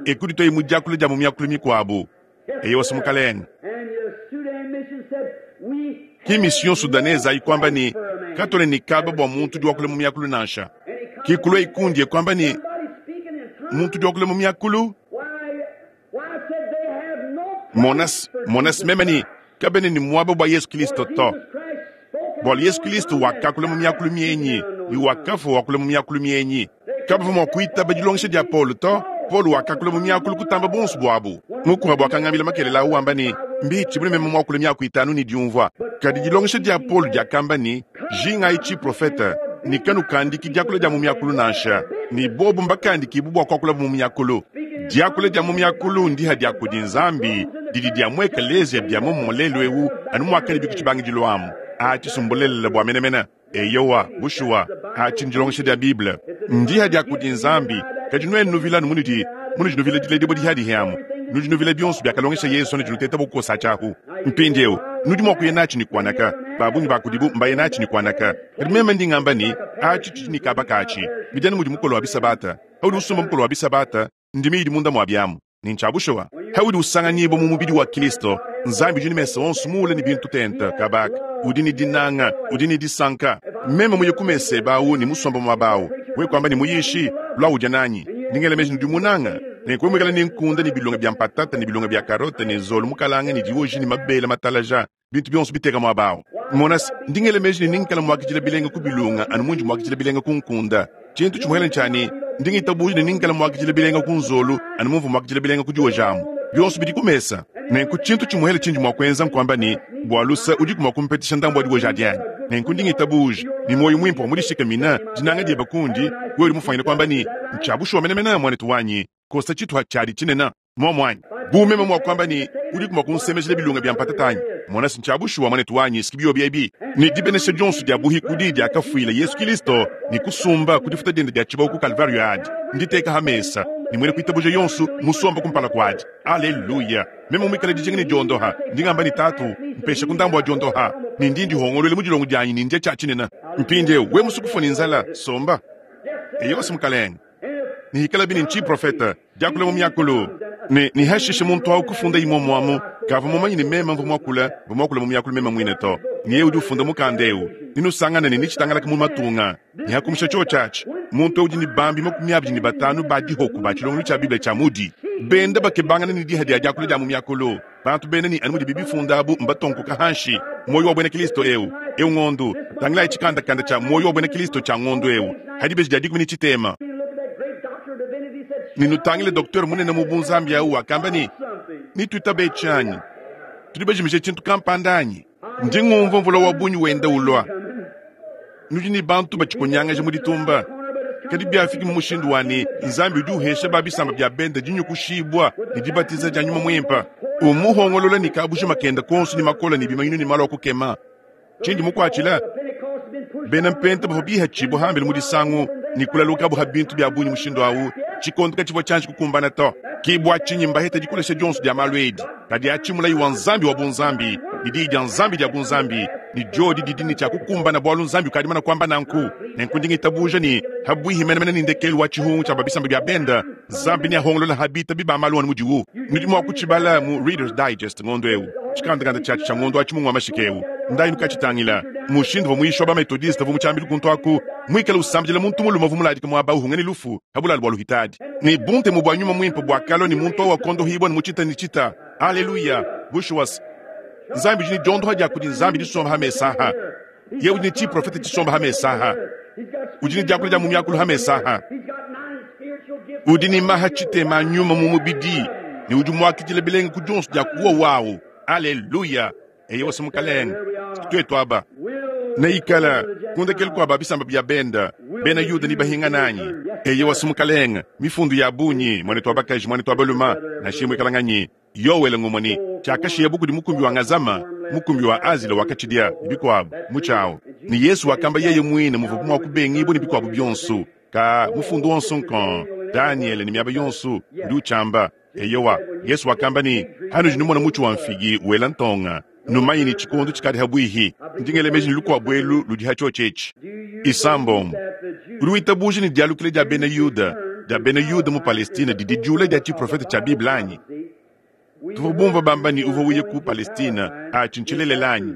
e kudituaye mu diakula dia mu miakulu mikuabu. Eyowa, Mukalenge. Ki Mission Soudanaise ayi kuamba ne, Katuena ne kaba bua muntu udi wakula mu miakulu nansha. Ki kuluayi kundi e kuamba ne, Muntu udi wakula mu miakulu? Mona, mona meme ne, kabena ne muaba bua Yesu Kristo to. Bualu Yesu Kristo wakakula mu miakulu mienyi ne wakafua wakula mu miakulu mienyi. Kabavua mua kuitaba dilongesha dia Paulo to. Paulo wakakula mu miakulu kutamba buonso buabu. Mukuabu wakangambila makelela au wamba ne, Mbitshi bune meme muakule miaku itanu ne diumvua. Kadi dilongesha dia Paulo diakamba ne, Jingayi tshiprofete ne kanukandiki diakula dia mu miakulu nansha, ne bobu mbakandikibue bua kuakulabu mu miakulu. Diakula dia mu miakulu ndiha dia kudi Nzambi didi dia mu ekeleziya bia muomumue lelu eu anu muakadibi ku tshibangidilu amu. Atshi mbulelela bua menemene. Eyowa, bushuwa, atshi ndilongesha dia Bible. Ndiha dia kudi Nzambi. Kadi nuenu nuvila anu munudi munudi nuvila diledibua dihiadihi amu. Nudi nuvila bionso biakalongesha Yesu anudi nuteta bua kukosa tshiahu. Mpindyewu, nudi mwa kuya naaci ne kwanaka. Baabungi baa kudibo mbaya naaci ne kwanaka. Kadi meme ndi ngamba ne, aci cidi ne kaaba kaaci. Bidi anu mudi mukolo wa bisabata. Paudi usumba mukolo wa bisabata, ndimi yidi munda mwa byamu. Ne ncya bushuwa. Paudi usanganyiibwa mu mubidi wa Kilisto, Nzambi udi ne mesa onso muule ne bintu tente, kaaba aka. Udi ne dinanga. Udi ne disanka. Meme muye ku mesa ebe awu ne musombe mwaba awu, wewe kwamba ne, Muyishi, lwa udya naanyi. Ndi ngela meji ne udi munanga. Nenku wewe mwikale ne nkunda ne bilonga bya mpatata ne bilonga bya karote ne nzolu mukalanga ne diwoji ne mabele matalaja, bintu byonso biteka mwaba awu. Mona's, ndi ngela meji ne nengikale mwakidila bilenga ku bilunga anu mundi mwakidila bilenga ku nkunda. Tshintu tshimwele ntshia ne, ndi ngitabuja ne nengikale mwakidila bilenga ku nzolu anu mumvua mwakidila bilenga ku diwoji amu. Byonso bidi ku mesa. Nenku tshintu tshimwele tshindi mwa kwenza nkwamba ne, Bwa lusa, udiku mwa kumpetesha ndambu wa diwoji adi anyi? Nenku ndi ngitabuja, ne mwoyi mwimpe wa mu dishikamina, dinanga dyebe kundi, wewe udi mufwanyine kwamba ne, Ntshia bushuwa menemene, mwanetu wanyi, kosa tshituha tshiadi tshinene. Muomu anyi? Bu meme mua kuamba ne, Udiku mua kunsemejela bilunga bia mpatata anyi? Mona se, ntshia bushuwa, muanetu wanyi, s'ki biobi ebi. Ne dibenesha dionso dia buhikudi diakafuila Yesu Kilisto ne kusumba ku difuta diende dia tshibawu ku Kalvaryo adi, nditeka ha mesa, ne muena kuitabuja yonso musomba kumpala kuadi. Aleluya! Meme muikale dijinga ne diondoha, ndi ngamba ne, Tatu, mpeshaku ndambu wa diondoha, ne ndi ndihongoluela mu dilongo dianyi ne ndia tshia tshinene. Mpindieu, wewe musue kufua ne nzala, somba. Eyowa, Mukalenge. Ne hikalabi ne ntshiprofete, diakula mu miakulu, ne, ne hashishe muntu au kufunda imue amu, kavua mumanye ne meme mvua muakule, mvua muakule mu miakulu meme muine to. Ne yeye udi ufunda mukanda eu, nenusangane ne netshitangalake mu matunga. Ne hakumusha tshiotshi atshi, muntu eu udi ne bambi 25 ba dihoku ba tshilongelu tshia Bible tshia mudi benda bakebangana ne diha dia diakula dia mu miakulu. Bantu bena ne anu mudibi bifunda abu mbatonkoka hanshi. Muoyo wa buena Kilisto eu, eu ngondu. Tangilayi tshikandakanda tshia Muoyo wa buena Kilisto tshia ngondu eu, ha dibeji dia dikumi ne tshitema. Ne nutangile doktere munene mu bunzambi au wakamba ne, Netuitabe etshi anyi? Tudi bajimije tshintu kampanda anyi? Ndi ngumvua mvula wa bungi wenda ulua. Nudi ne bantu batshikonyangaja mu ditumba. Kadi biafiki mu mushindu wa ne, Nzambi udi uhesha ba bisamba bia bende dinyukushibua ne dibatiza dia Nyuma Muimpe, umuhongolola ne kabujima kende konso ne makole ne bimanyinu ne malu a kukema. Tshindi mukuatshila, bena Mpenta bavua bihatshibua hambelu mu disangu ne kulalukabu ha bintu bia bungi mushindu au, tshikondo katshivua tshianji kukumbana to. Ke bua tshinyi mbahete dikolesha dionso dia malu edi. Kadi atshi mulayi wa Nzambi wa bunzambi ne diyi dia Nzambi dia bunzambi, ne diodi didi ne tshia kukumbana bualu Nzambi ukadi mumane kuamba nanku. Nenku ndi ngitabuja ne, pabuihi menemene ne ndekelu wa tshihungu tshia ba bisamba bia bende, Nzambi neahongolole ha bitabi ba malu anu mudiwu. Nudi mua kutshibala mu Reader's Digest ngondo eu, tshikandakanda tshiatshi tshia ngondo wa Tshimungu wa mashika eu. Ndayi nukatshitangila. Mushindu uvua muyishi wa ba-Methodiste uvua mu tshiambilu kuntu aku muikale usambidila muntu mulume uvua muladike muaba uhunga ne lufu pa bulalu bua luhitadi. Ne buntemu bua Nyuma Muimpe buakalua ne muntu au wakondohibua ne mu tshita ne tshita. Aleluya! Bushuwa-se, Nzambi udi ne diondoha dia kudi Nzambi disomba ha mesa aha. Yeye udi ne tshiprofete tshisomba ha mesa aha. Udi ne diakula dia mu miakulu ha mesa aha. Udi ne maha tshitema a nyuma mu mubidi ne udi muakidila bilenga ku dionso dia kuwa wawu. Aleluya! Eyowa, Mukalenge, tuetu aba neikala ku ndekelu kua ba bisamba bia benda, bena Yuda ne bahingana anyi? Eyowa, Mukalenge, mifundu ya bungi, muanetu wa bakaji, muanetu wa baluma, nansha imue ikala nganyi? Yoele ngumue ne tshiakashiyabo kudi mukumbi wa Ngazama, mukumbi wa Azila wakatshidia, ne bikuabu, mutshiawu. Ne Yesu wakamba yeye muine muvuabu mua kubengibua ne bikuabu bionso, ka mufundu wonso nkong, Danyele ne miaba yonso, udi utshiamba. Eyowa, Yesu wakamba ne, Hanudi numona mutshi wa mfigi wela ntonga, numanye ne tshikondo tshikadi ha buihi. Ndi ngela meji ne lukuabu elu ludi ha tshiotshi etshi. Isambombo. Udi witabuja ne dialukila dia Bena Yuda dia Bena Yuda mu Palestine didi diula dia tshiprofete tshia Bible anyi? Tuvua bumvua bamba ne uvua uya ku Palestine, atshi ntshilelela anyi?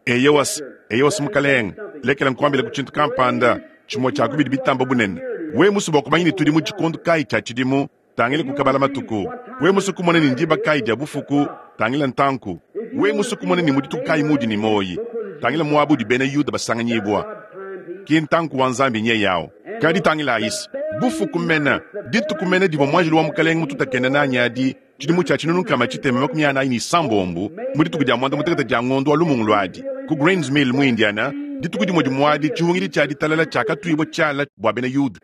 Eyowa, eyowa, Mukalenge, lekela nkuambileku tshintu kampanda, tshimue tshia ku bidi bitamba bunene. Wewe musue bua kumanya ne tudi mu tshikondo kayi tshia tshidimu, tangila ku kabala matuku. Wewe musue kumona ne ndiba kayi dia bufuku, tangila ntanku. Wewe musue kumona ne mu dituku kayi muudi ne muoyi, tangila muaba udi bena Yuda basanganyibua. Ki ntanku wa Nzambi nyeye au. Kadi tangilayise, bufuku mene, dituku mene divua muanjelu wa Mukalenge mututakene nanyi adi, Tshidimu tshia 1646, mu dituku dia muanda-mutekete dia ngondo wa Lumungulu adi, ku Green's Mill mu Indiana, dituku dimue dimue adi tshihungidi tshia ditalala tshiakatuibua tshiala bua bena Yuda,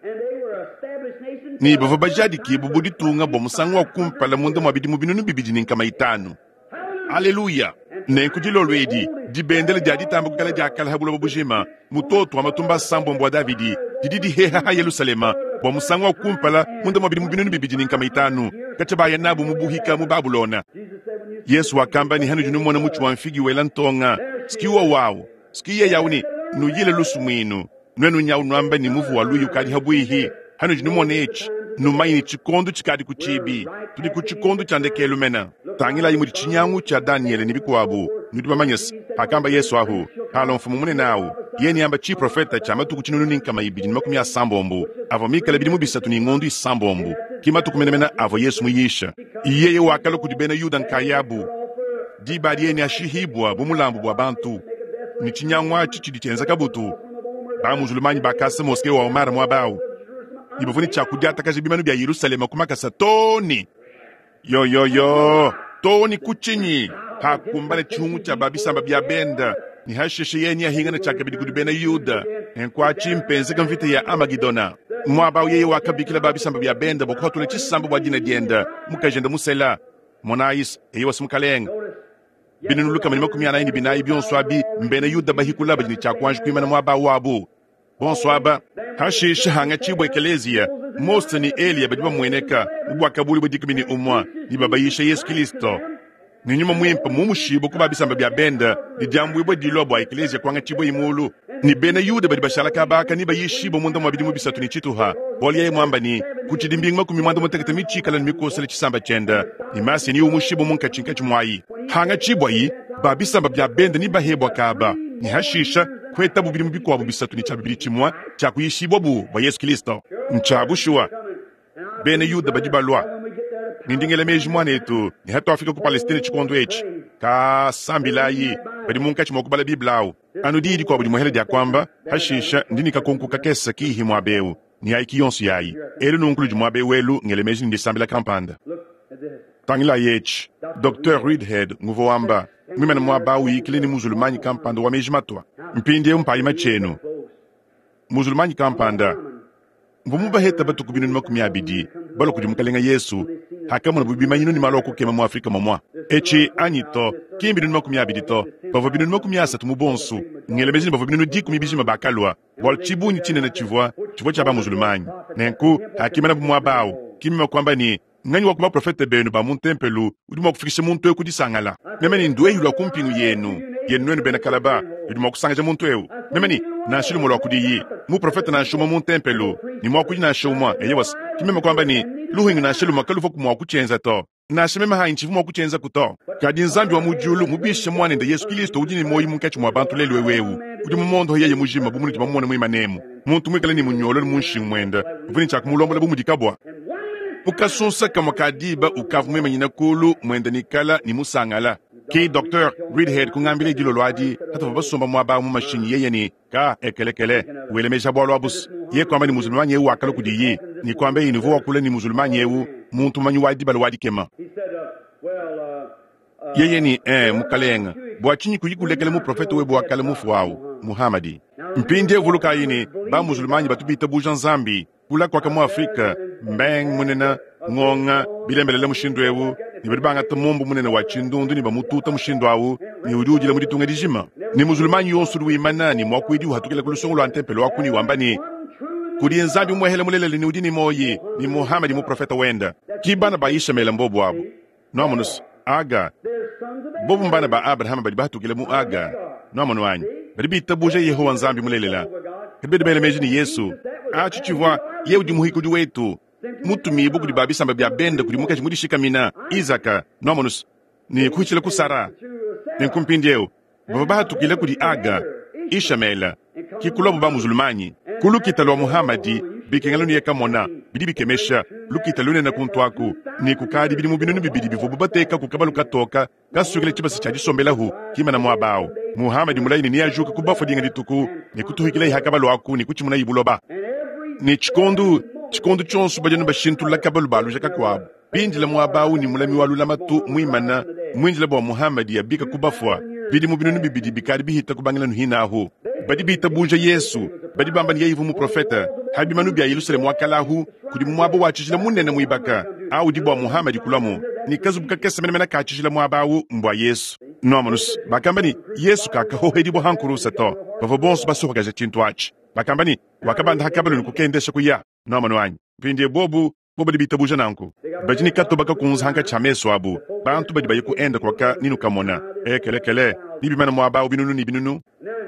ne bavua bajadikibue bu ditunga bua musangu wa kumpala munda mua bidimu 2500. Aleluya! Nenku dilolo edi, dibendele dia ditamba kuikala dia kale ha buloba bujima, mutoto wa matumba asambombo wa Davidi, didi diheha ha Yelushalema bua musangu wa kumpala munda mua bidimu 2500 katshia baya nabu mu buhika mu Babulona. Yesu wakamba ne, Hanudi numona mutshi wa mfigi wela ntonga, ski wowawu, ski yeyawu ne, nuyile lusumuinu. Nuenu nyawu nuamba ne, Muvu wa luya ukadi habuihi. Hanudi numona etshi, numanye ne, tshikondo tshikadi ku tshibi. Tudi ku tshikondo tshia ndekelu mene. Tangilayi mudi tshinyangu tshia Danyele ne bikuabu. Nudi bamanye se, pakamba Yesu ahu, palua mfumu munene awu, yeye neamba tshiprofeta tshia matuku 1260, avua mikale bidimu bisatu ne ngondu isambombo. Ki matuku menemene avua Yesu muyisha. Yeye wakalua kudi bena Yuda nkayabu. Diba adi yeye neashihibua bu mulambu bua bantu, ne tshinyangu atshi tshidi tshienza kabutu. Ba-muzulumanyi bakasa moske wa Omar muaba au, ne bavua ne tshia kudiatakaja bimanu bia Yerusaleme ku makasa too ne yoyoyo too ne ku tshinyi hakumbana tshihungu tshia ba bisamba bia benda, ne hashishe yeye neahingane tshiakabidi kudi bena Yuda. Nenku atshi mpenzeka mvita ya Amagidona. Muaba au yeye wakabikila ba bisamba bia benda bua kuhatula tshisamba bua dina diende, mukajende musela. Monayi, eyowa, si mukalenge. 444 bionso abi mbena Yuda bahikula badi ne tshia kuanji kuimana muaba wabu. Bonso aba hashishe hangatshibua ekeleziya, Mose ne Eliya badi bamueneka mu buakabuli bua 11 ne babayisha Yesu Kilisto ne Nyuma Muimpe mumushibue ku ba bisamba bia benda ne diambuibua dilua bua ekeleziya kuangatshibua mulu. Ne bena Yuda badi bashala kaba aka ne bayishibue munda mua bidimu bisatu ne tshituha, bualu yeye muamba ne, kutshidi mbingu 60 mitshikale ne mikosele tshisamba tshiende, ne Masiya neumushibue munkatshinkatshi muayi. Hangatshibuayi, ba bisamba bia bende ne bahebua kaba, ne hashisha kuetabu bidimu bikuabu bisatu ne tshia bibidi tshimue tshia kuyishibuabu bua Yesu Kilisto. Ntshia bushuwa, bena Yuda badi balua, ne ndi ngela meji muanetu ne hatuafika ku Palestine tshikondo etshi, ka sambilayi badi munkatshi mua kubala Bible au. Anu diyi dikuabu dimuehela dia kuamba, hashisha ndi ne kakonko kakese kihi muaba eu, ne ayi ki yonso yayi. Elu nunku ludi muaba eu elu ngele meji ne ndisambila kampanda. Tangilayi etshi, Docteur Reidhead nguvua wamba, muimane muaba au uyikila ne muzulumanyi kampanda wa meji matua. Mpindieu mpayi matshi enu. Muzulumanyi kampanda mvua mubaheta batuku 200,000 balua kudi Mukalenga Yesu hakamonabu bimanyinu ne malu a kukema mu Afrika momua. Etshi anyi to, ki 200,000 to, bavua 30,000 mu bonso. Ngela meji ne bavua 10,000 bijima bakalua, bualu tshibungi tshinene tshivua tshivua tshia bamuzulumanyi. Nenku hakimanabu muaba au, ki meme kuamba ne, Nganyi wa ku baprofete benu ba mu ntempelo udi mua kufikisha muntu eu ku disangala? Meme ne nduehi lua ku mpingu yenu, yenu nuenu bena kalaba, ludi mua kusangaja muntu eu. Meme ne nansha lumue lua kudiyi, muprofete nansha umue mu ntempelo, ne muakuidi nansha umue. Eyowa, ki meme kuamba ne, luhingu nansha lumue kaluvuaku mua kutshienza to. Nansha meme hanyi tshivua mua kutshienzaku to. Kadi Nzambi wa mu diulu mubishe Muanende Yesu Kilisto udi ne muoyo munkatshi mua bantu lelu eu eu, udi mumondohe yeye mujima bu munudi bamumone muimanemu, muntu muikale ne munyololo mu nshingu muende, uvua ne tshia kumulombola bu mudi kabua. Mu kasunsa kamue ka diba ukavua muimanyine kuulu muende ne kala ne musangala. Ke Docteur Reidhead kungambila dilolo adi patuvua basomba muaba au mu mashinyi yeye ne, Ka ekelekele, wele meji a bualu abu's. Yeye kuamba ne muzulumanyi eu wakalua kudiyi ne kuambaye ne uvua wakula ne muzulumanyi eu, muntu mumanyi wa dibala wa dikema. Yeye ne, Ee, mukalenge, bua tshinyi kuyi kulekela muprofete webe wa kale mufue au, Muhamadi? Mpindieu vulukayi ne, ba-muzulumanyi batu bitabuja Nzambi. Kula kuaka mu Afrike, mbeng munene, ngonga, bilembelela mushindu eu, ne badi bangata mumbu munene wa tshindundu ne bamututa mushindu au, ne udi udila mu ditunga dijima. Ne muzulumanyi yonso udi wimana ne muakuidi uhatukila ku lusongo lua ntempelo aku ne wamba ne, Kudi Nzambi umuehele mulelela ne udi ne muoyi, ne Muhamadi muprofete wende. Ki bana ba Yishemaele mbobu abu. Nuamonu se, Aga, bobu mbana ba Abrahama badi bahatukile mu Aga. Nuamonu anyi? Badi bitabuja Yehowa Nzambi mulelela, kadi badi bela meji ne Yesu atshi tshivua ye udi muhikudi wetu, mutumibue kudi ba bisamba bia bende kudi mukaji mudishikamina Izaka. Nuamonu se, ne kuhitshila ku Sara. Nenku mpindieu bavua bahatukile kudi Aga, Ishamele, ki kuluabu ba muzulumanyi. Ku lukita lua Muhamadi, bikengela nuye kamona, bidi bikemesha, lukita lunene kuntu aku, ne kukadi bidimu 2000 bivuabu bateka ku kabalu katoka kasuikila tshibasa tshia disombelahu kimana muaba au. Muhamadi mulayi ne neajuke ku bafua dinga dituku ne kutuhikilayi ha kabalu aku ne kutshimunayi buloba. Ne tshikondu tshikondu tshionso badi anu bashintulula kabalu baluja kakuabu. Bindila muaba au ne mulami wa lulamatu muimana muindila bua Muhamadi abika ku bafua. Bidimu 2000 bikadi bihita kubangila nuhina ahu. Badi bitabuja Yesu, badi bamba ne yeye uvua muprofete. Ha bimanu bia Yelusalemu wa kale ahu kudi muaba wa tshijila munene muibaka au udi bua Muhamadi kuluamu, ne kazubu kakese menemene ka tshijila muaba au mbua Yesu. Nuamonus, bakamba ne Yesu kakahohedibua ha nkurusa to. Bavua bonso basohakaja tshintu atshi. Bakamba ne wakabanda ha kabalu ne kukendesha kuya. Nuamonu anyi? Mpindie bobu. Bo badi bitabuja nanku. Badi ne katoba kakunze hankatshi ha mesu abu. Bantu badi baya ku Inde kuaka ne nukamona, ekelekele, ne bimana muaba awu binunu ne binunu.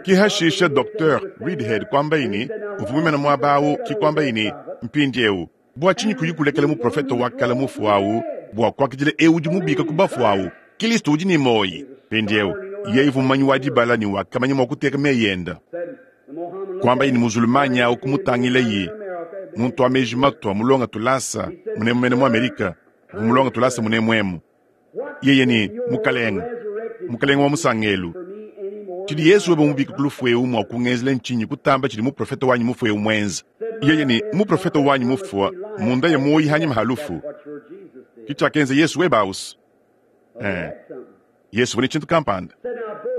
Ki hashisha Docteur Reidhead kuambaye ne, uvua muimane muaba awu, ki kuambaye ne, Mpindiewu, bua tshinyi kuyi kulekela muprofete wa kale mufue awu bua kuakidila eu udi mubika ku bafue awu, Kilisto udi ne muoyi? Mpindiewu, yeye uvua mumanyi wa dibala ne wakamanya mua kuteka meyi enda. Kuambaye ne muzulumanyi awu kumutangilaye, muntu wa meji matua mulonga tulasa munemu mene mu Amerika, uvua mulonga tulasa munemu emu. Yeye ne, Mukalenge, Mukalenge wa musangelu, tshidi Yezu webe mubike ku lufu eu mua kungenzela ntshinyi kutamba tshidi muprofete wanyi mufue eu muenze? Yeye ne, Muprofete wanyi mufua munda ya muoyi hanyima ha lufu. Ke tshiakenza Yesu webe ausu. Eh, Yesu uvua ne tshintu kampanda.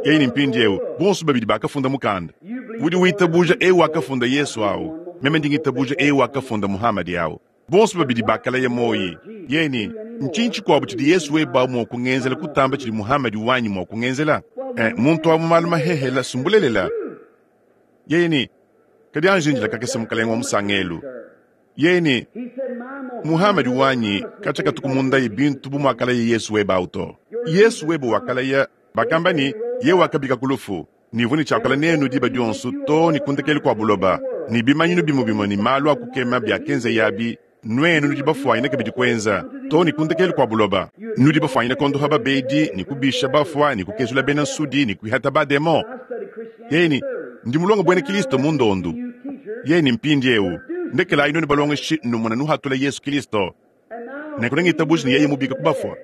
Yeye ne mpindieu, bonso babidi bakafunda mukanda. Udi witabuja eu wakafunda Yesu au, meme ndi ngitabuja eu wakafunda Muhamadi au. Bonso babidi bakalaya muoyi. Yeye ne, Ntshinyi tshikuabu tshidi Yesu weba mua kungenzela kutamba tshidi Muhamadi wanyi mua kungenzela? Eh, muntu wa mu malu mahehela sumbulelela. Yeye ne, Kadi anji indila kakese mukalenge wa musangelu. Yeye ne, Muhamadi wanyi katshia katuku mundaye bintu bu muakalaya Yesu webe au to. Yesu webe wakalaya, bakamba ne, Yeye wakabika ku lufu, ne uvua ne tshiakula nenu diba dionso too ne ku ndekelu kua buloba, ne bimanyinu bimue bimue ne malu a kukema biakenzeye abi, nuenu nudi bafuanyine kabidi kuenza, too ne ku ndekelu kua buloba. Nudi bafuanyine kuondopa babedi, ne kubisha bafua, ne kukezula bena nsudi, ne kuihata bademon. Yeye ne, Ndi mulonge buena Kilisto mu ndondu. Yeye ne, Mpindiewu, ndekelayi nuenu balongeshi numona nuhatula Yesu Kilisto. Nenku nengitabuja ne yeye mubika ku bafua.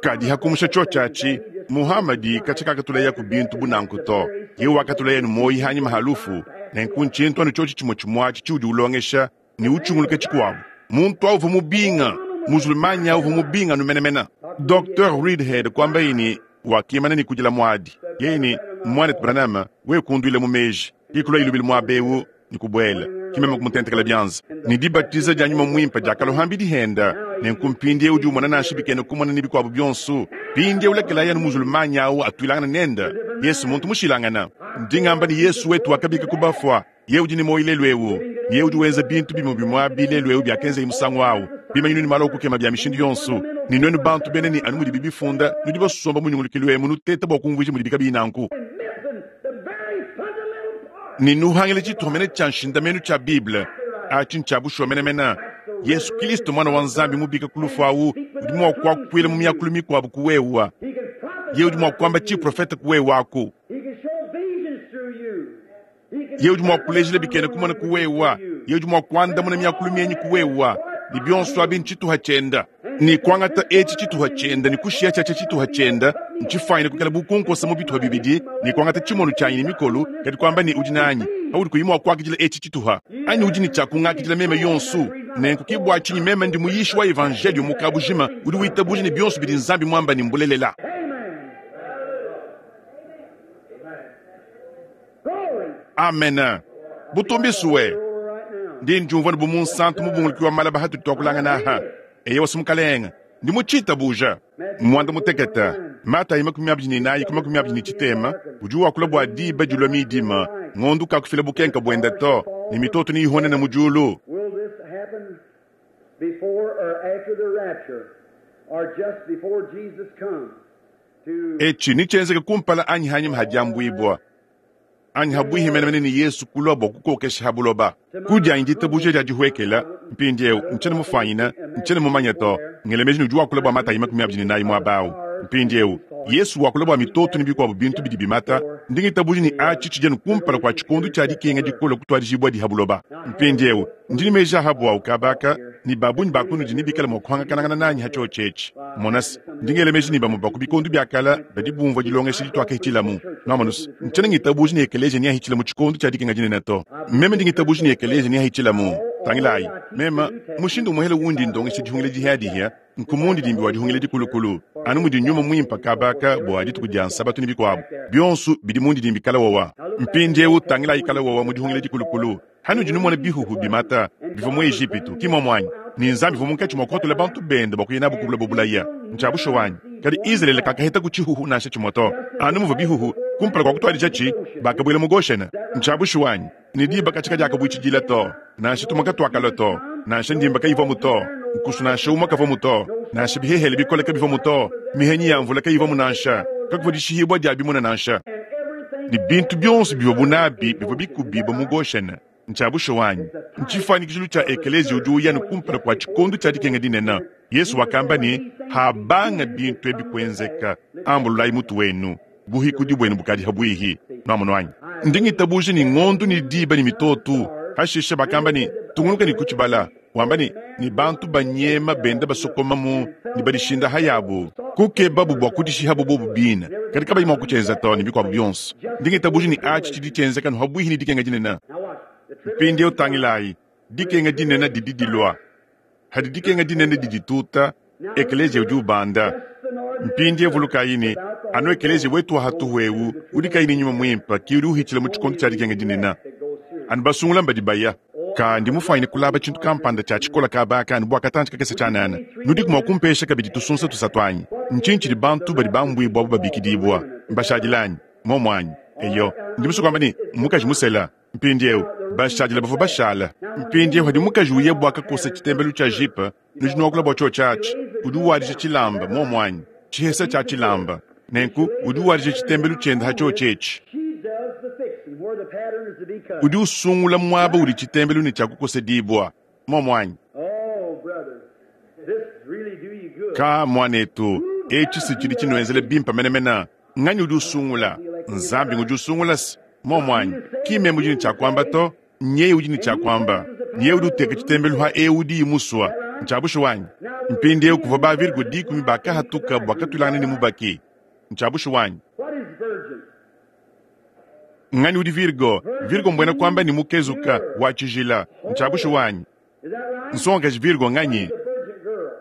Kadi hakumusha tshiotshi atshi, Muhamadi katshia kakatulayaku bintu bu nanku to. Yeye wakatulaya ne muoyi hanyima ha lufu. Nenku ntshintu anu tshiotshi tshimue tshimue atshi tshiudi ulongesha ne utshunguluke tshikuabu. Muntu au uvua mubinga, muzulumanyi au uvua mubinga anu menemene. Docteur Reidhead kuambaye ne, wakimana ne kudila muadi. Yeye ne, Muanetu Branham, wewe kunduila mu meji. Ke kuluaye lubilu muaba eu ne kubuela. Ke meme kumutentekela bianza. Ne dibatiza dia Nyuma Muimpe diakalua hambidi henda. Nenku mpindieu udi umona nansha bikena kumona ne bikuabu bionso. Mpindieu lekelayi anu muzulumanyi au atuilangane nende. Yesu muntu mushilangana. Ndi ngamba ne Yesu wetu wakabika ku bafua. Yeye udi ne muoyo lelu eu. Yeye udi wenza bintu bimue bimue abi lelu eu biakenzeye musangu au, bimanyinu ne malu a kukema bia mishindu yonso. Ne nuenu bantu bena ne anu mudibi bifunda, nudi basomba mu nyungulukilu emu nuteta bua kumvuija mudibi kabiyi nanku. Ne nuhangila tshituha mene tshia nshindamenu tshia Bible. Atshi ntshia bushuwa menemene. Yesu Kilisto, Muana wa Nzambi mubika ku lufu au, udi mua kuakuila mu miakulu mikuabu ku wewa. Yeye udi mua kuamba tshiprofete ku wewa aku. Yeye udi mua kulejila bikena kumona ku wewa. Yeye udi mua kuandamuna miakulu mienyi ku wewa. Ne bionso abi ntshituha tshienda. Ne kuangata etshi tshituha tshienda ne kushiya tshiatshia tshituha tshienda ntshifuanyine kuikala bu kunkosa mu bituha bibidi ne kuangata tshimono tshianyi ne mikolu, kadi kuamba ne udi nanyi paudi kuyi mua kuakidila etshi tshituha, anyi udi ne tshia kungakidila meme yonso. Nenku ke bua tshinyi meme ndi muyishi wa evanjeliyo mu kabujima udi witabuja ne bionso bidi Nzambi muamba ne mbulelela. Amen. Butumbisue. Ndi ndiumvua ne bu munsantu mubunguluki wa malaba hatudi tuakulangana aha. Eyewa si mukalenge. Ndi mutshitabuja. Muanda mutekete, Matayi 24 ku 23, udi wakula bua diba dilua midima, ngondu kakufila bukenka buenda to, ne mitoto neyihonene mu diulu. Will this happen before or after the rapture, or just before Jesus comes to Etshi netshienzeke kumpala anyi hanyima ha diambuibua, anyi habuihi menemene ne Yesu kulua bua kukokesha ha buloba. Ku dianyi ditabuja dia dihuekela, mpindieu ntshiena mufuanyine, ntshiena mumanye to, ngela meji ne udi wakula bua Matayi 24 muaba au. Mpindieu, Yesu wakula bua mitoto ne bikuabu bintu bidi bimata, ndi ngitabuja ne atshi tshidi anu kumpala kua tshikondo tshia dikenga dikole kutuadijibua ha buloba. Mpindieu, ndi ne meji a ha buawu kaba aka, ne ba bungi ba kunudi nebikale mua kuhangakanangana nanyi ha tshiotshi etshi. Mona se, ndi ngela meji ne bamue ba ku bikondo bia kale badi bumvua dilongesha dituakahitshilamu. Nuamonu se, ntshiena ngitabuja ne ekeleziya neahitshile mu tshikondo tshia dikenga dinene to. Meme ndi ngitabuja ne ekeleziya neahitshilamu. Tangilayi, meme, mushindu umuehele undi ndongesha dihungila dihiadihia, nku mundidimbi wa dihungila dikulukulu, anu mudi Nyuma Muimpe kaba aka bua dituku dia Nsabatu ne bikuabu bionso bidi mundidimbi kala wawa. Mpindieu tangilayi kala wawa mu dihungila dikulukulu. Hanudi numona bihuhu bimata bivua mu Ejipitu, ki muomu anyi? Ne Nzambi uvua munkatshi mua kuhatula bantu bende bua kuya nabu ku buloba bulaya. Ntshia bushuwa anyi? Kadi Izalele kakahetaku tshihuhu nansha tshimue to. Anu muvua bihuhu kumpala kua kutuadijatshi, bakabuela mu Goshene. Ntshia bushuwa anyi? Ne diba katshia kadiakabuitshidila to, nansha tumue katuakalua to, nansha ndimba kayivuamu to, nkusu nansha umue kavuamu to, nansha bihehele bikole kabivuamu to, mihenyi ya mvula kayivuamu nansha, kakuvua dishihibua dia bimuna nansha. Ne bintu bionso bivuabu nabi bivua bikubibue mu Goshene. Ntshia bushuwa anyi? Ntshifuanyikijilu tshia ekeleziya udi uya ne kumpala kua tshikondo tshia dikenga dinene. Yezu wakamba ne, Habanga bintu ebi kuenzeka, ambululayi mutu wenu, buhikudi buenu bukadi habuihi. Nuamonu anyi? Ndi ngitabuja ne ngondo ne diba ne mitoto. Hashishe bakamba ne, Tungunuka ne kutshibala, wamba ne, ne bantu banyema benda basokomamu ne badishinda hayabu, kukebabu bua kudishihabu bobu bine, kadi kabayi mua kutshienza to, ne bikuabu bionso. Ndi ngitabuja ne atshi tshidi tshienzeka nu habuihi ne dikenga dinene. Mpindieu tangilayi, dikenga dinene didi dilua. Hadi dikenga dinene didituta, ekeleziya udi ubanda. Mpindieu vulukayi ne, anu ekeleziya wetu wa hatuhu eu udi kayi ne Nyuma Muimpe ke udi uhitshila mu tshikondo tshia dikenga dinene. Anu basungula mbadi baya. Ka ndi mufuanyine kulaba tshintu kampanda tshia tshikola kaba aka anu bua katantshi kakese tshianana. Nudiku mua kumpesha kabidi tusunsa tusatu anyi? Ntshinyi tshidi bantu badi bambuibua abu babikidibua? Mbashadile anyi? Muomu anyi? Eyo, ndi musue kuamba ne, mmukaji musela. Mpindieu, bashadile bavua bashala. Mpindieu padi mukaji uya bua kakosa tshitembelu tshia jipe, nudi nuakula bua tshiotshi atshi, udi wadija tshilamba, muomu anyi? Tshihesa tshia tshilamba. Nenku udi wadija tshitembelu tshiende ha tshiotshi etshi. Udi usungula muaba udi tshitembelu ne tshia kukosedibua, muomu anyi? Ka, muanetu, etshi si tshidi tshinuenzela bimpe menemene. Nganyi udi usungula? Nzambi ngudi usungula se muomu anyi? Ki meme udi ne tshia kuamba to, nyeye udi ne tshia kuamba. Nyeye udi uteka tshitembelu ha eu udiyi musua. Ntshia bushuwa anyi? Mpindieu kuvua ba virgo dikumi bakahatuka bua katuilangana ne mubaki. Ntshia bushuwa anyi? Nganyi udi virgo? Virgo mbuena kuamba ne mukezuka, wa tshijila. Ntshia bushuwa anyi? Nsongakaji Virgo nganyi?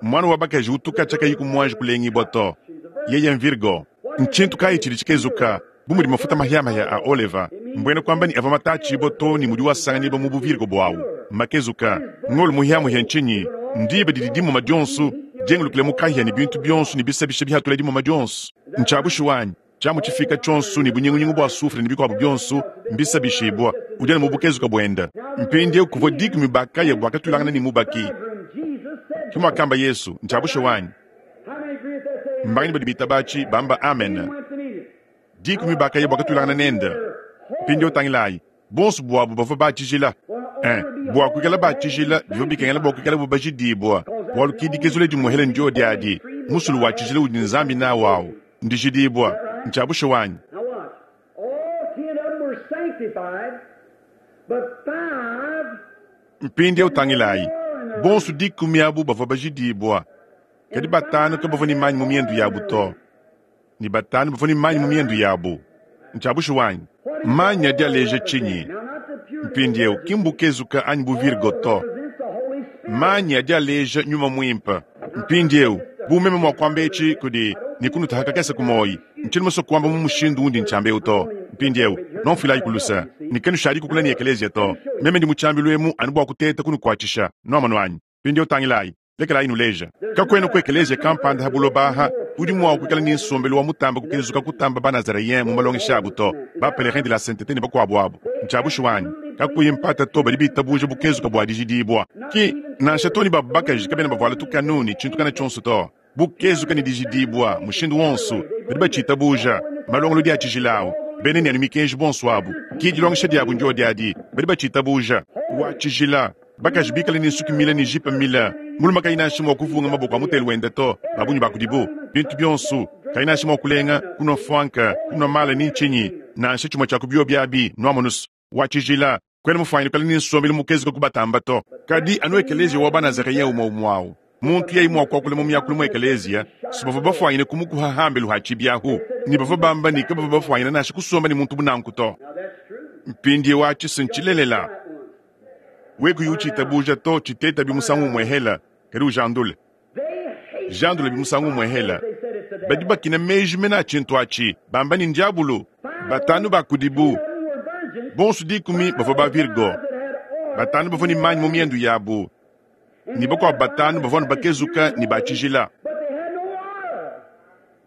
Muana wa bakaji utu katshia kayiku muanji kulengibua to. Yeye m'Virgo. Ntshintu kayi tshidi tshikezuka bu mudi mafuta mahiamahia a oleva, mbuena kuamba ne avua matatshibua too ne mudi asanganyibua mu buvirgo buawu, makezuka? Ngolo muhiamuhia ntshinyi? Ndiba didi dimuma dionso diengulukile mu kahia ne bintu bionso ne bisabisha bihatula dimuma dionso. Ntshia bushuwa anyi? Tshiamu tshifika tshionso ne bunyingunyingu bua sufre ne bikuabu bionso mbisabishibua. Udi anu mu bukezuka buende. Mpindieu kuvua dikumi bakaya bua katuilangana ne mubaki. Ke muakamba Yesu. Ntshia bushuwa anyi? Mbanganyi badi bitaba atshi bamba amen? Dikumi bakaya bua katuilangana nende. Mpindieu tangilayi. Bonso buabu bavua ba tshijila. Eh, bua kuikala ba tshijila bivua bikengela bua kuikala bajidibua, bualu ke dikezula dimuehele ndiodi adi, musulu wa tshijila udi Nzambi nawu au, ndijidibua. Ntshia bushuwa anyi? Mpindieu tangilayi, bonso dikumi abu bavua bajidibua, kadi batanu kabavua ne manyi mu miendu yabu to. Ne batanu bavua ne manyi mu miendu yabu. Ntshia bushuwa anyi? Manyi adi aleja tshinyi? Mpindieu, ki mbukezuka anyi bu virgo to. Manyi adi aleja Nyuma Muimpe. Mpindieu, bu meme mua kuamba etshi kudi ne kunutaha kakese ku muoyi, ntshiena musue kuamba mu mushindu undi ntshiamba eu to. Mpindieu, nuamfuilayiku luse, ne kanushadi kukula ne ekeleziya to. Meme ndi mu tshiambilu emu anu bua kuteta kunukuatshisha. Nuamonu anyi? Mpindieu tangilayi. Lekelayi nuleja. Kakuena ku ekeleziya kampanda ha buloba aha udi mua kuikala ne nsombelu wa mutamba kukezuka kutamba ba-Nazareyen mu malongesha abu to, ba-Pelerin de la Saintete ne bakuabu abu. Ntshia bushuwa anyi? Kakuyi mpata to, badi bitabuja bukezuka bua dijidibua. Ki nansha to ne babu bakaji kabena bavuala tukanu ne tshintu kana tshionso to. Bukezuka ne dijidibua, mushindu wonso, badi batshitabuja. Malongolodi a tshijila au, bena ne anu mikenji bonso abu, ki dilongesha diabu ndiodi adi, badi batshitabuja. Wa tshijila, bakaji bikale ne nsuki mile ne jipe mile, mulume kayi nansha mua kuvunga maboko a mutelu wende to, ba bungi ba kudibu, bintu bionso, kayi nansha mua kulenga, kunua mfuanka, kunua maala ni ntshinyi, nansha tshimue tshia ku biobi abi, nuamonus. Wa tshijila, kuena mufuanyine kuikala ne nsombelu mukezuke kubatamba to. Kadi anu ekeleziya wa Banazareyen umue umue au, muntu yeye mua kuakula mu miakulu mu ekeleziya, si bavua bafuanyine kumukuha hambelu ha tshibi ahu, ne bavua bamba ne kabavua bafuanyine nansha kusomba ne muntu bu nanku to. Mpindieu atshi si ntshilelela. We kuyi utshitabuja to, tshitetabi musangu umue hela, kadi ujandule. Jandulabi musangu umue hela. Badi bakina meji mene a tshintu atshi, bamba ne ndiabulu. Batanu ba kudibu, bonso dikumi bavua ba Virgo, batanu bavua ne manyi mu miendu yabu, ne bakuabu batanu bavua anu bakezuka ne ba tshijila.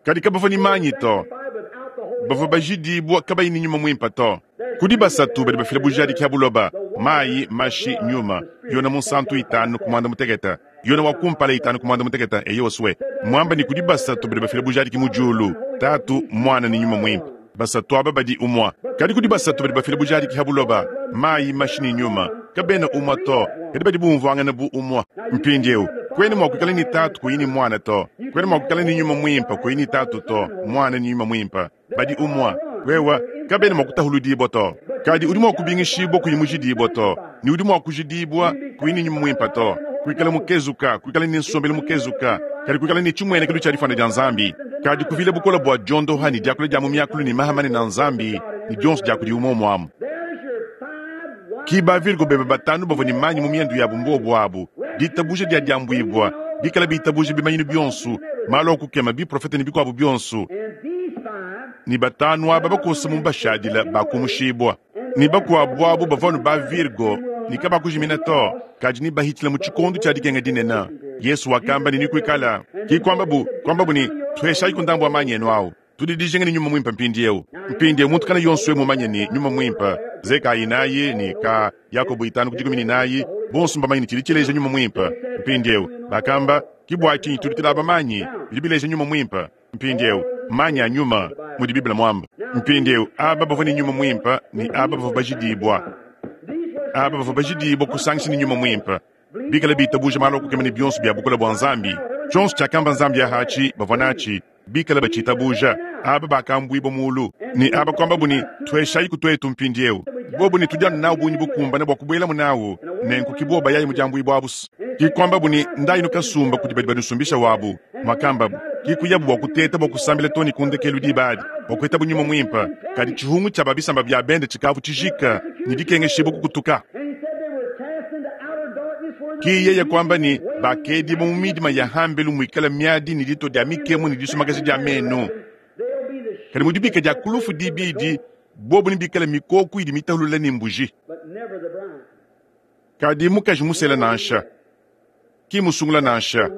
Kadi kabavua ne manyi to, bavua bajidibua kabayi ne Nyuma Muimpe to. Kudi basatu badi bafila bujadiki ha buloba, mayi, mashi, nyuma. Yona Munsantu 5 ku 16. Yona wa kumpala 5 ku 16, eyo swe. Mwamba ne kudi basatu badi bafila bujadiki mu diulu, Tatu, Muana ne Nyuma Muimpe. Basatu aba badi umua. Kadi kudi basatu badi bafila bujadiki ha buloba, mayi, mashi ne nyuma. Kabena umua to, kadi badi bumvuangana bu umua. Mpindieu, kuena mua kuikala ne Tatu kuyi ne Muana to. Kuena mua kuikala ne Nyuma Muimpe kuyi ne Tatu to. Muana ne Nyuma Muimpe badi umua. Wewa, kabena mua kutahuludibua to. Kadi udi mua kubingishibua kuyi mujidibua to, ne udi mua kujidibua kuyi ne Nyuma Muimpe to. Kuikala mukezuka, kuikala ne nsombelu mukezuka, kadi kuikala ne tshimuenekelu tshia difuana dia Nzambi, kadi kuvila bukole bua diondoha ne diakula dia mu miakulu ne maha manene a Nzambi ne dionso dia kudi umue umue amu. Ki ba Virgo bebe batanu bavua ne manyi mu miendu yabu mbuobu abu, ditabuja dia diambuibua, bikala bitabuja bimanyinu bionso, malu a kukema, biprofete ne bikuabu bionso, ne batanu aba bakosa mu bashadila bakumushibua, ne bakuabu abu bavua anu ba Virgo ne kabakujimina to, kadi ne bahitshila mu tshikondo tshia dikenga dinene. Yesu wakamba ne nikuikala ki kuambabu kuambabu ne tuheshayi ndambu wa manyi enu awu. Tudi dijinga ne Nyuma Muimpe mpindieu. Mpindieu muntu kana yonso mumanye ne Nyuma Muimpe, Zeka 4 ne ka Yakobo 5 ku 14, bonso mbamanye ne tshidi tshileja Nyuma Muimpe. Mpindieu bakamba ki bua tshinyi tudi tulaba manyi bidi bileja Nyuma Muimpe. Mpindieu manyi a nyuma mudi Bible muamba. Mpindieu aba bavua ne Nyuma Muimpe ne aba bavua bajidibua. Aba bavua bajidibua kusangisha ne Nyuma Muimpe. Bikala bitabuja malu a kukema ne bionso bia bukole bua Nzambi. Tshionso tshiakamba Nzambi ahatshi bavua natshi. Bikala batshitabuja, aba bakambuibua mulu, ne aba kuambabu ne tuheshayi ku tuetu mpindieu. Bobu ne tudi anu nawu bungi bukumbane bua kubuelamu nawu, nenku ki boba yayi mu diambuibua abu. Ki kuambabu ne ndayi nukasumba kudi badi banusumbisha wabu, muakambabu. Ki kuyabu bua kuteta bua kusambila too ne ku ndekelu diba adi, bua kuetabu Nyuma Muimpe. Kadi tshihungu tshia ba bisamba bia bende tshikavu tshijika ne dikengeshibua kukutuka. Ki yeye kuamba ne bakedibua mu midima ya hambelu muikala miadi ne ditua dia mikemu ne disumakaja dia menu. Kadi mu dibika dia ku lufu dibidi, bobu nebikale mikoku idi mitahulula ne mbuji. Kadi mukaji musela nansha, ki musungula nansha.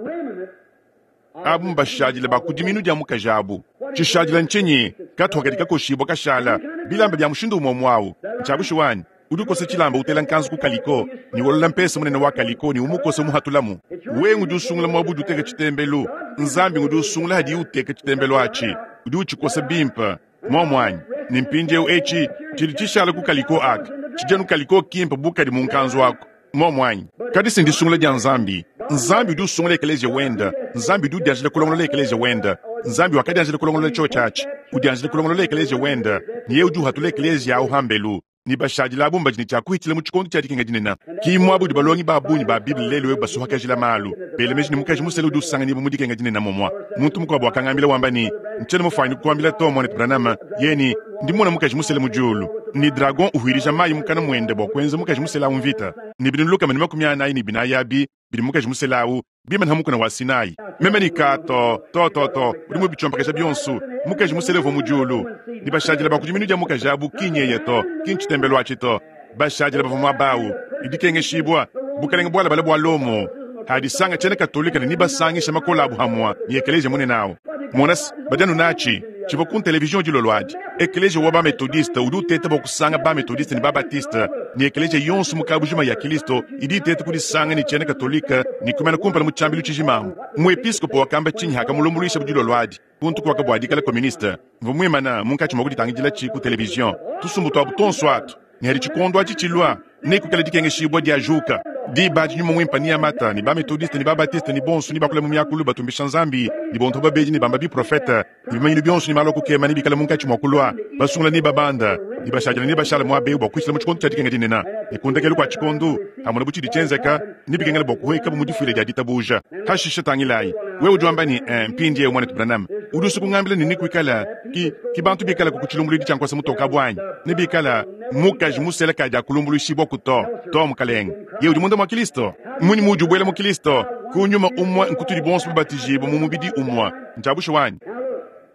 Abu mbashadile ba ku diminu dia mukaji abu. Tshishadila ntshinyi? Katuha kadi kakoshibua kashala. Bilamba bia mushindu umue umue awu. Ntshia bushuwa anyi? Udi ukosa tshilamba utela nkanzu ku kaliko, ne wolola mpesa munene wa kaliko ne umukosa umuhatulamu. Wewe ngudi usungula muaba udi uteka tshitembelu. Nzambi ngudi usungula hadiye uteka tshitembelu atshi. Udi utshikosa bimpe. Muomu anyi? Ne mpindieu etshi tshidi tshishala ku kaliko aka tshidi anu kaliko kimpe bu kadi mu nkanzu aku. Muomu anyi? Kadi si ndisungula dia Nzambi. Nzambi udi usungula ekeleziya wende. Nzambi udi udianjila kulongolola ekeleziya wende. Nzambi wakadianjila kulongolola tshiotshi atshi, udianjila kulongolola ekeleziya wende, ne yeye udi uhatula ekeleziya au hambelu. Ne bashadile abu mbadi ne tshia kuhitshila mu tshikondo tshia dikenga dinene. Ki muaba udi balongi ba bungi ba Bible lelu eu basuhakajila malu, bela meji ne mukaji musele udi usanganyibua mu dikenga dinene momua. Muntu mukuabu wakangambila wamba ne, Ntshiena mufuanyine kukuambila to, muanetu Branham, yeye ne, ndi mmona mukaji musele mu diulu, ne dragon uhuilija mayi mukana muende bua kuenza mukaji musele au mvita, ne binunu 144 abi bidi mukaji musele au bimane ha mukuna wa Sinai. Meme ne ka to, to, to, to, udi mubitshiompakaja bionso. Mukaji musele uvua mu diulu, ne bashadile ba ku diminu dia mukaji abu ki nyeye to, ki ntshitembelu atshi to. Bashadile bavua muaba au, ne dikengeshibua, bukalenge bualabale bua Lomo, hadisanga tshiena Katolika ne nibasangisha makole abu hamua ne ekeleziya munene au. Mona se, badi anu natshi. Tshivua ku televizion dilolo adi. Ekeleziya wa ba-Methodiste udi uteta bua kusanga ba-Methodiste ne ba-Baptiste, ne ekeleziya yonso mu kabujima ya Kilisto idi iteta kudisanga ne tshiena Katolika ne kumana kumpala mu tshiambilu tshijima amu. Muepiskopo wakamba tshinyi hakamulumbuluishabu dilolo adi kuntu kuaka bua dikala koministe? Mvua muimana munkatshi mua kuditangidila-tshi ku televizion. Tusumbu tuabu tuonso atu, ne hadi tshikondo atshi tshilua, nekuikale dikengeshibua diajuka. Diba adi Nyuma Muimpe neamata, ne ba-Methodiste ne ba-Baptiste ne bonso nebakule mu miakulu batumbisha Nzambi, ne bonto babedi nebamba biprofete, ne bimanyinu bionso ne malu a kukema nebikale munkatshi mua kulua. Basungula nebabanda, ne bashadile nebashale muaba eu bua kuhitshila mu tshikondo tshia dikenga dinene. Ne ku ndekelu kua tshikondo, hamonabu tshidi tshienzeka, nebikengele bua kuhuekabu mu difuila dia ditabuja. Hashishe tangilayi, wewe udi wamba ne, Eh, mpindieu muanetu Branham, udi usua kungambila ne nekuikale ki, ki bantu bikalaku ku tshilumbuluidi tshia nkuasa mutoke abu anyi? Nebikale mukaji musela kadi akulumbuluishibua ku to, to, mukalenge. Yeye udi munda mua Kilisto. Mmunyi muudi ubuela mu Kilisto? Ku nyuma umue nkutudi bonso babatijibue mu mubidi umue. Ntshia bushuwa anyi?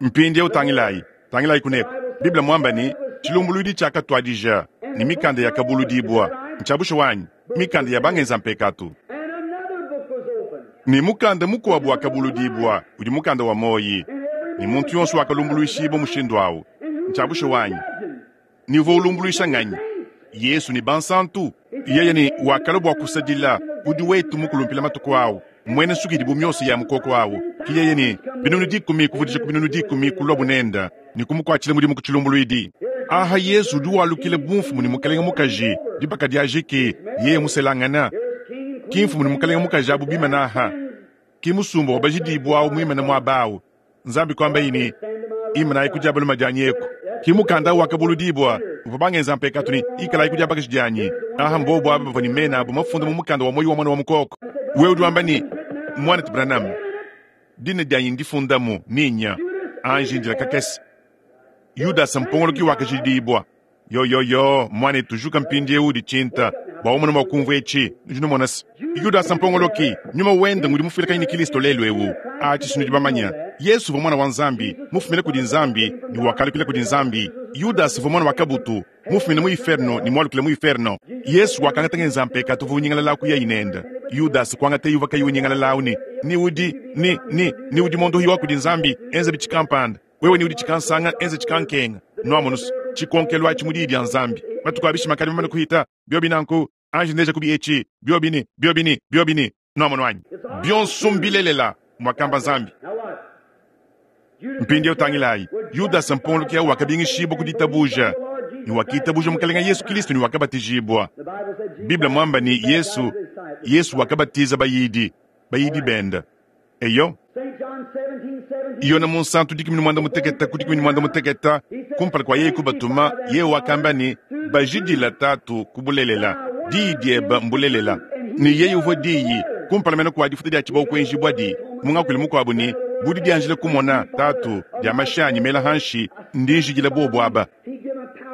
Mpindieu tangilayi, tangilayi kuneku. Bible muamba ne, tshilumbuluidi tshiakatuadija ne mikanda yakabuludibua. Ntshia bushuwa anyi? Mikanda ya bangenza mpekatu. Ne mukanda mukuabu wakabuludibua, udi mukanda wa muoyi, ne muntu yonso wakalumbuluishibua mushindu au. Ntshia bushuwa anyi? Ne uvua ulumbuluisha nganyi? Yesu ne bansantu. Yeye ne wakalua bua kusadila udi wetu mukulumpila matuku awu, muena nsuki idi bu miosa ya mukoko awu. Ki yeye ne 100,000 kuvudija ku 100,000 kuluabu nenda ne kumukuatshila mudimu ku tshilumbuluidi. Aha Yesu udi walukila bu mfumu ne mukalenge mukaji, dibaka diajiki, yeye muselangana. Ki mfumu ne mukalenge mukaji abu bimana aha. Ki musumba wa bajidibua awu muimane muaba awu. Nzambi kuambaye ne, Imanayi ku dia balume dianyi eku. Ki mukanda awu wakabuludibua, uvua bangenza mpekatu ne, Ikalayi ku dia bakaji dianyi. Aha mbobu aba bavua ne mena abu mafunda mu mukanda wa muoyo wa Muana wa Mukoko. Wewe udi wamba ne, Muanetu Branham, dina dianyi ndifundamu, ne nya. Anji indila kakese. Yudasa mpongoloki wakajidibua. Yo, yo, yo, muanetu, juka mpindieu ditshinta bua umone mua kumvua etshi. Nudi numona se, Yudasa mpongoloki, nyuma wende ngudi mufuilakanyi ne Kilisto lelu eu. Atshi si nudi bamanya. Yesu uvua Muana wa Nzambi, mufumine kudi Nzambi ne wakalukila kudi Nzambi. Yudasa uvua muana wa kabutu, mufumine mu iferno ne mualukile mu iferno. Yesu wakangata ngenza mpekatu uvua unyingalala kuyayi nende. Yudasa kuangataye uvua kayi unyingalala au ne, ni udi, ni, ni, ni udi mondohi wa kudi Nzambi, enza bitshi kampanda. Wewe ni udi tshikansanga, enza tshikankenga. Nuamonu's, tshikonkelu atshi mu Diyi dia Nzambi. Matuku a bishima akadi mamane kuhita, biobi nanku, anji ndeja kubi etshi, biobi ne, biobi ne, biobi ne. Nuamonu anyi? Bionso mbilelela, muakamba Nzambi. Mpindieu tangilayi, Yudasa mpongoloki au wakabingishibua ku ditabuja, ne wakitabuja Mukalenge Yesu Kristo ne wakabatijibua. Bible muamba ne, Yesu, Yesu wakabatiza bayidi, bayidi bende. Eyo. Yone Munsantu 16 ku 16, kumpala kua yeye kubatuma, yeye wakamba ne, Bajidila Tatu ku bulelela, diyi diebe mbulelela. Ne yeye uvua Diyi, kumpala mene kua difuta dia tshibawu kuenjibuadi, mu ngakuilu mukuabu ne, Bu didianjila kumona, Tatu, dia mashi anyi mela hanshi, ndi njidila bobu aba.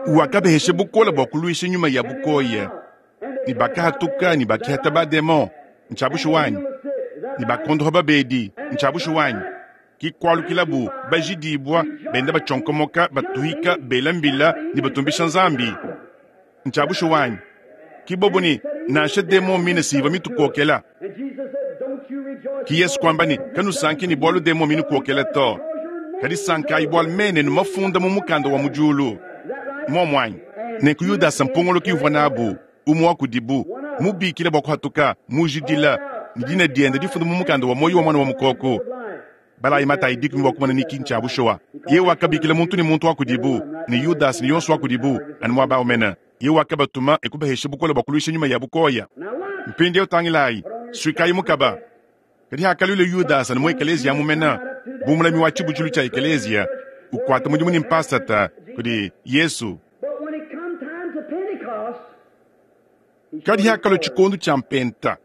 Wakabahesha bukole bua kuluisha nyuma ya bukoya, ne bakahatuka ne bakihata bademon. Ntshia bushuwa anyi? Ne bakondoha babedi. Ntshia bushuwa anyi? Ki kualukilabu bajidibua, benda batshionkomoka, batuhika, bela mbila ne batumbisha Nzambi. Ntshia bushuwa anyi? Ki bobo ne, nansha demon mine si ivua mitukokela. Ki Yesu kuamba ne, kanusanki ne bualu demon minukokela to, kadi sankayi bualu mena enu mafunda mu mukanda wa mu diulu. Muomu anyi? Nenku Yudasa mpongoloki uvua nabu, umue wa kudibu, mubikila bua kuhatuka, mujidila, ne dina diende difunda mu mukanda wa muoyo wa Muana wa Mukoko. Balayi Matayi dikumi bua kumona ne ki ntshia bushuwa. Yeye wakabikila muntu ne muntu wa kudibu, ne Yudasa ne yonso wa kudibu, anu muaba au mene. Yeye wakabatuma e kubahesha bukole bua kuluisha nyuma ya bukoya. Mpindieu tangilayi, suikayi mukaba. Kadi hakaluila Yudasa ne mu ekeleziya mumena, bu mulami wa tshibutshilu tshia ekeleziya, ukuata mudimu ne mpasata kudi Yesu. Kadi hakalua tshikondo tshia Mpenta,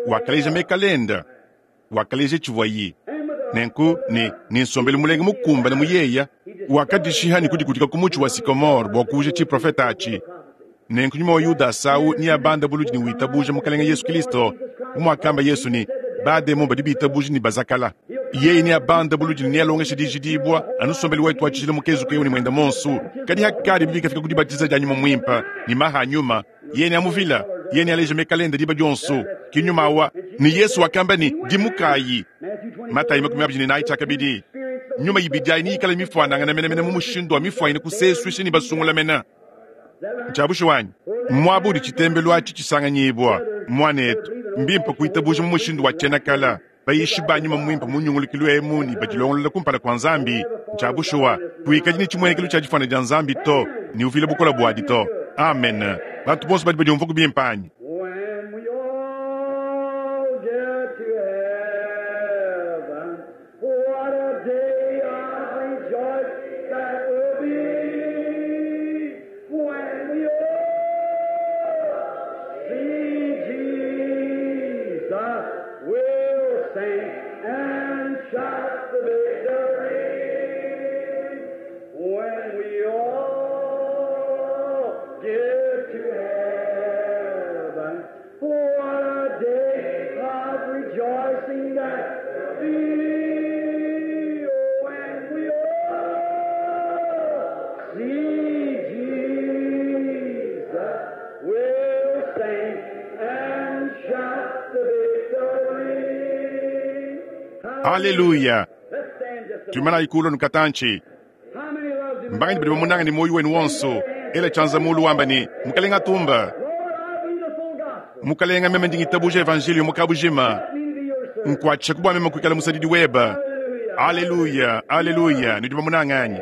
wakaleja mekala ende, wakaleja tshivuaye. Nenku ne, ne nsombelu mulenga mukumbane mu yeya, wakadishiha ne kudikudika ku mutshi wa sycomore bua kuuja tshiprofete atshi. Nenku nyuma wa Yudasa au neabande buludi ne witabuja Mukalenge Yesu Kristo, bu muakamba Yesu ne, Bademon badi bitabuja ne bazakala. Yeye neabande buludi ne nealongeshe dijidibua, anu nsombelu wetu wa tshijila mukezuke eu ne muende monso. Kadi hakadi bikafika ku dibatiza dia Nyuma Muimpe ne maha a Nyuma, yeye neamuvila, yeye nealeje mekala ende diba dionso. Ki Nyuma wa. Ne Yesu wakamba ne, Dimukayi. Matayi 24 tshiakabidi. Nyuma ibidi ayi neyikale mifuanangane menemene mu mushindu wa mifuanyine kusesuisha ne basungula mene. Ntshia bushuwa anyi? Muaba udi tshitembelu atshi tshisanganyibua, muanetu, mbimpe kuitabuja mu mushindu wa tshiena kala. Bayishi ba nyuma muimpe mu nyungulukilu emu ne badilongolola kumpala kua Nzambi. Ntshia bushuwa, kuikadi ne tshimuenekelu tshia difuana dia Nzambi to, ne uvila bukole buadi to. Amen. Bantu bonso badi badiumvaku bimpe anyi? When we all get to heaven, what a day of rejoice that will be. When we all see Jesus, we'll sing and shout the victory. When we all get to heaven, what a day of rejoicing that will be. When we all see Jesus, we'll sing and shout the victory. Haleluya! Let's stand just a moment. Tuimanayi kulu nukatantshi. How many loves him? Mbanganyi badi bamunanga ne muoyo wenu wonso? Ela tshianza muulu wamba ne, Mukalenga atumba. Mukalenga, meme ndi ngitabuja Evanjeliyo mu kabujima. Nkuatshishaku bua meme kuikala musadidi webe. Aleluya, aleluya! Nudi bamunange anyi?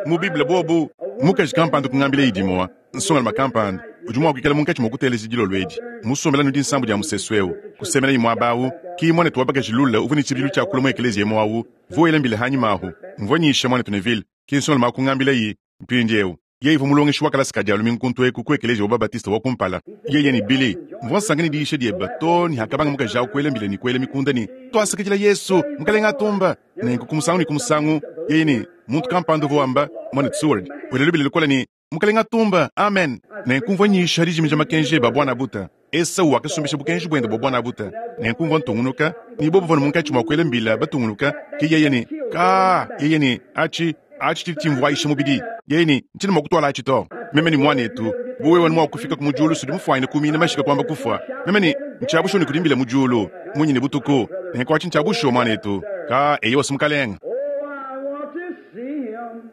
Mu Bible bobu. Mukaji kampanda kungambilaye dimue, nsongalume kampanda, udi mua kuikala munkatshi mua kuteleja dilolo edi, musombela anu dinsambu dia musesu eu, kusemenaye muaba au, ki muanetu wa bakaji Lula uvua ne tshibidilu tshia kulua mu ekeleziya emu au, uvua wela mbila anyima ahu. Mvua nyisha muanetu Neville, ki nsongalume au kungambilaye. Mpindieu, yeye uvua mulongeshi wa kalasa ka Dia lumingu kuntu eku ku Ekeleziya wa ba-Batiste wa kumpala. Yeye ne, Billy, mvua nsanka ne diyisha diebe too ne hakabanga mukaji au kuela mbila ne kuela mikunda ne, Tuasakidila Yesu, Mukalenge atumba! Nenku ku musangu ne ku musangu, yeye ne, muntu kampanda uvua wamba, Muanetu Seward, wela lubila lukole ne, Mukalenge atumba! Amen! Nenku mvua nyisha dijimija makenji ebe a buana-buta. Esau wakasumbisha bukenji buende bua buana-buta. Nenku mvua ntungunuka, ne bobu bavua munkatshi mua kuela mbila batungunuka, ke yeye ne, Kaa! Yeye ne, Aci, aci tshidi tshimvuayisha mubidi. Yeye ne, Ntshiena mua kutuala aci to. Meme ne, Muanetu, bu wewe anu mua kufikaku mu diulu s'udi mufuanyine kumiina mashika kuamba kufua. Meme ne, Ntshia bushuwa ne kudi mbila mu diulu, munyi ne butuku. Nenku aci ntshia bushuwa, muanetu. Kaa, eyowa s'Mukalenge. Oh, I want to see him,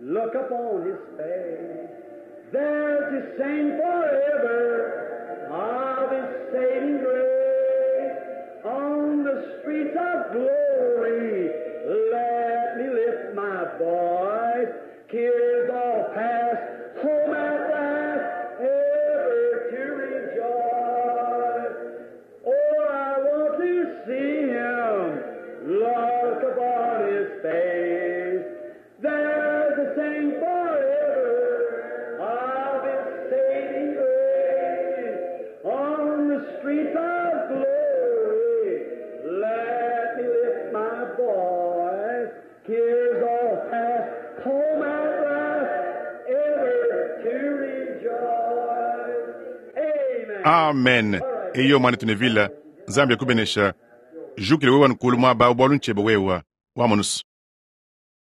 look upon his face, there to sing forever of his saving grace. On the streets of glory, let me lift my voice. Cares all past, home at last, ever to rejoice. Oh, I want to see him, look upon his face. There to sing forever of his saving grace. On the streets of glory, let me lift my voice. Cares all past, home at last, ever to rejoice. Amen. Amen. Eyo muanetu Neville, Nzambi akubenesha. Jukila wewa nukulu muaba au bualu ntshiebe wewa. Wamonu's.